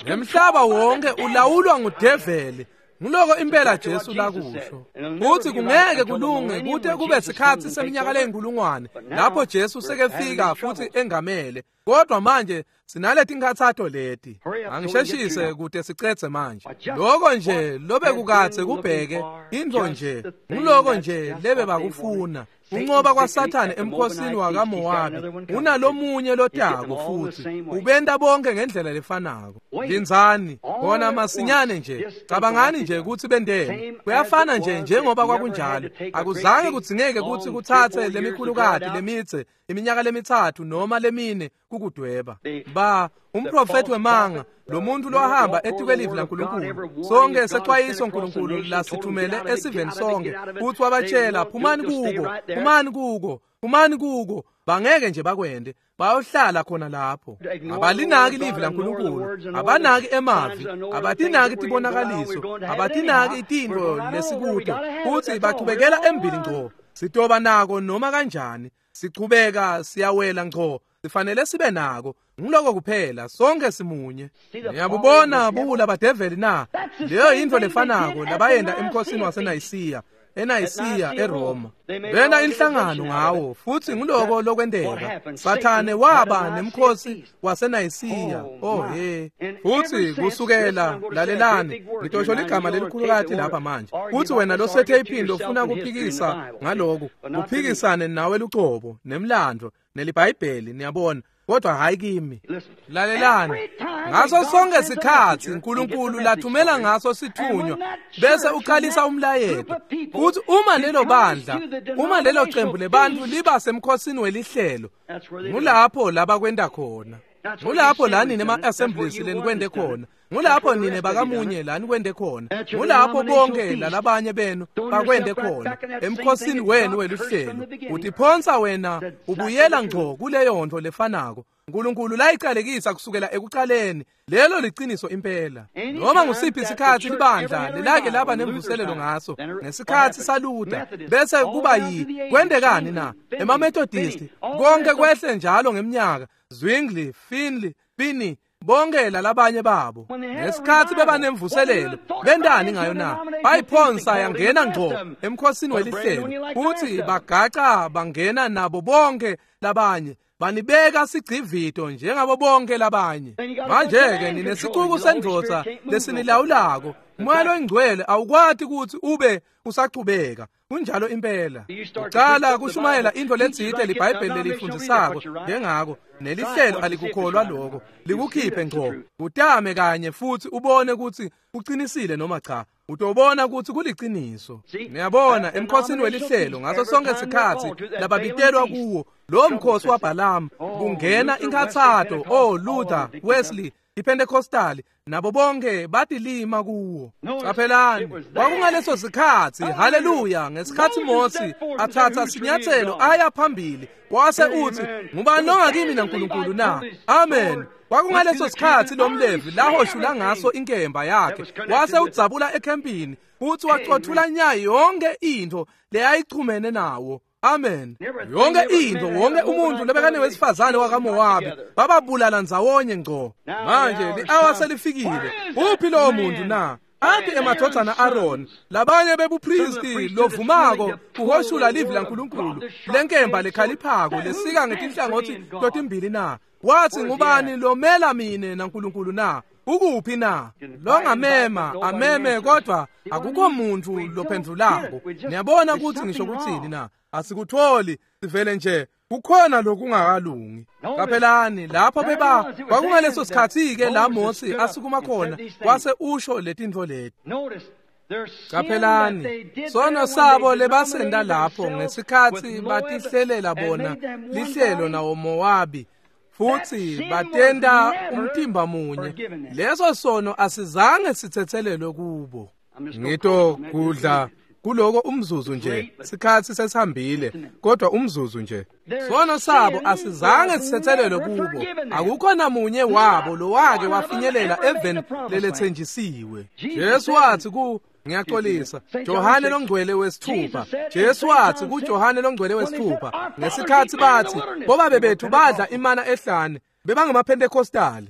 Nemhlaba wonke ulawulwa ngudeveli. Nguloko impela Jesu lakusho. Uthi kungeke kulunge kute kube sikhathi seminyaka leyinkulungwane lapho Jesu sekefika futhi engamele. Kodwa manje sinaleti nkhathato leti. Angisheshise kute sicedze manje. Lokho nje lobe kukathe kubheke into nje. Nguloko nje lebe bakufuna. Unqoba kwaSathane emkhosini wakaMowabi unalomunye lotako futhi ubenta bonke ngendlela lefanako. Linzani bona masinyane nje, cabangani nje ukuthi bendeni. Kuyafana nje njengoba kwakunjalo. Akuzange kudzingeke ukuthi kuthathe lemikhulukati lemitse iminyaka lemithathu noma lemine kukudweba. Ba umprofeti wemanga lo muntu lohamba etikwe laNkulunkulu. Sonke sexwayiso uNkulunkulu lasithumele esiveni sonke futhi wabatshela phumani kuko, phumani kuko, phumani kuko. Bangeke nje bakwende, bayohlala khona lapho. Abalinaki livi laNkulunkulu, abanaki emavi, abatinaki tibonakaliso, abatinaki itinto lesikude, futhi bachubekela embili ngco. Sitoba nako noma kanjani, sichubeka siyawela ngco. Sifanele sibe nako. Ngiloko kuphela, sonke simunye. Niyabubona buwula badeveli na? Leyo yintfo lefanako labayenda emkhosini waseNayisiya, eNayisiya eRoma. Bena inhlangano ngawo futhi ngiloko lokwenteka. Sathane waba nemkhosi waseNayisiya. Oh he. Futhi kusukela, lalelani, ngitosho ligama lelikhulukati lapha manje. Futhi wena losethe iphinde ufuna kuphikisa ngaloku, uphikisane nawe lucobo nemlando neliBhayibheli, niyabona. Kodwa hayi kimi. Lalelani. Ngaso sonke sikhathi uNkulunkulu lathumela ngaso sithunywa bese uqalisa umlayeto. Futhi uma lelo bandla, uma lelo qembu lebantu liba semkhosini welihlelo, ngulapho labakwenda khona. Ngulapho la nine ema-assemblies lenikwende khona. Ngulapho nine bakamunye la nikwende khona. Ngulapho bonke lalabanye benu bakwende khona emkhosini wenu weluhlelo. Utiphonsa wena ubuyela ngco kuleyo nto lefanako uNkulunkulu layiqalekisa kusukela ekuqaleni. Lelo liqiniso impela. Noma ngusiphi isikhathi libandla lelake laba nemvuselelo ngaso ngesikhathi saLuther, bese kuba yi kwendekani na? EmaMethodist konke kwehle njalo ngeminyaka. Zwingli, Finley, Finney, bonke lalabanye babo ngesikhathi beba nemvuselelo bendani ngayo na? Bayiphonsa yangena ngco emkhosini welihlelo futhi bagaca bangena nabo bonke labanye, banibeka sigcivito njengabo bonke labanye. Manje-ke ninesicuku sendvodza lesinilawulako, Moya loyingcwele awukwati ukuthi ube usachubeka. Kunjalo impela. Ucala kushumayela into letsite liBhayibheli lelifundzisako njengako nelihlelo alikukholwa lokho, likukhiphe ngco. Utame kanye futhi ubone ukuthi uqinisile noma cha. Utobona ukuthi kuliciniso. Niyabona emkhosini welihlelo ngaso sonke isikhathi lababitelwa kuwo lo mkhosi waBalaam kungena inkathato, oh Luther, Wesley, iPentecostal nabo bonke batilima kuwo. Qaphelani, kwakungaleso sikhathi, haleluya, ngesikhathi Mose athatha sinyathelo aya phambili wase uthi, ngubani ongakimi naNkulunkulu na? Amen. Kwakungaleso sikhathi lomLevi lahoshula ngaso inkemba yakhe wase udzabula ekhempini futhi wacothula nya yonke into leyayichumene nawo. Amen. Yonke into, wonke umuntu lebekane wesifazane wakaMowabi bababulala ndzawonye ngco. Manje li-awa selifikile. Uphi lowo muntu na? Aphi emadvodzana Aaron, labanye bebupristi lovumako kuhoshula livi laNkulunkulu, lenkemba lekhaliphako lesika ngetinhlangothi totimbili na? Wathi, ngubani lomela mine naNkulunkulu na? Ukuphi na? Longamema ameme, kodwa akukho muntu lophendvulako. Niyabona ukuthi ngisho kuthini na? Asikutholi, sivele nje kukhona lokungakalungi. Qaphelani lapho beba kwakungaleso sikhathi-ke la Mose asukuma khona wase usho letintfo leti. Qaphelani sono sabo lebasenda lapho ngesikhathi batihlelela bona lihlelo nawo Mowabi futhi batenda umtimba munye. Leso sono asizange sithethelelwe kubo. Ngito kudla kuloko umzuzu nje, sikhathi sesihambile, kodwa umzuzu nje. Sono sabo asizange sithethelelwe kubo. Akukho namunye wabo lowake wafinyelela eveni lelethenjisiwe. Jesu wathi ku ngiyaxolisa, Johane longcwele wesithupha. Jesu wathi kuJohane longcwele wesithupha ngesikhathi bathi bobabe bethu badla imana ehlane, bebangamaPentecostali.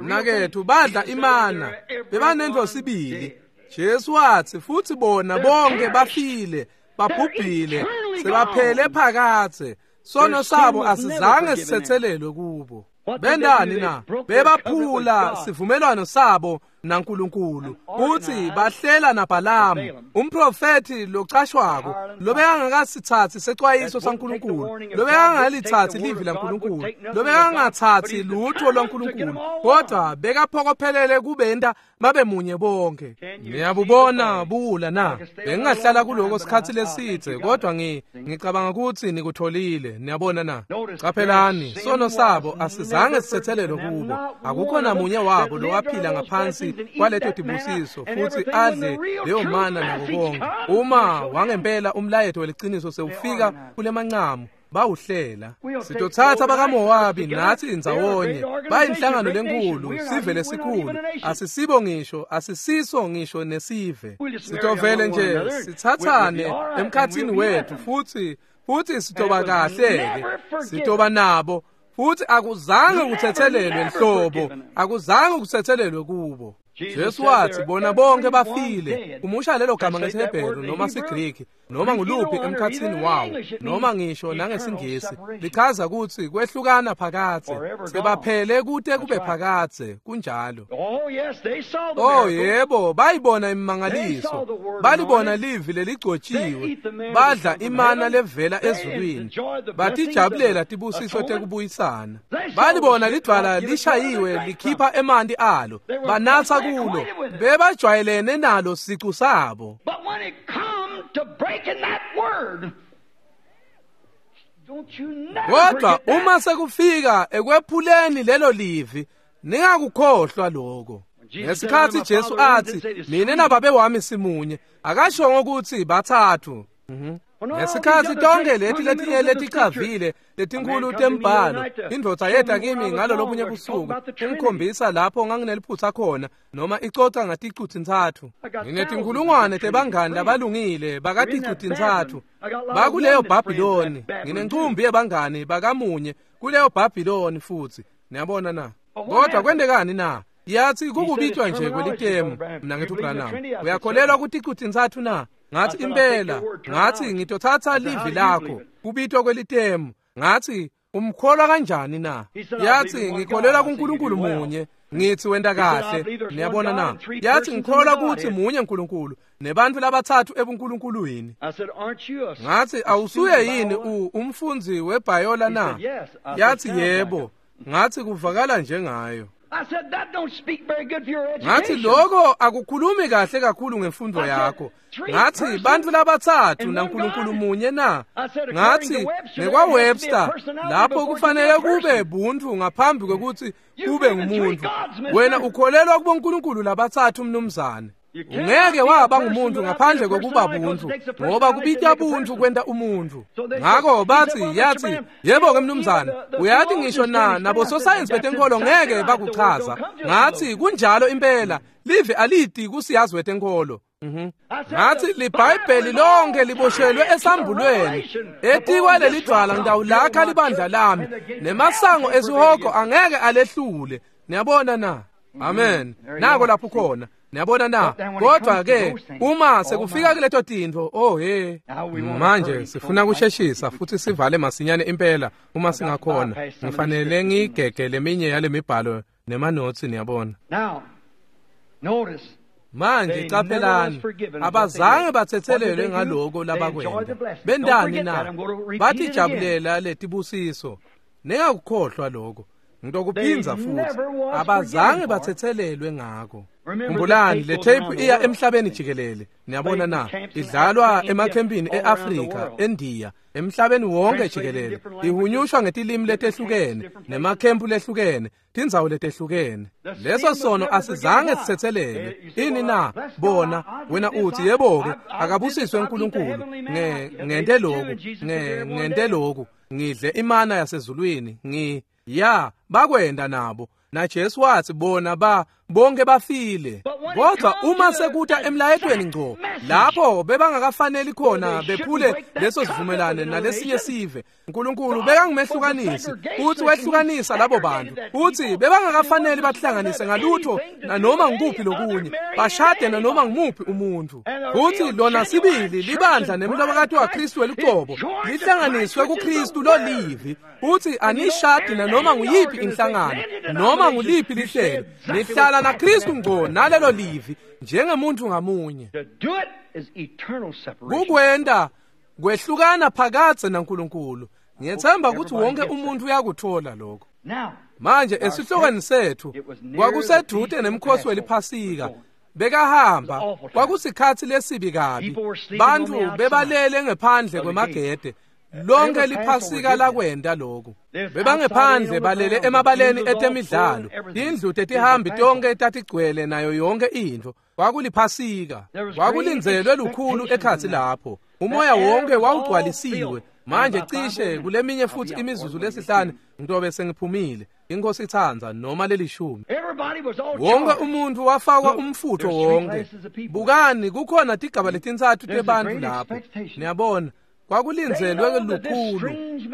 Mnakethu, badla imana, bebanento sibili. Jesu wathi futhi bona bonke bafile, babhubhile, sebaphele phakathe. Sono sabo asizange sithethelelwe kubo. Bendani na? Bebaphula sivumelwano sabo naNkulunkulu futhi bahlela naBalaam, umprofethi locashwako lobekangakasithathi secwayiso saNkulunkulu, lobekangalithathi livi laNkulunkulu, lobekangathathi lutho lwaNkulunkulu, kodwa bekaphokophelele kubenta babe munye bonke. Niyabubona buwula na? Bengingahlala kuloko sikhathi lesithe, kodwa ngicabanga ukuthi nikutholile. Niyabona na? Qaphelani, sono sabo asizange sithethelelwe kubo. Akukho namunye wabo lowaphila ngaphansi kwaleto tibusiso futhi adle leyo mana nako konke. Uma wangempela umlayeto weliciniso sewufika kulemancamu, bawuhlela. Sitothatha bakaMowabi nathi ndzawonye, bayinhlangano lenkulu, sive lesikhulu. Asisibo ngisho, asisiso ngisho nesive. Sitovele nje sithathane emkhathini wethu futhi sitoba kahle-ke, sitoba nabo. Futhi akuzange kuthethelelwe nhlobo, akuzange kuthethelelwe kubo. Jesu wathi bona bonke bafile. Umusha lelo gama ngesiHebheru noma siGriki noma nguluphi emkhathini wawo noma ngisho nangesingisi, lichaza ukuthi kwehlukana phakathe, sebaphele kute kube phakathe. Kunjalo. Oh yebo, bayibona imimangaliso, balibona livi leligcotshiwe, badla imana levela ezulwini, batijabulela tibusiso tekubuyisana, balibona lidvwala lishayiwe likhipha emanti alo, banatsa kulo, bebajwayelene nalo sicu sabo. Kodwa uma sekufika ekwephuleni lelo livi, ningakukhohlwa lokho. Ngesikhathi Jesu athi mina nababe wami simunye, akashongo ukuthi bathathu. Ngesikhathi tonke leti letinye leticavile letinkulu tembhalo, indvodza yeta kimi ngalo lobunye busuku ingikhombisa lapho ngangineliphutha khona noma icoca ngaticu-tintsatfu. Nginetinkulungwane tebangani labalungile bakaticu-tintsatfu bakuleyo Bhabhiloni. Nginencumbi yebangani bakamunye kuleyo Bhabhiloni futhi. Niyabona na? Kodwa kwentekani na? Yathi kukubitwa nje kwelitemu. Mina ngithi uBranham, uyakholelwa kuticu-tintsatfu na? Ngathi impela, ngathi ngitothatha livi lakho kubitwa kwelitemu. Ngathi umkholwa kanjani na? Yathi ngikholelwa kuNkulunkulu munye. Ngithi wenta kahle. Niyabona na? Yathi ngikholwa ukuthi munye uNkulunkulu nebantu labathathu ebunkulunkulwini. Ngathi awusuye yini umfundzi weBhayola na? Yathi yebo. Ngathi kuvakala njengayo. Ngathi lokho akukhulumi kahle kakhulu ngemfundo yakho. Ngathi bantu labathathu naNkulunkulu munye na? Ngathi ngekwa-Webster lapho kufanele kube buntu ngaphambi kwekuthi kube ngumuntu. Wena ukholelwa kubonkulunkulu labathathu mnumzane. Ungeke waba ngumuntu ngaphandle kokuba buntu, ngoba kubita buntu kwenta umuntu. Ngakho bathi yathi yebo ke mnumzane, uyathi ngisho na nabo sosayensi betenkolo ngeke bakuchaza. Ngathi kunjalo impela, live alidi kusiyazi wetenkolo. Ngathi liBhayibheli lonke liboshelwe esambulweni. Etikwa lelidwala ngitawulakha libandla lami, nemasango esihogo angeke alehlule. Niyabona na? Amen. Nako lapho khona. Niyabona na? Kodwa ke uma sekufika kuleto tintfo, oh he. Manje sifuna kusheshisa futhi sivale masinyane impela uma singakhona. Ngifanele ngigege leminye yale mibhalo nemanothi, niyabona. Manje caphelani, abazange bathethelelwe ngaloko labakwenda. Bendani na? Batijabulela letibusiso. Ningakukhohlwa lokho. Ngitokuphinza futhi, abazange bathethelelwe ngako. Khumbulani, le tape iya emhlabeni jikelele. Niyabona na? Idlalwa emakhempini eAfrika, eNdiya, emhlabeni wonke jikelele. Ihunyushwa ngetilimi letehlukene, nemakhempu lehlukene, tindzawo letehlukene. Leso sono asizange sithethelelwe. Ini na? Bona, wena uthi yebo ke, akabusiswe uNkulunkulu. Ngente lokhu, ngente lokhu, ngidle imana yasezulwini, ya bakwenda nabo. Na Jesu wathi bona ba bonke bafile. Kodwa uma sekuta emlayetweni ngco, lapho bebangakafaneli khona bephule leso sivumelane nalesinye sive, uNkulunkulu bekangumehlukanisi, uthi wehlukanisa labo bantu. Uthi bebangakafaneli bahlanganise ngalutho nanoma ngikuphi lokunye, bashade nanoma ngimuphi umuntu. Uthi lona sibili libandla nemlobokati waKristu welucobo lihlanganiswe kuKristu lolivi. Uthi anishadi nanoma nguyiphi inhlangano, noma nguliphi lihlelo, nihlala naKristu ngco nalelo livi njengemuntu ngamunye. Kukwenda kwehlukana phakadze naNkulunkulu. Ngiyethemba ukuthi wonke umuntu uyakuthola lokho. Manje esihlokweni sethu kwakusedude nemkhosi weliphasika. Bekahamba, kwakusikhathi lesibi kabi. Bantu bebalele ngephandle kwemagede. Lonke liphasika lakwenda lokhu. Bebangephandle balele emabaleni etemidlalo. Indlu tetihambi tonke tatigcwele nayo yonke intfo. Kwakuliphasika. Kwakulindzelwe lukhulu ekhatsi lapho. Umoya wonke wawugcwalisiwe. Manje cishe kuleminye futhi imizuzu lesihlanu ngitobe sengiphumile. Inkosi ithandza noma lelishumi. Wonke umuntu wafakwa umfutho wonke. Bukani kukhona tigaba letintsatfu tebantu lapho. Niyabona? Kwakulindzelwe lukhulu.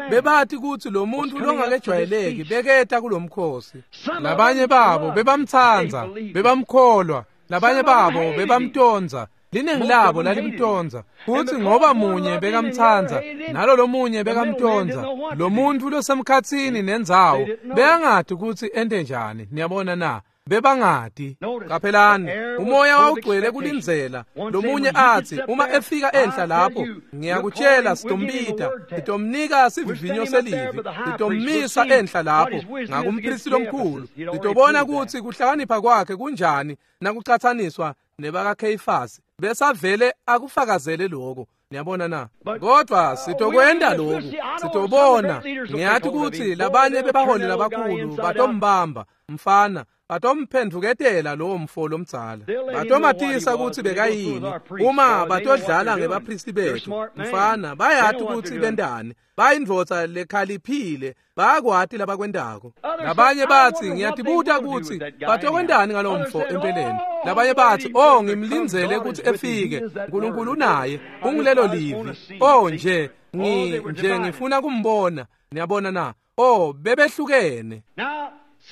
Bebathi ukuthi lo muntu longakejwayeleki beketa kulomkhosi. Labanye babo bebamtsandza, bebamkholwa, labanye babo bebamtonza. Liningi labo lalimtonza. Futhi ngoba munye bekamtsandza, nalo lomunye bekamtonza. Lo muntu losemkhatsini nendzawo bekangadi ukuthi ente njani. Niyabona na? Bebangadi. Qaphelani, umoya wawugcwele kulindzela. Lomunye athi uma efika enhla lapho, ngiyakutshela sitombita, sitomnika sivivinyo selivi, sitommisa enhla lapho ngakumpristi lomkhulu, sitobona ukuthi kuhlakanipha kwakhe kunjani nakucathaniswa nebakaKheyifasi. Besavele akufakazele lokho. Niyabona na? Kodwa sitokwenda lokhu, sitobona. Ngiyathi ukuthi labanye bebaholi labakhulu batombamba mfana, batomphendvuketela lowo mfo lomdzala, batomatisa ukuthi bekayini. Uma batodlala ngebapristi bethu mfana, bayathi ukuthi bendani, bayindvodza lekhaliphile, bayakwati labakwendako. Labanye bathi ngiyatibuta ukuthi batokwendani ngalo mfo empeleni. Labanye bathi oh ngimlindzele ukuthi efike, uNkulunkulu unaye, ungilelo livi. Oh nje nje ngifuna kumbona. Niyabona na? Oh bebehlukene.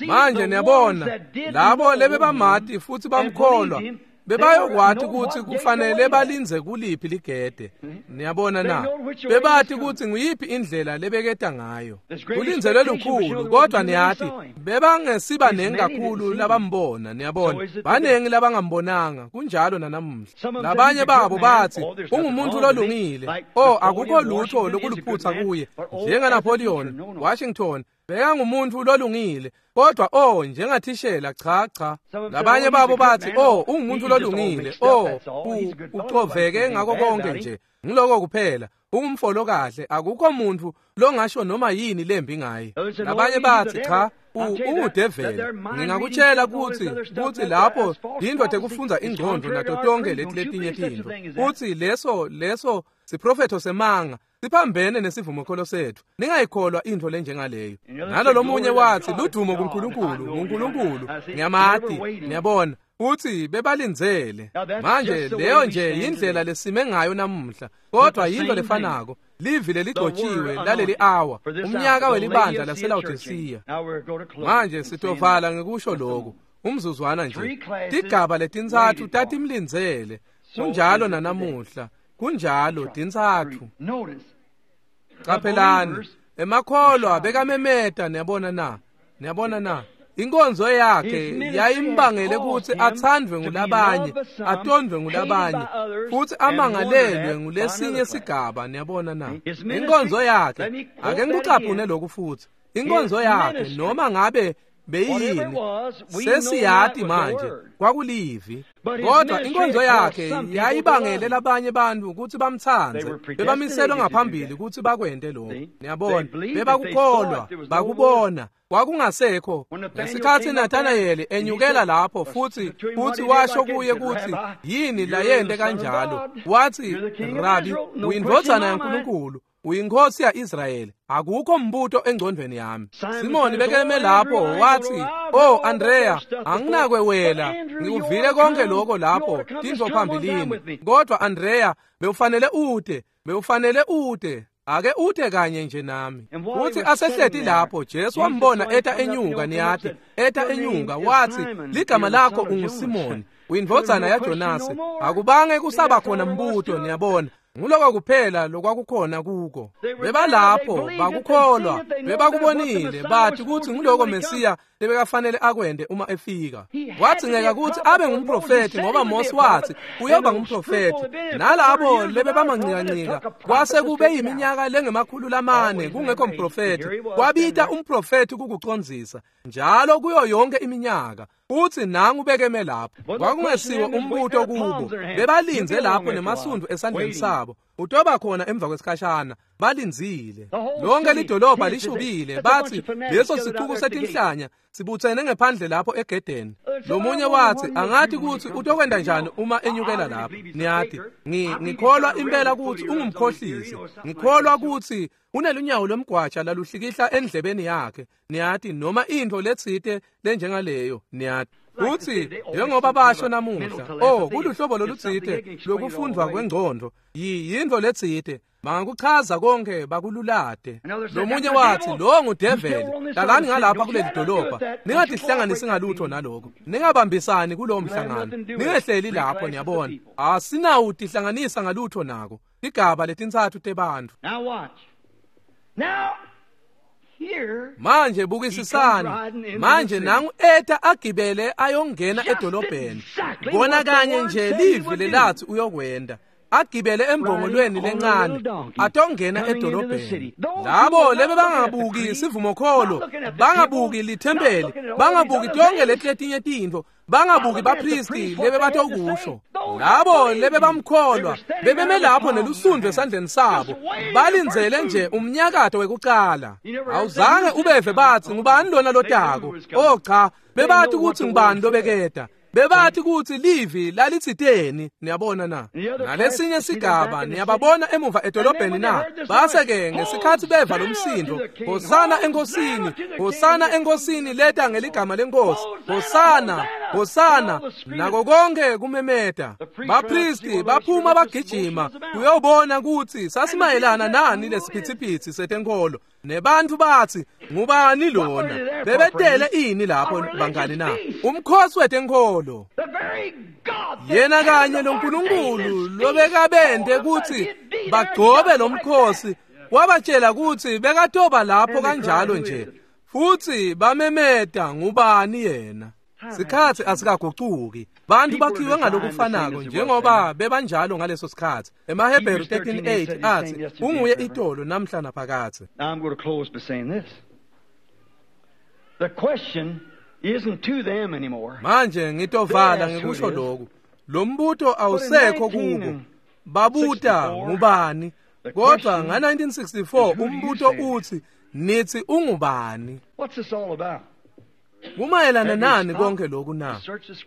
Manje niyabona, labo lebebamati futhi bamkholwa, Bebayokwati kutsi kufanele balindze kuliphi ligede. Niyabona na? Bebati kutsi nguyiphi indlela lebeketa ngayo. Kulindzelwe lukhulu, kodwa niyati bebangesibanengi kakhulu labambona. Niyabona, banengi labangambonanga. Kunjalo nanamuhla. Labanye babo bathi ungumuntu lolungile, oh akukho lutho lokuluphutsa kuye, njengaNapoleon Washington bekangumuntu lolungile, kodwa oh njengathishela cha cha. Labanye babo bathi oh ungumuntu lolungile, oh ucoveke ngako konke nje, ngiloko kuphela, ungumfolo kahle, akukho muntu longasho noma yini lembi ngaye. Labanye bathi cha, ungudeveli. Ngingakutshela kutsi lapho yindoda ekufundza ingqondo nato tonke leti letinye tintfo, kutsi leso siprofetho semanga siphambene nesivumokholo sethu. Ningayikholwa intfo lenjengaleyo. Nalo lomunye wathi ludumo kuNkulunkulu, nguNkulunkulu, ngiyamati. Niyabona uthi bebalindzele. Manje leyo nje yindlela lesime ngayo namuhla, kodwa yinto lefanako. Livi leligcotshiwe laleli awa, umnyaka welibandla laseLawodisiya. Manje sitovala ngekusho lokhu umzuzwana nje. Tigaba letintsatfu tatimlindzele. Kunjalo nanamuhla. Kunjalo tintsatfu. Qaphelani, emakholwa bekamemeta. Niyabona na? Niyabona na? Inkonzo yakhe yayimbangele kutsi athandvwe ngulabanye, atondvwe ngulabanye, futhi amangalelwe ngulesinye sigaba. Niyabona na? Inkonzo yakhe, ake ngikucaphune lokhu futhi. Inkonzo yakhe noma ngabe beyini, sesiyati manje kwakulivi, kodwa inkonzo yakhe yayibangele labanye bantu kutsi bamtsandze. Bebamiselwe ngaphambili kutsi bakwente lokho. Niyabona, bebakukholwa, bakubona. Kwakungasekho. Ngesikhatsi Nathanayeli enyukela lapho futhi washo kuye kutsi yini layente kanjalo, wathi Rabi, uyindvodzana yaNkulunkulu, uyinkosi ya-Israyeli. Akukho mbuto engcondvweni yami. Simoni bekeme lapho wathi, "Oh Andrea, anginakwewela, ngikuvile konke lokho lapho tintfo phambilini. Kodwa Andrea, bewufanele ute. Ake ute kanye nje nami." Uthi asehleti lapho, Jesu wambona eta enyuka. Niyati, eta enyuka, wathi ligama lakho unguSimoni, uyindvodzana yaJonase. Akubange kusaba khona mbuto. Niyabona, nguloko kuphela lokwakukhona kuko. Bebalapho, bakukholwa, bebakubonile, bathi kutsi nguloko Mesiya lebekafanele akwente uma efika. Wadzingeka kutsi abe ngumprofethi ngoba Mose wathi uyoba ngumprofethi. Nalabo lebebamancikancika kwase kube yiminyaka lengemakhulu lamane kungekho mprofethi. Kwabita umprofethi kukucondzisa njalo kuyo yonke iminyaka. Uthi nangu bekeme lapho. Kwakungesiwo umbuto kubo. Bebalindze lapho nemasundvu esandleni sabo. Utoba khona emva kwesikhashana. Balindzile. Lonke lidolobha lishubile. Bathi leso sicuku setinhlanya sibutsene ngephandle lapho egedeni. Lomunye wathi angathi kutsi utokwenta njani uma enyukela lapho. Niyati, ngikholwa impela kutsi ungumkhohlisi. Ngikholwa kutsi unelunyawo lwemgwaja laluhlikihla endlebeni yakhe. Niyati, noma intfo letsite lenjengaleyo. Niyati kutsi njengoba basho namuhla, oh kuluhlobo lolutsite lokufundvwa kwengcondvo, yintfo letsite bangakuchaza konke bakululate. Lomunye wathi lo ngudeveli, hlalani ngalapha kuleli dolobha, ningatihlanganisi ngalutho naloko, ningabambisani kulowo mhlangano, ningehleli lapho. Niyabona, asinawutihlanganisa ngalutho nako. Tigaba letintsatfu tebantfu. Manje bukisisani. Manje nangu eta agibele ayongena edolobheni. Kona kanye nje livi lelathi uyokwenda. Agibele embongolweni lencane atongena edolobheni. Labo lebe bangabuki sivumokholo, bangabuki lithempeli, bangabuki tonke letinye tintfo, bangabuki bapristi lebe batokusho. Labo lebe bamkholwa bebeme lapho nelusundvu esandleni sabo, balindzele nje umnyakato wekucala. Awuzange ubeve bathi ngubani lona lotako. Oh cha, bebathi kutsi ngubani lobeketa. Bebathi kutsi livi lalitsiteni. Niyabona na? Nalesinye sigaba niyababona emuva edolobheni na? Base-ke ngesikhatsi beva lomsindo, Hosana enkosini, Hosana enkosini leta ngeligama lenkosi, Hosana. Hosana, nako konke kumemeta. Bapristi baphuma bagijima kuyobona kutsi sasimayelana nani lesiphithiphithi setenkolo. Nebantu bathi, ngubani lona? Bebetele ini lapho bangani na? Umkhosi wetenkolo. Yena kanye loNkulunkulu lobekabente kutsi bagcobe lomkhosi wabatshela kutsi bekatoba lapho kanjalo nje. Futhi bamemeta, ngubani yena? Sikhathi asikagucuki. Bantu bakhiwe ngalokufanako njengoba bebanjalo ngaleso sikhathi. EmaHebheru 13:8 athi unguye itolo namhla naphakathe. Now I'm going to close by saying this. The question isn't to them anymore. Manje ngitovala ngikusho lokhu. Lo mbuto awusekho kubo. Babuta ngubani? Kodwa nga-1964 umbuto uthi nithi ungubani? What's this all about? Kumayelana nani konke lokhu na?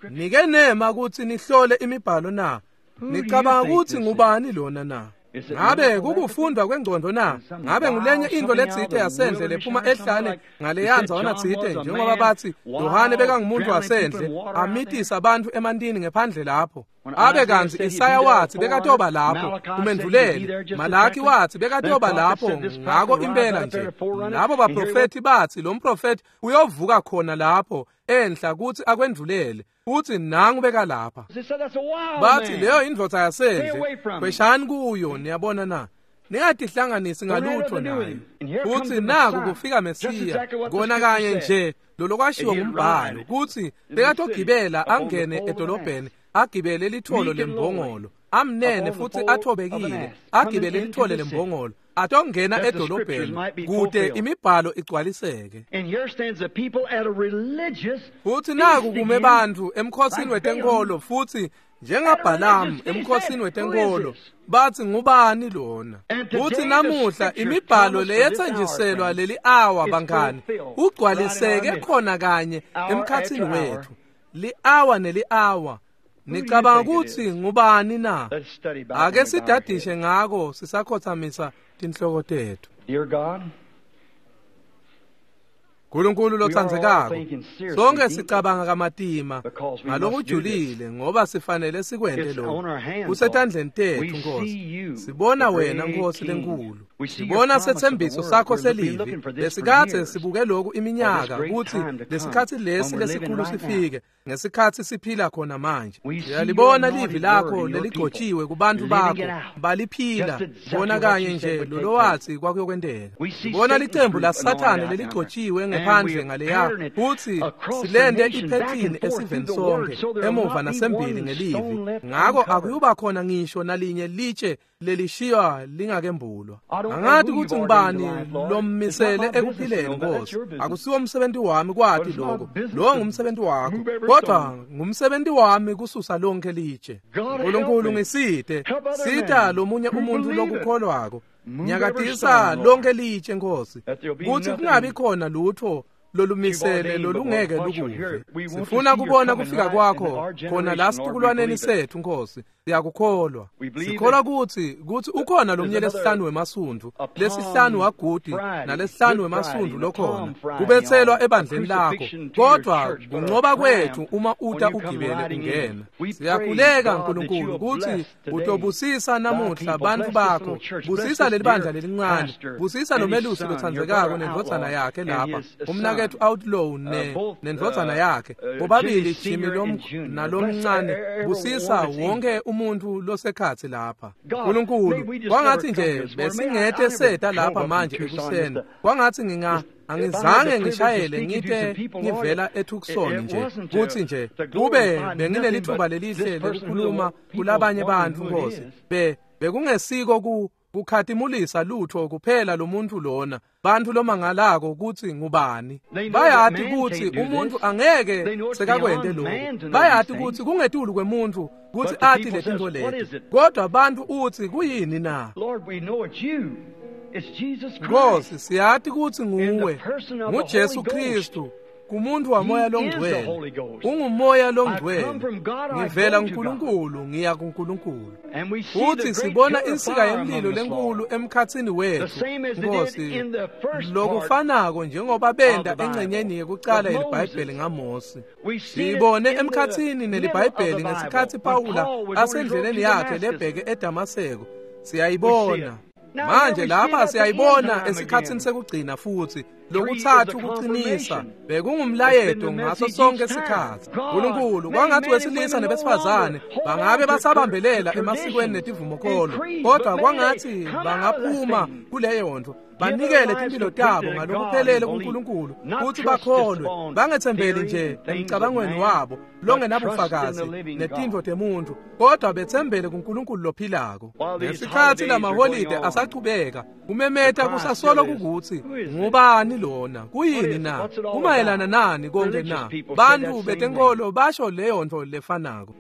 Nike nema ukuthi nihlole imibhalo na? Nicabanga ukuthi ngubani lona na? Ngabe kukufundwa kwengcondo na? Ngabe ngulenye into letsite yasendle lephuma ehlane ngaleyanza wana tsite, njengoba bathi Yohane bekangumuntu wasendle amitisa abantu emantini ngephandle lapho. Abe kanzi Isaya wathi bekatoba lapho kumendvuleli, Malaki wathi bekatoba lapho, ngako impela nje. Labo baprofethi bathi lo mprofethi uyovuka khona lapho enhla kuthi akwendvulele. Uthi nangu beka lapha. Bathi leyo indvodza yasendle, kweshani kuyo, niyabona na? Ningatihlanganisi ngalutho nayo. Futhi naku kufika Mesiya, kona kanye nje lolokwashiwo ngumbhalo kuthi bekatogibela angene edolobheni, agibele litholo lembongolo, amnene futhi athobekile, agibele lithole lembongolo, atongena edolobheni kude imibhalo igcwaliseke. Futhi naku kume bantfu emkhosini wetenkolo, futhi njengaBhalamu emkhosini wetenkolo bathi ngubani lona? Futhi namuhla imibhalo leyethenjiselwa leli awa bangani ugcwaliseke khona kanye emkhathini wethu, li-awa neli-awa. Nicabanga ukuthi ngubani na? Ake sidadishe ngako sisakhothamisa tinhloko tethu. Nkulunkulu lotsandzekako, sonke sicabanga kamatima ngalokujulile ngoba sifanele sikwente lokhu. Kusetandleni tethu Nkosi. Sibona wena Nkosi lenkulu. Sibona setsembiso sakho selivi. Lesikhatsi sibuke lokhu iminyaka ukuthi lesikhatsi lesi lesikhulu sifike ngesikhatsi siphila khona manje. Siyalibona livi lakho leligcotshiwe kubantu bakho baliphila bona kanye nje lolowathi kwakuyokwenteka. Sibona licembu laSathane leligcotshiwe ngephandle ngaleya futhi silente iphethini esiveni sonke emuva nasembili ngelivi. Ngako akuyuba khona ngisho nalinye litshe lelishiywa lingakembulwa. Angathi ukuthi ngubani lommisele ekuphileni Nkosi. Akusiwo umsebenzi wami kwati lokho, lo ngumsebenzi wakho, kodwa ngumsebenzi wami kususa lonke litshe. Nkulunkulu ngisite, sita lomunye umuntu lokukholwako. Nyakatisa lonke litshe Nkosi, kuthi kungabi khona lutho lolumisele lolungeke lukuve. Sifuna kubona kufika kwakho khona la situkulwaneni sethu Nkosi. Siyakukholwa. Sikholwa kuthi ukhona lomnye lesihlanu wemasundu, lesihlanu wagudi nalesihlanu wemasundu lokhona kubetselwa ebandleni lakho, kodwa kunqoba kwethu uma uta ugibele ungena. Siyakhuleka Nkulunkulu ukuthi utobusisa namuhla bantu bakho, busisa leli bandla lelincane, busisa lomelusi lotsandzekako nendvodzana yakhe lapha, umnaketfu Outlaw nendvodzana yakhe, bobabili Jimmy nalomncane, busisa wonke umuntu losekhatsi lapha. Nkulunkulu, kwangathi nje besingete seta lapha manje ekuseni, kwangathi angizange ngishayele ngite ngivela eTucson nje kuthi nje kube benginelithuba lelihle lokukhuluma kulabanye bantu Nkosi. Bekungesiko kukhatimulisa lutho kuphela lomuntu lona, bantu lomangalako ukuthi ngubani. Bayati ukuthi umuntu angeke sekakwente lokhu, bayati ukuthi kungetulu kwemuntu ukuthi athi letinto leti, kodwa bantu uthi kuyini na? Nkosi, siyati ukuthi nguwe, nguJesu Kristu Kumuntu wamoya longcwele. Ungumoya longcwele. Ngivela kuNkulunkulu, ngiya kuNkulunkulu. Futhi sibona insika yemlilo lenkulu emkhatsini wethu, Nkosi, lokufanako njengoba benda engcenyeni yekucala yeliBhayibheli ngaMose. Siyibone emkhatsini neliBhayibheli ngesikhatsi Pawula asendleleni yakhe lebheke eDamaseko. Siyayibona. Manje lapha siyayibona esikhatsini sekugcina futhi lokuthathu kuqinisa bekungumlayeto ngaso sonke isikhathi. uNkulunkulu kwangathi wesilisa nebesifazane bangabe basabambelela emasikweni netivumokholo, kodwa kwangathi bangaphuma kuleyo nto banikele timpilo tabo ngalokuphelele kuNkulunkulu futhi bakholwe, bangethembeli nje emcabangweni wabo longenabufakazi netintfo temuntu, kodwa bethembele kuNkulunkulu lophilako. Ngesikhatsi lamaholide asachubeka kumemeta kusasolo kukuthi ngubani lona, kuyini na, kumayelana nani konke na? Bantu betenkolo basho leyo nto lefanako.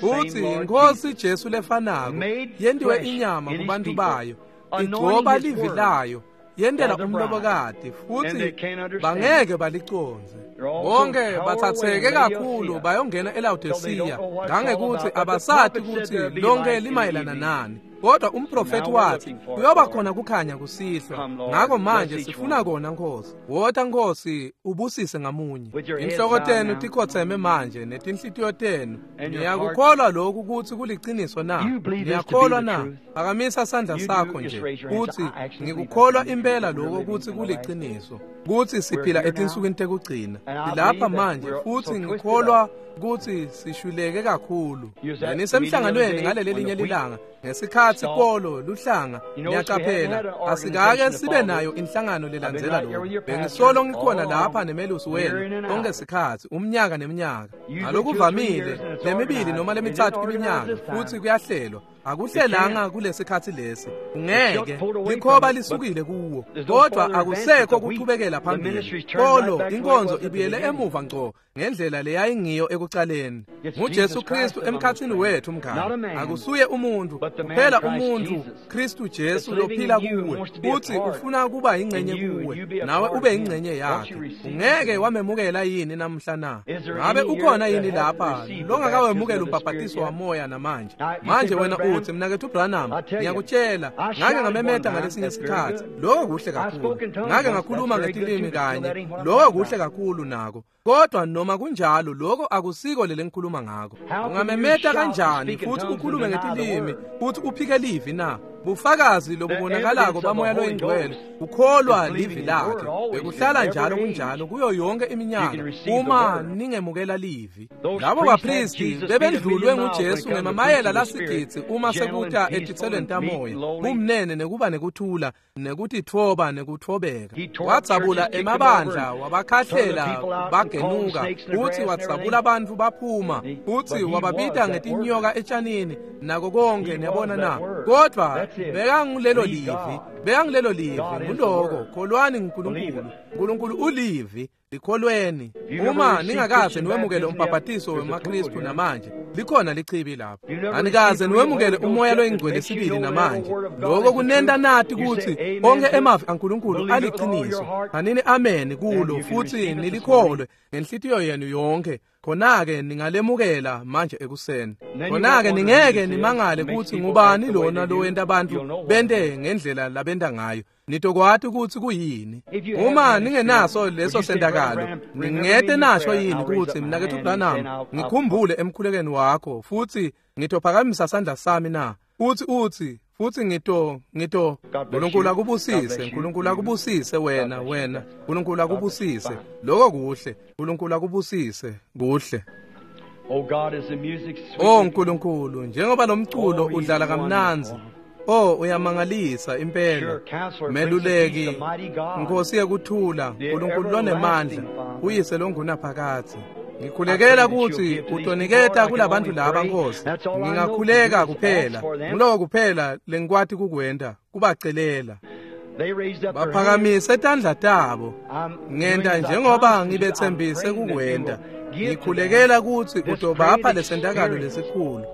Futhi iNkosi Jesu lefanako yentiwe inyama kubantu bayo, igcoba livi layo, yentela umlobokati, futhi bangeke balicondze. Bonke bathatheke kakhulu bayongena eLaodicea ngangekuthi abasati ukuthi lonke limayelana nani. Kodwa umprofeti wathi kuyoba khona kukhanya kusihlwa. Ngakho manje sifuna kona, Nkosi. Wota Nkosi, ubusise ngamunye. Inhloko tenu tikhotheme manje netinhlitiyo tenu. Niyakukholwa lokhu ukuthi kuliciniso na? Niyakholwa na? Phakamisa sandla sakho nje uthi ngikukholwa impela lokho ukuthi kuliciniso, kuthi siphila etinsukwini tekugcina. Silapha manje futhi ngikholwa ukuthi sishuleke kakhulu. Benisemhlanganweni ngaleli linye lilanga ngesikhatsi kolo luhlanga. Niyaqaphela, asikake sibe nayo inhlangano lelandzela lokho. Bengisolo ngikhona lapha nemelusi wenu konke sikhatsi, umnyaka neminyaka. Ngalokuvamile lemibili noma lemithathu iminyaka futhi kuyahlelwa. Akuhlelanga kulesikhatsi lesi, ungeke likhoba lisukile kuwo, kodwa akusekho kuchubekela phambili. Kolo inkonzo ibuyele emuva ngco ngendlela leyayingiyo ekucaleni. NguJesu Kristu emkhatsini wethu mngani, akusuye umuntu kuphela, umuntu Kristu Jesu lophila kuwe, futhi ufuna kuba ingcenye kuwe, nawe ube ingcenye yakhe. Ungeke wamemukela yini namhla na? Ngabe ukhona yini lapha longakawemukela umbhabhatiso wamoya namanje? Manje wena uthi, mnakethu Branham, ngiyakutshela, ngake ngamemeta ngalesinye isikhathi, lokho kuhle kakhulu. Ngake ngakhuluma ngetilimi kanye, lokho kuhle kakhulu nako. Kodwa noma kunjalo lokho akusiko lele ngikhuluma ngako. Ungamemeta kanjani futhi ukhulume ngetilimi futhi uphike livi na? Bufakazi lobubonakalako bamoya loyingcwele ukholwa livi lakhe. Bekuhlala njalo kunjalo kuyo yonke iminyaka uma ningemukela livi. Labo bapristi bebendlulwe nguJesu ngemamayela lasigidzi uma sekuta etitselweni tamoya, bumnene nekuba nekuthula nekutitfoba nekuthobeka. Wadzabula emabandla wabakhahlela bagenuka, futhi wadzabula abantu baphuma, futhi wababita ngetinyoka etshanini nako konke, niyabona na? Kodwa bekangulelo livi, bekangulelo livi, nguloko. Kholwani nguNkulunkulu. uNkulunkulu ulivi, likholweni. Uma ningakaze niwemukele umbhabhatiso wemaKristu namanje, likhona lichibi lapho. Anikaze niwemukele umoya loyingcwele sibili namanje. Lokho kunenta nati ukuthi onke emavi aNkulunkulu aliqiniso. Anini amen kulo futhi nilikholwe ngenhlitiyo yenu yonke. Khona-ke ningalemukela manje ekuseni. Khona-ke ningeke nimangale ukuthi ngubani lona lowenta abantu bente ngendlela labenta ngayo. Nitokwati ukuthi kuyini. Uma ningenaso leso sentakalo, ningete nasho yini ukuthi mnakethu Branham, ngikhumbule emkhulekweni wakho futhi ngitophakamisa sandla sami na? Futhi uthi futhi ngito uNkulunkulu akubusise, uNkulunkulu akubusise wena, uNkulunkulu akubusise. Lokho kuhle, uNkulunkulu akubusise, kuhle. Oh uNkulunkulu, njengoba lo mculo udlala kamnandzi, oh uyamangalisa impela. Meluleki, Nkosi yekuthula, uNkulunkulu lonemandla, uyise longunaphakadze. Ngikhulekela ukuthi utoniketa kulabantu laba Nkosi. Ngingakhuleka kuphela, nguloko kuphela lengikwati kukwenta, kubacelela. Baphakamise tandla tabo, ngenta njengoba ngibethembise kukwenta. Ngikhulekela ukuthi utobapha lesentakalo lesikhulu.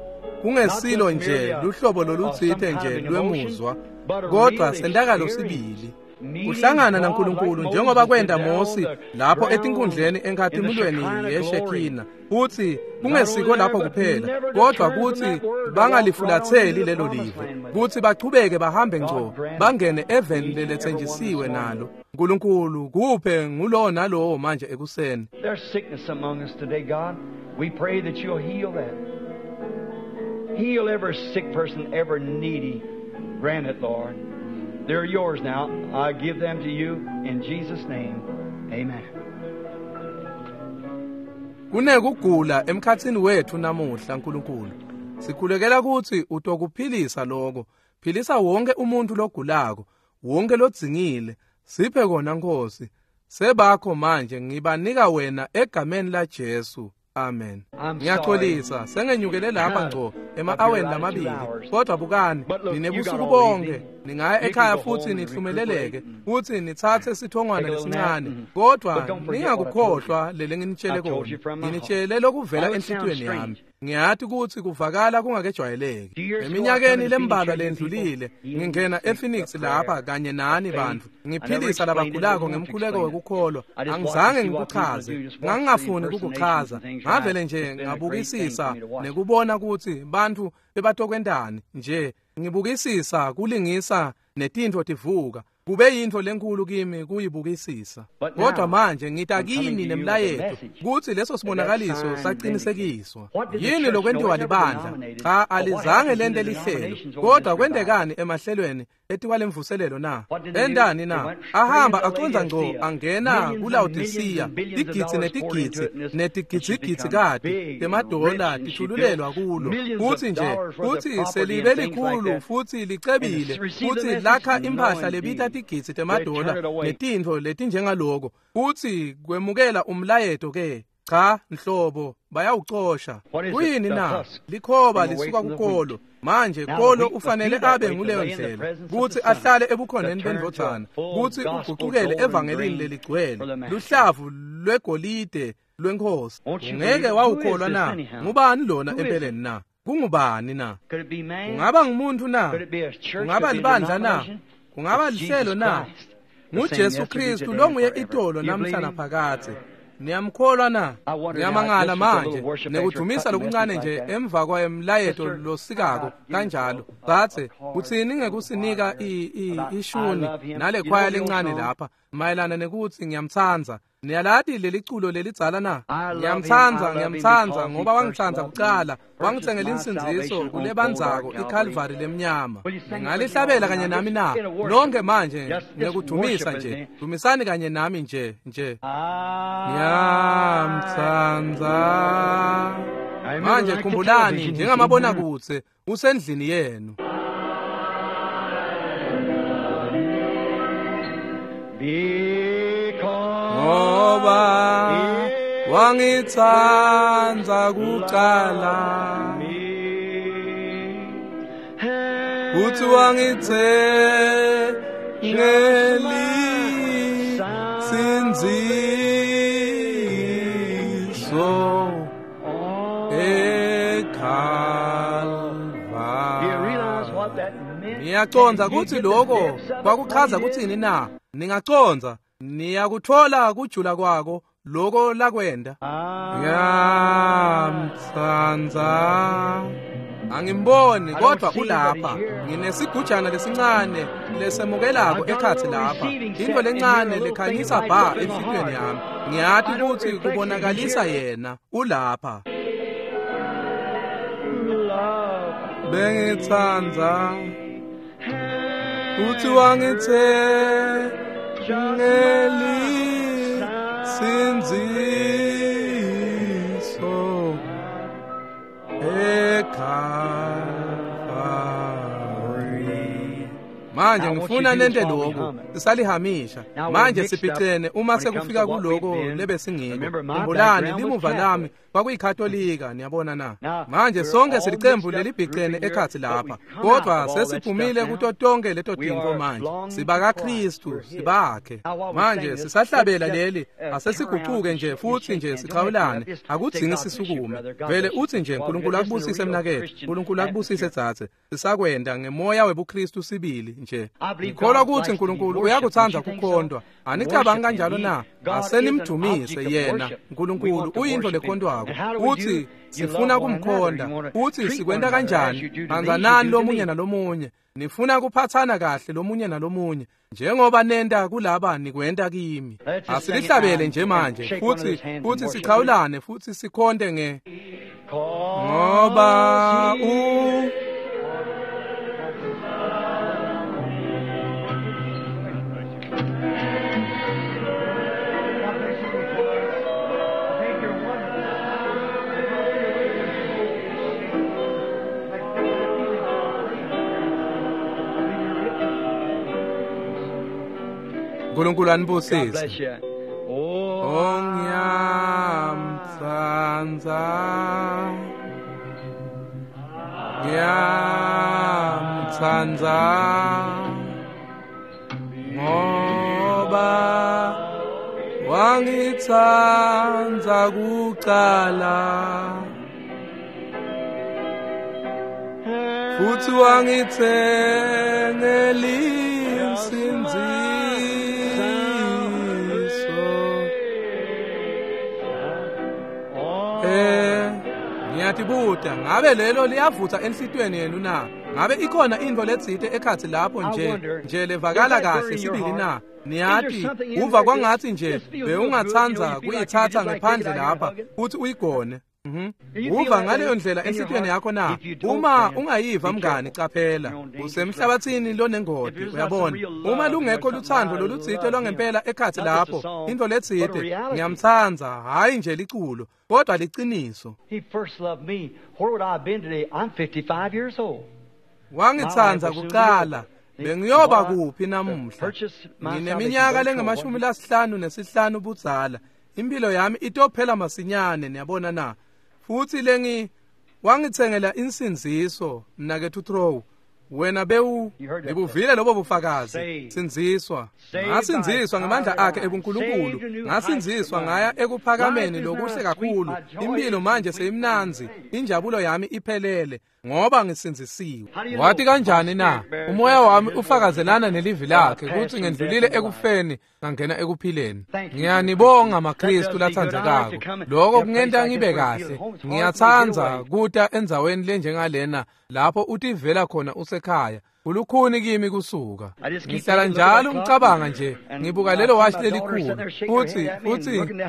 Kungesilo nje luhlobo lolutsite nje lwemuzwa, kodwa sentakalo sibili. Kuhlangana naNkulunkulu njengoba kwenta Mosi lapho etinkundleni enkhatimulweni yeShekina, futhi kungesiko lapho kuphela, kodwa kuthi bangalifulatheli lelo live, kuthi bachubeke bahambe ngco bangene eveni lelethenjisiwe nalo. uNkulunkulu kuphe ngulowo nalowo manje ekuseni. There's sickness among us today, God. We pray that you'll heal that. Heal every sick person, every needy. Grant it, Lord. They're yours now. I give them to you in Jesus' name. Amen. Kunekugula emkhatsini wethu namuhla, uNkulunkulu. Sikhulekela ukuthi utokuphilisa lokho. Philisa wonke umuntu logulako, wonke lodzingile. Siphe kona Nkosi. Sebakho manje ngibanika wena egameni la Jesu. Amen. Ngiyaxolisa sengenyukele lapha ngco ema-aweni lamabili, kodwa bukani ninebusuku bonke. Ningaya ekhaya futhi nihlumeleleke futhi nithathe sithongwana lesincane, kodwa ningakukhohlwa lele nginitshele kona. Nginitshele lokuvela enhlitiyweni yami. Ngiyathi ukuthi kuvakala kungakejwayeleki. Eminyakeni lembalwa lendlulile ngingena ePhoenix lapha kanye nani bantu, ngiphilisa labagulako ngemkhuleko wekukholwa. Angizange ngikuchaze, ngangingafuni ukukuchaza, ngavele nje ngabukisisa nekubona ukuthi bantu bebatokwentani nje. Ngibukisisa kulingisa netintfo tivuka. Kube yintfo lenkulu kimi kuyibukisisa. Kodwa manje ngita kini nemlayeto kutsi leso sibonakaliso saqinisekiswa. Yini lokwentiwa libandla? Cha, alizange lente lihlelo. Kodwa kwentekani emahlelweni etikwale mvuselelo na? Entani na? Ahamba acondza ngco angena kuLaodicea, tigidzi netigidzi netigidzigidzikati temadola tithululelwa kulo. Kutsi nje kutsi selibe likhulu futhi licebile, futhi lakha imphahla lebita tigidzi temadola netintfo letinjengaloko, kutsi kwemukela umlayeto ke. Cha nhlobo, bayawucosha. Kuyini na? Likhoba lisuka kukolo. Manje kolo ufanele abe nguleyo ndlela, kutsi ahlale ebukhoneni bendvodzana, kutsi ugucukele evangelini leligcwele, luhlavu lwegolide lwenkosi. Ungeke wawukholwa na? Ngubani lona empeleni na? Kungubani na? Kungaba ngumuntu na? Kungaba libandla na? Kungaba lihlelo na? NguJesu Kristu longuye itolo namhla naphakadze. Niyamkholwa na? Ngiyamangala manje nekudumisa lokuncane nje emva kwemlayeto losikako kanjalo. Tsatse utsini ngekusinika ishuni nale khwaya lencane lapha mayelana nekutsi ngiyamtsandza. Niyalati leliculo lelidzala na? Ngiyamtsandza, ngiyamtsandza ngoba wangitsandza kucala, wangitsengela insindziso kulebandzako iCalvary lemnyama. Ngalihlabela kanye nami na? Nonke manje ngekudumisa nje, dumisani kanye nami nje nje. Ngiyamtsandza. Manje khumbulani njengamabonakudze usendlini yenu. Ngoba wangitsandza kucala, futhi wangithengela insindziso eKalvari. Niyacondza kutsi lokho kwakuchaza kutsini na? Ningacondza? Niyakuthola kujula kwako loko lakwenda. Ngiyamtsandza. Angimboni kodwa ulapha. Nginesigujana lesincane lesemukelako ekhatsi lapha, into lencane lekhanyisa bha enhlitiyweni yami. Ngiyati kutsi kubonakalisa yena ulapha. Bengitsandza futhi wangithengela insindziso eKalvari. Manje ngifuna nente lokhu sisalihamisha. Manje siphicene uma sekufika kuloko lebesingiko. Khumbulani limuva lami kwakuyikhatolika, niyabona na? Manje sonke silicembu lelibhicene ekhatsi lapha, kodwa sesiphumile kuto tonke leto tintfo manje. SibakaKristu, sibakhe. Manje sisahlabela leli, asesigucuke nje futhi nje sichawulane. Akudzingi sisukume. Vele uthi nje uNkulunkulu akubusise mnaketfu, uNkulunkulu akubusise dzadze. Sisakwenda ngemoya webuKristu sibili nje. nje. Ngikholwa kutsi Nkulunkulu uyakutsandza kukhontwa. Anicabangi kanjalo na? Asenimdumise yena. Nkulunkulu uyintfo lekhontwako. Utsi sifuna kumkhonda. Utsi sikwenta kanjani? Tsandzanani lomunye nalomunye. Nifuna kuphatsana kahle lomunye nalomunye. Njengoba nenta kulaba nikwenta kimi. Asilihlabele nje manje futsi sichawulane futsi sikhonte nge ngoba u Nkulunkulu anibusise. Oh ngiyamtsandza, ngiyamtsandza, ngoba wangitsandza kucala futsi wangitsengela insindziso. Ngiyatibuta ngabe lelo liyavutsa enhlitiyweni yenu na? Ngabe ikhona intfo letsite ekhatsi lapho nje levakala kahle sibili na? Niyati uva kwangatsi nje bewungatsandza kuyitsatsa ngephandle lapha futsi uyigone. Uva ngaleyo ndlela enhlitiyweni yakho na? Uma ungayiva mngani, caphela usemhlabathini lonengoti. Uyabona, uma lungekho lutsandvo lolutsite lwangempela ekhatsi lapho, intfo letsite ngiyamtsandza, hhayi nje liculo kodwa liciniso. Wangitsandza kucala, bengiyoba kuphi namuhla? Ngineminyaka lengama-55 budzala. Impilo yami itophela masinyane, niyabona na? Futsi lengi wangitsengela insindziso, mnaketfu Trow. Wena bewu ngibuvile lobo bufakazi. Sindziswa. Ngasindziswa ngemandla akhe ebuNkulunkulu. Ngasindziswa ngaya ekuphakameni lokuhle kakhulu. Impilo manje seyimnandzi. Injabulo yami iphelele ngoba ngisindzisiwe. Wati kanjani na? Umoya wami ufakazelana nelivi lakhe kutsi ngendlulile ekufeni ngangena ekuphileni. Ngiyanibonga maKristu latsandzekako. Lokho kungenta ngibe kahle. Ngiyatsandza kuta endzaweni lenjengalena lapho utivela khona usekhaya. Kulukhuni kimi kusuka. Ngihlala njalo ngicabanga nje, ngibuka lelo washi lelikhulu futsi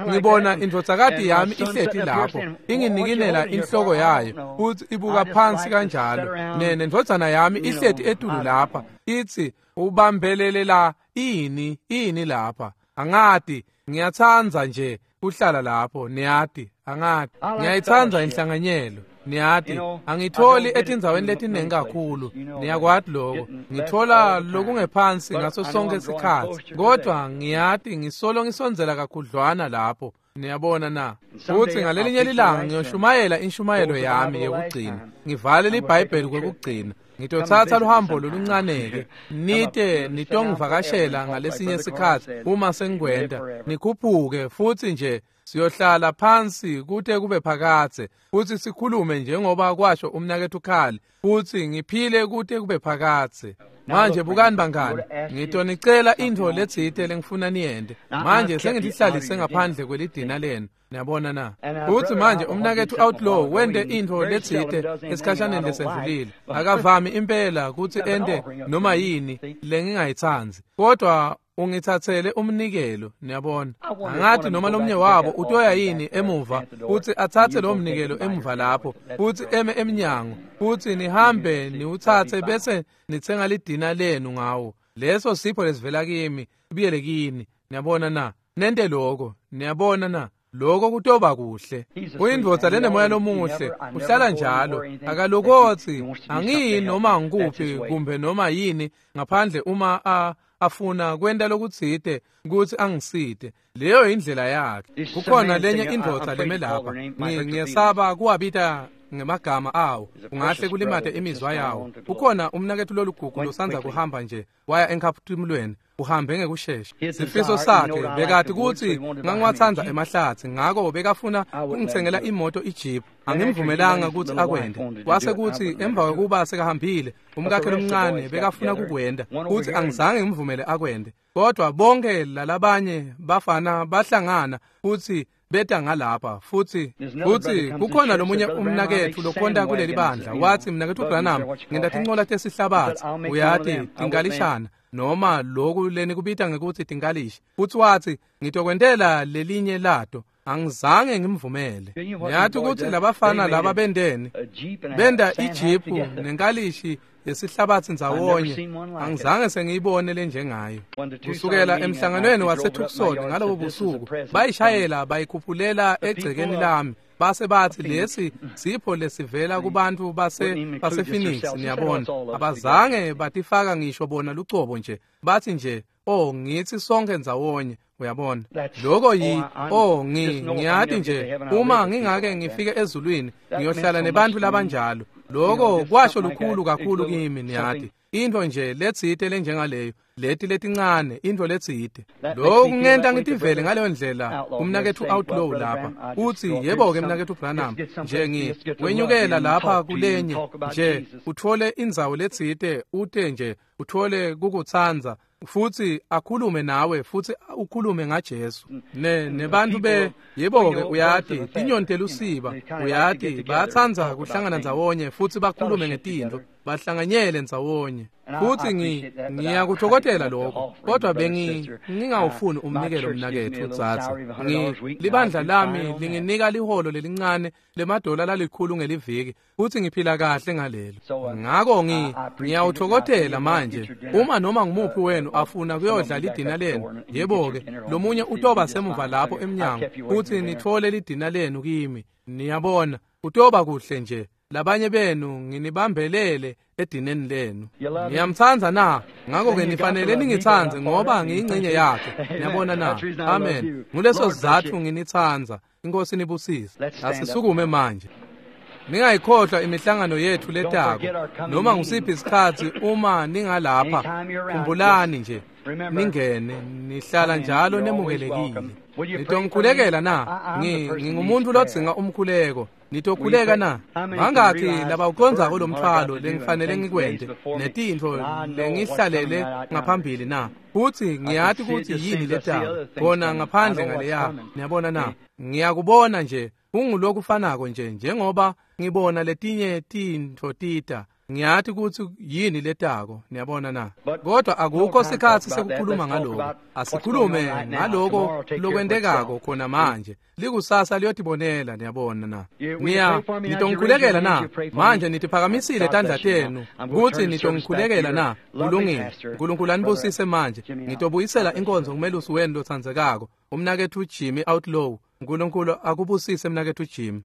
ngibona indvodzakati yami ihleti lapho inginikinela inhloko yayo futsi ibuka phansi kanjalo. Nendvodzana yami ihleti etulu lapha itsi ubambelelela ini lapha. Angati, ngiyatsandza nje kuhlala lapho, niyati, angati. Ngiyayitsandza inhlanganyelo. Niyati, angitholi etindzaweni letiningi kakhulu, niyakwati lokho. Ngithola lokungephansi ngaso sonke isikhatsi, kodwa ngiyati ngisolo ngisondzela kakhudlwana lapho. Niyabona na? Futsi ngalelinye lilanga ngiyoshumayela inshumayelo yami yekugcina, ngivale liBhayibheli kwekugcina. Ngitotsatsa luhambo loluncaneke, nite nitongivakashela ngalesinye sikhatsi uma sengikwenta, nikhuphuke futsi nje siyohlala phansi kute kube phakadze futsi sikhulume njengoba kwasho umnaketfu Khali, futsi ngiphile kute kube phakadze. Manje bukani bangani, ngitonicela intfo letsite lengifuna niyente. Manje sengilihlalise ngaphandle kwelidina lenu. Niyabona na? Futsi manje umnaketfu Outlaw wente intfo letsite esikhashaneni lesendlulile. Akavami impela kutsi ente noma yini lengingayitsandzi, kodwa ungitsatsele umnikelo. Niyabona, angathi noma lomnye wabo utoya yini emuva futsi atsatse lo mnikelo emuva lapho futsi eme emnyango futsi nihambe niwutsatse bese nitsenga lidina lenu ngawo. Leso sipho lesivela kimi sibuyele kini. Niyabona na? Nente lokho. Niyabona na? Lokho kutoba kuhle. Uyindvodza lenemoya lomuhle, uhlala njalo, akalokotsi angiyi noma ngikuphi kumbe noma yini ngaphandle uma afuna kwenta lokutsite kutsi angisite. Leyo indlela yakhe. Kukhona lenye indvodza leme lapha. Ngiyesaba kuwabita ngemagama awo, ungahle kulimate imizwa yawo. Ukhona umnaketfu lolugugu losandza kuhamba nje waya enkhaphumulweni, uhambe ngekushesha. Sifiso sakhe bekati kutsi ngangiwatsandza emahlatsi, ngako bekafuna kungitsengela imoto iJeep. Angimvumelanga kutsi akwente. Kwase kutsi emva kwekuba sekahambile, umkakhe lomncane bekafuna kukwenta, kutsi angizange ngimvumele akwente. Kodwa bonke lalabanye bafana bahlangana futsi beta ngalapha, futsi kukhona lomunye umnaketfu lokhonta kuleli bandla. Watsi, mnaketfu Branham, ngenta tincola tesihlabatsi, uyati, tinkalishana noma loku lenikubita ngekutsi tinkalishi. Futsi watsi, ngitokwentela lelinye lato. Angizange ngimvumele. Ngiyathi ukuthi labafana laba bendeni benda ijipu nenkalishi yesihlabatsi ndzawonye. Angizange sengiyibone lenjengayo. Kusukela emhlanganweni waseTucson ngalobo busuku, bayishayela bayikhuphulela egcekeni lami. Base bathi lesi sipho lesivela kubantu base Phoenix. Niyabona, abazange batifaka ngisho bona lucobo nje, bathi nje, oh, ngithi sonke ndzawonye. Uyabona lokho yi oh, ngiyati nje uma ngingake ngifike ezulwini ngiyohlala nebantu labanjalo. Lokho kwasho lukhulu kakhulu kimi, niyati, into nje letsite lenjengaleyo, leti letincane, into letsite. Lokho kungenta ngitivele ngaleyo ndlela. Umnaketfu Outlaw lapha uthi, yebo-ke mnaketfu Branham, nje wenyukela lapha kulenye nje uthole indzawo letsite, ute nje uthole kukutsandza futhi akhulume nawe futhi ukhulume ngaJesu nebantu be yebo-ke uyati, tinyoni telusiba, uyati, bayatsandza kuhlangana ndzawonye futhi bakhulume ngetintfo, bahlanganyele ndzawonye. Futhi ngiyakuthokothela lokho, kodwa bengingawufuni umnikelo mnaketfu dzadze. Libandla lami linginika liholo lelincane lemadola lalikhulu ngeliviki, futhi ngiphila kahle ngalelo. Ngako ngiyawuthokothela manje. Uma noma ngumuphi wenu afuna kuyodla lidina lenu, yebo-ke, lomunye utoba semuva lapho emnyango futhi nithole lidina lenu kimi. Niyabona, utoba kuhle nje. Labanye benu nginibambelele edineni lenu. Ngiyamtsandza na? Ngakho-ke nifanele ningitsandze ngoba ngiyingcenye yakhe. Niyabona na? Amen. Nguleso sizatfu nginitsandza. Inkosi nibusise. Asisukume manje. Ningayikhohlwa imihlangano yethu letako. Noma ngusiphi isikhatsi uma ningalapha, khumbulani nje, ningene, nihlala njalo nemukelekile. Nitongikhulekela na? Ngingumuntu lodzinga umkhuleko. Nitokhuleka na? Bangakhi labawucondzako lo mthwalo lengifanele ngikwente netintfo lengihlalele ngaphambili na? Futhi ngiyati kutsi yini letako khona ngaphandle ngaleya. Niyabona na? Ngiyakubona nje kungulokufanako nje njengoba ngibona letinye tintfo tita. Ngiyati kutsi yini letako. Niyabona na? Kodwa akukho sikhatsi sekukhuluma ngaloko. Asikhulume ngaloko lokwentekako khona manje. Likusasa liyotibonela. Niyabona na? Nitongikhulekela na? Manje nitiphakamisile tandla tenu kutsi nitongikhulekela na? Kulungile. Nkulunkulu anibusise manje. Ngitobuyisela inkonzo kumelusi wenu lotsandzekako, umnaketfu Jimmy Outlaw. Nkulunkulu akubusise mnaketfu Jimmy.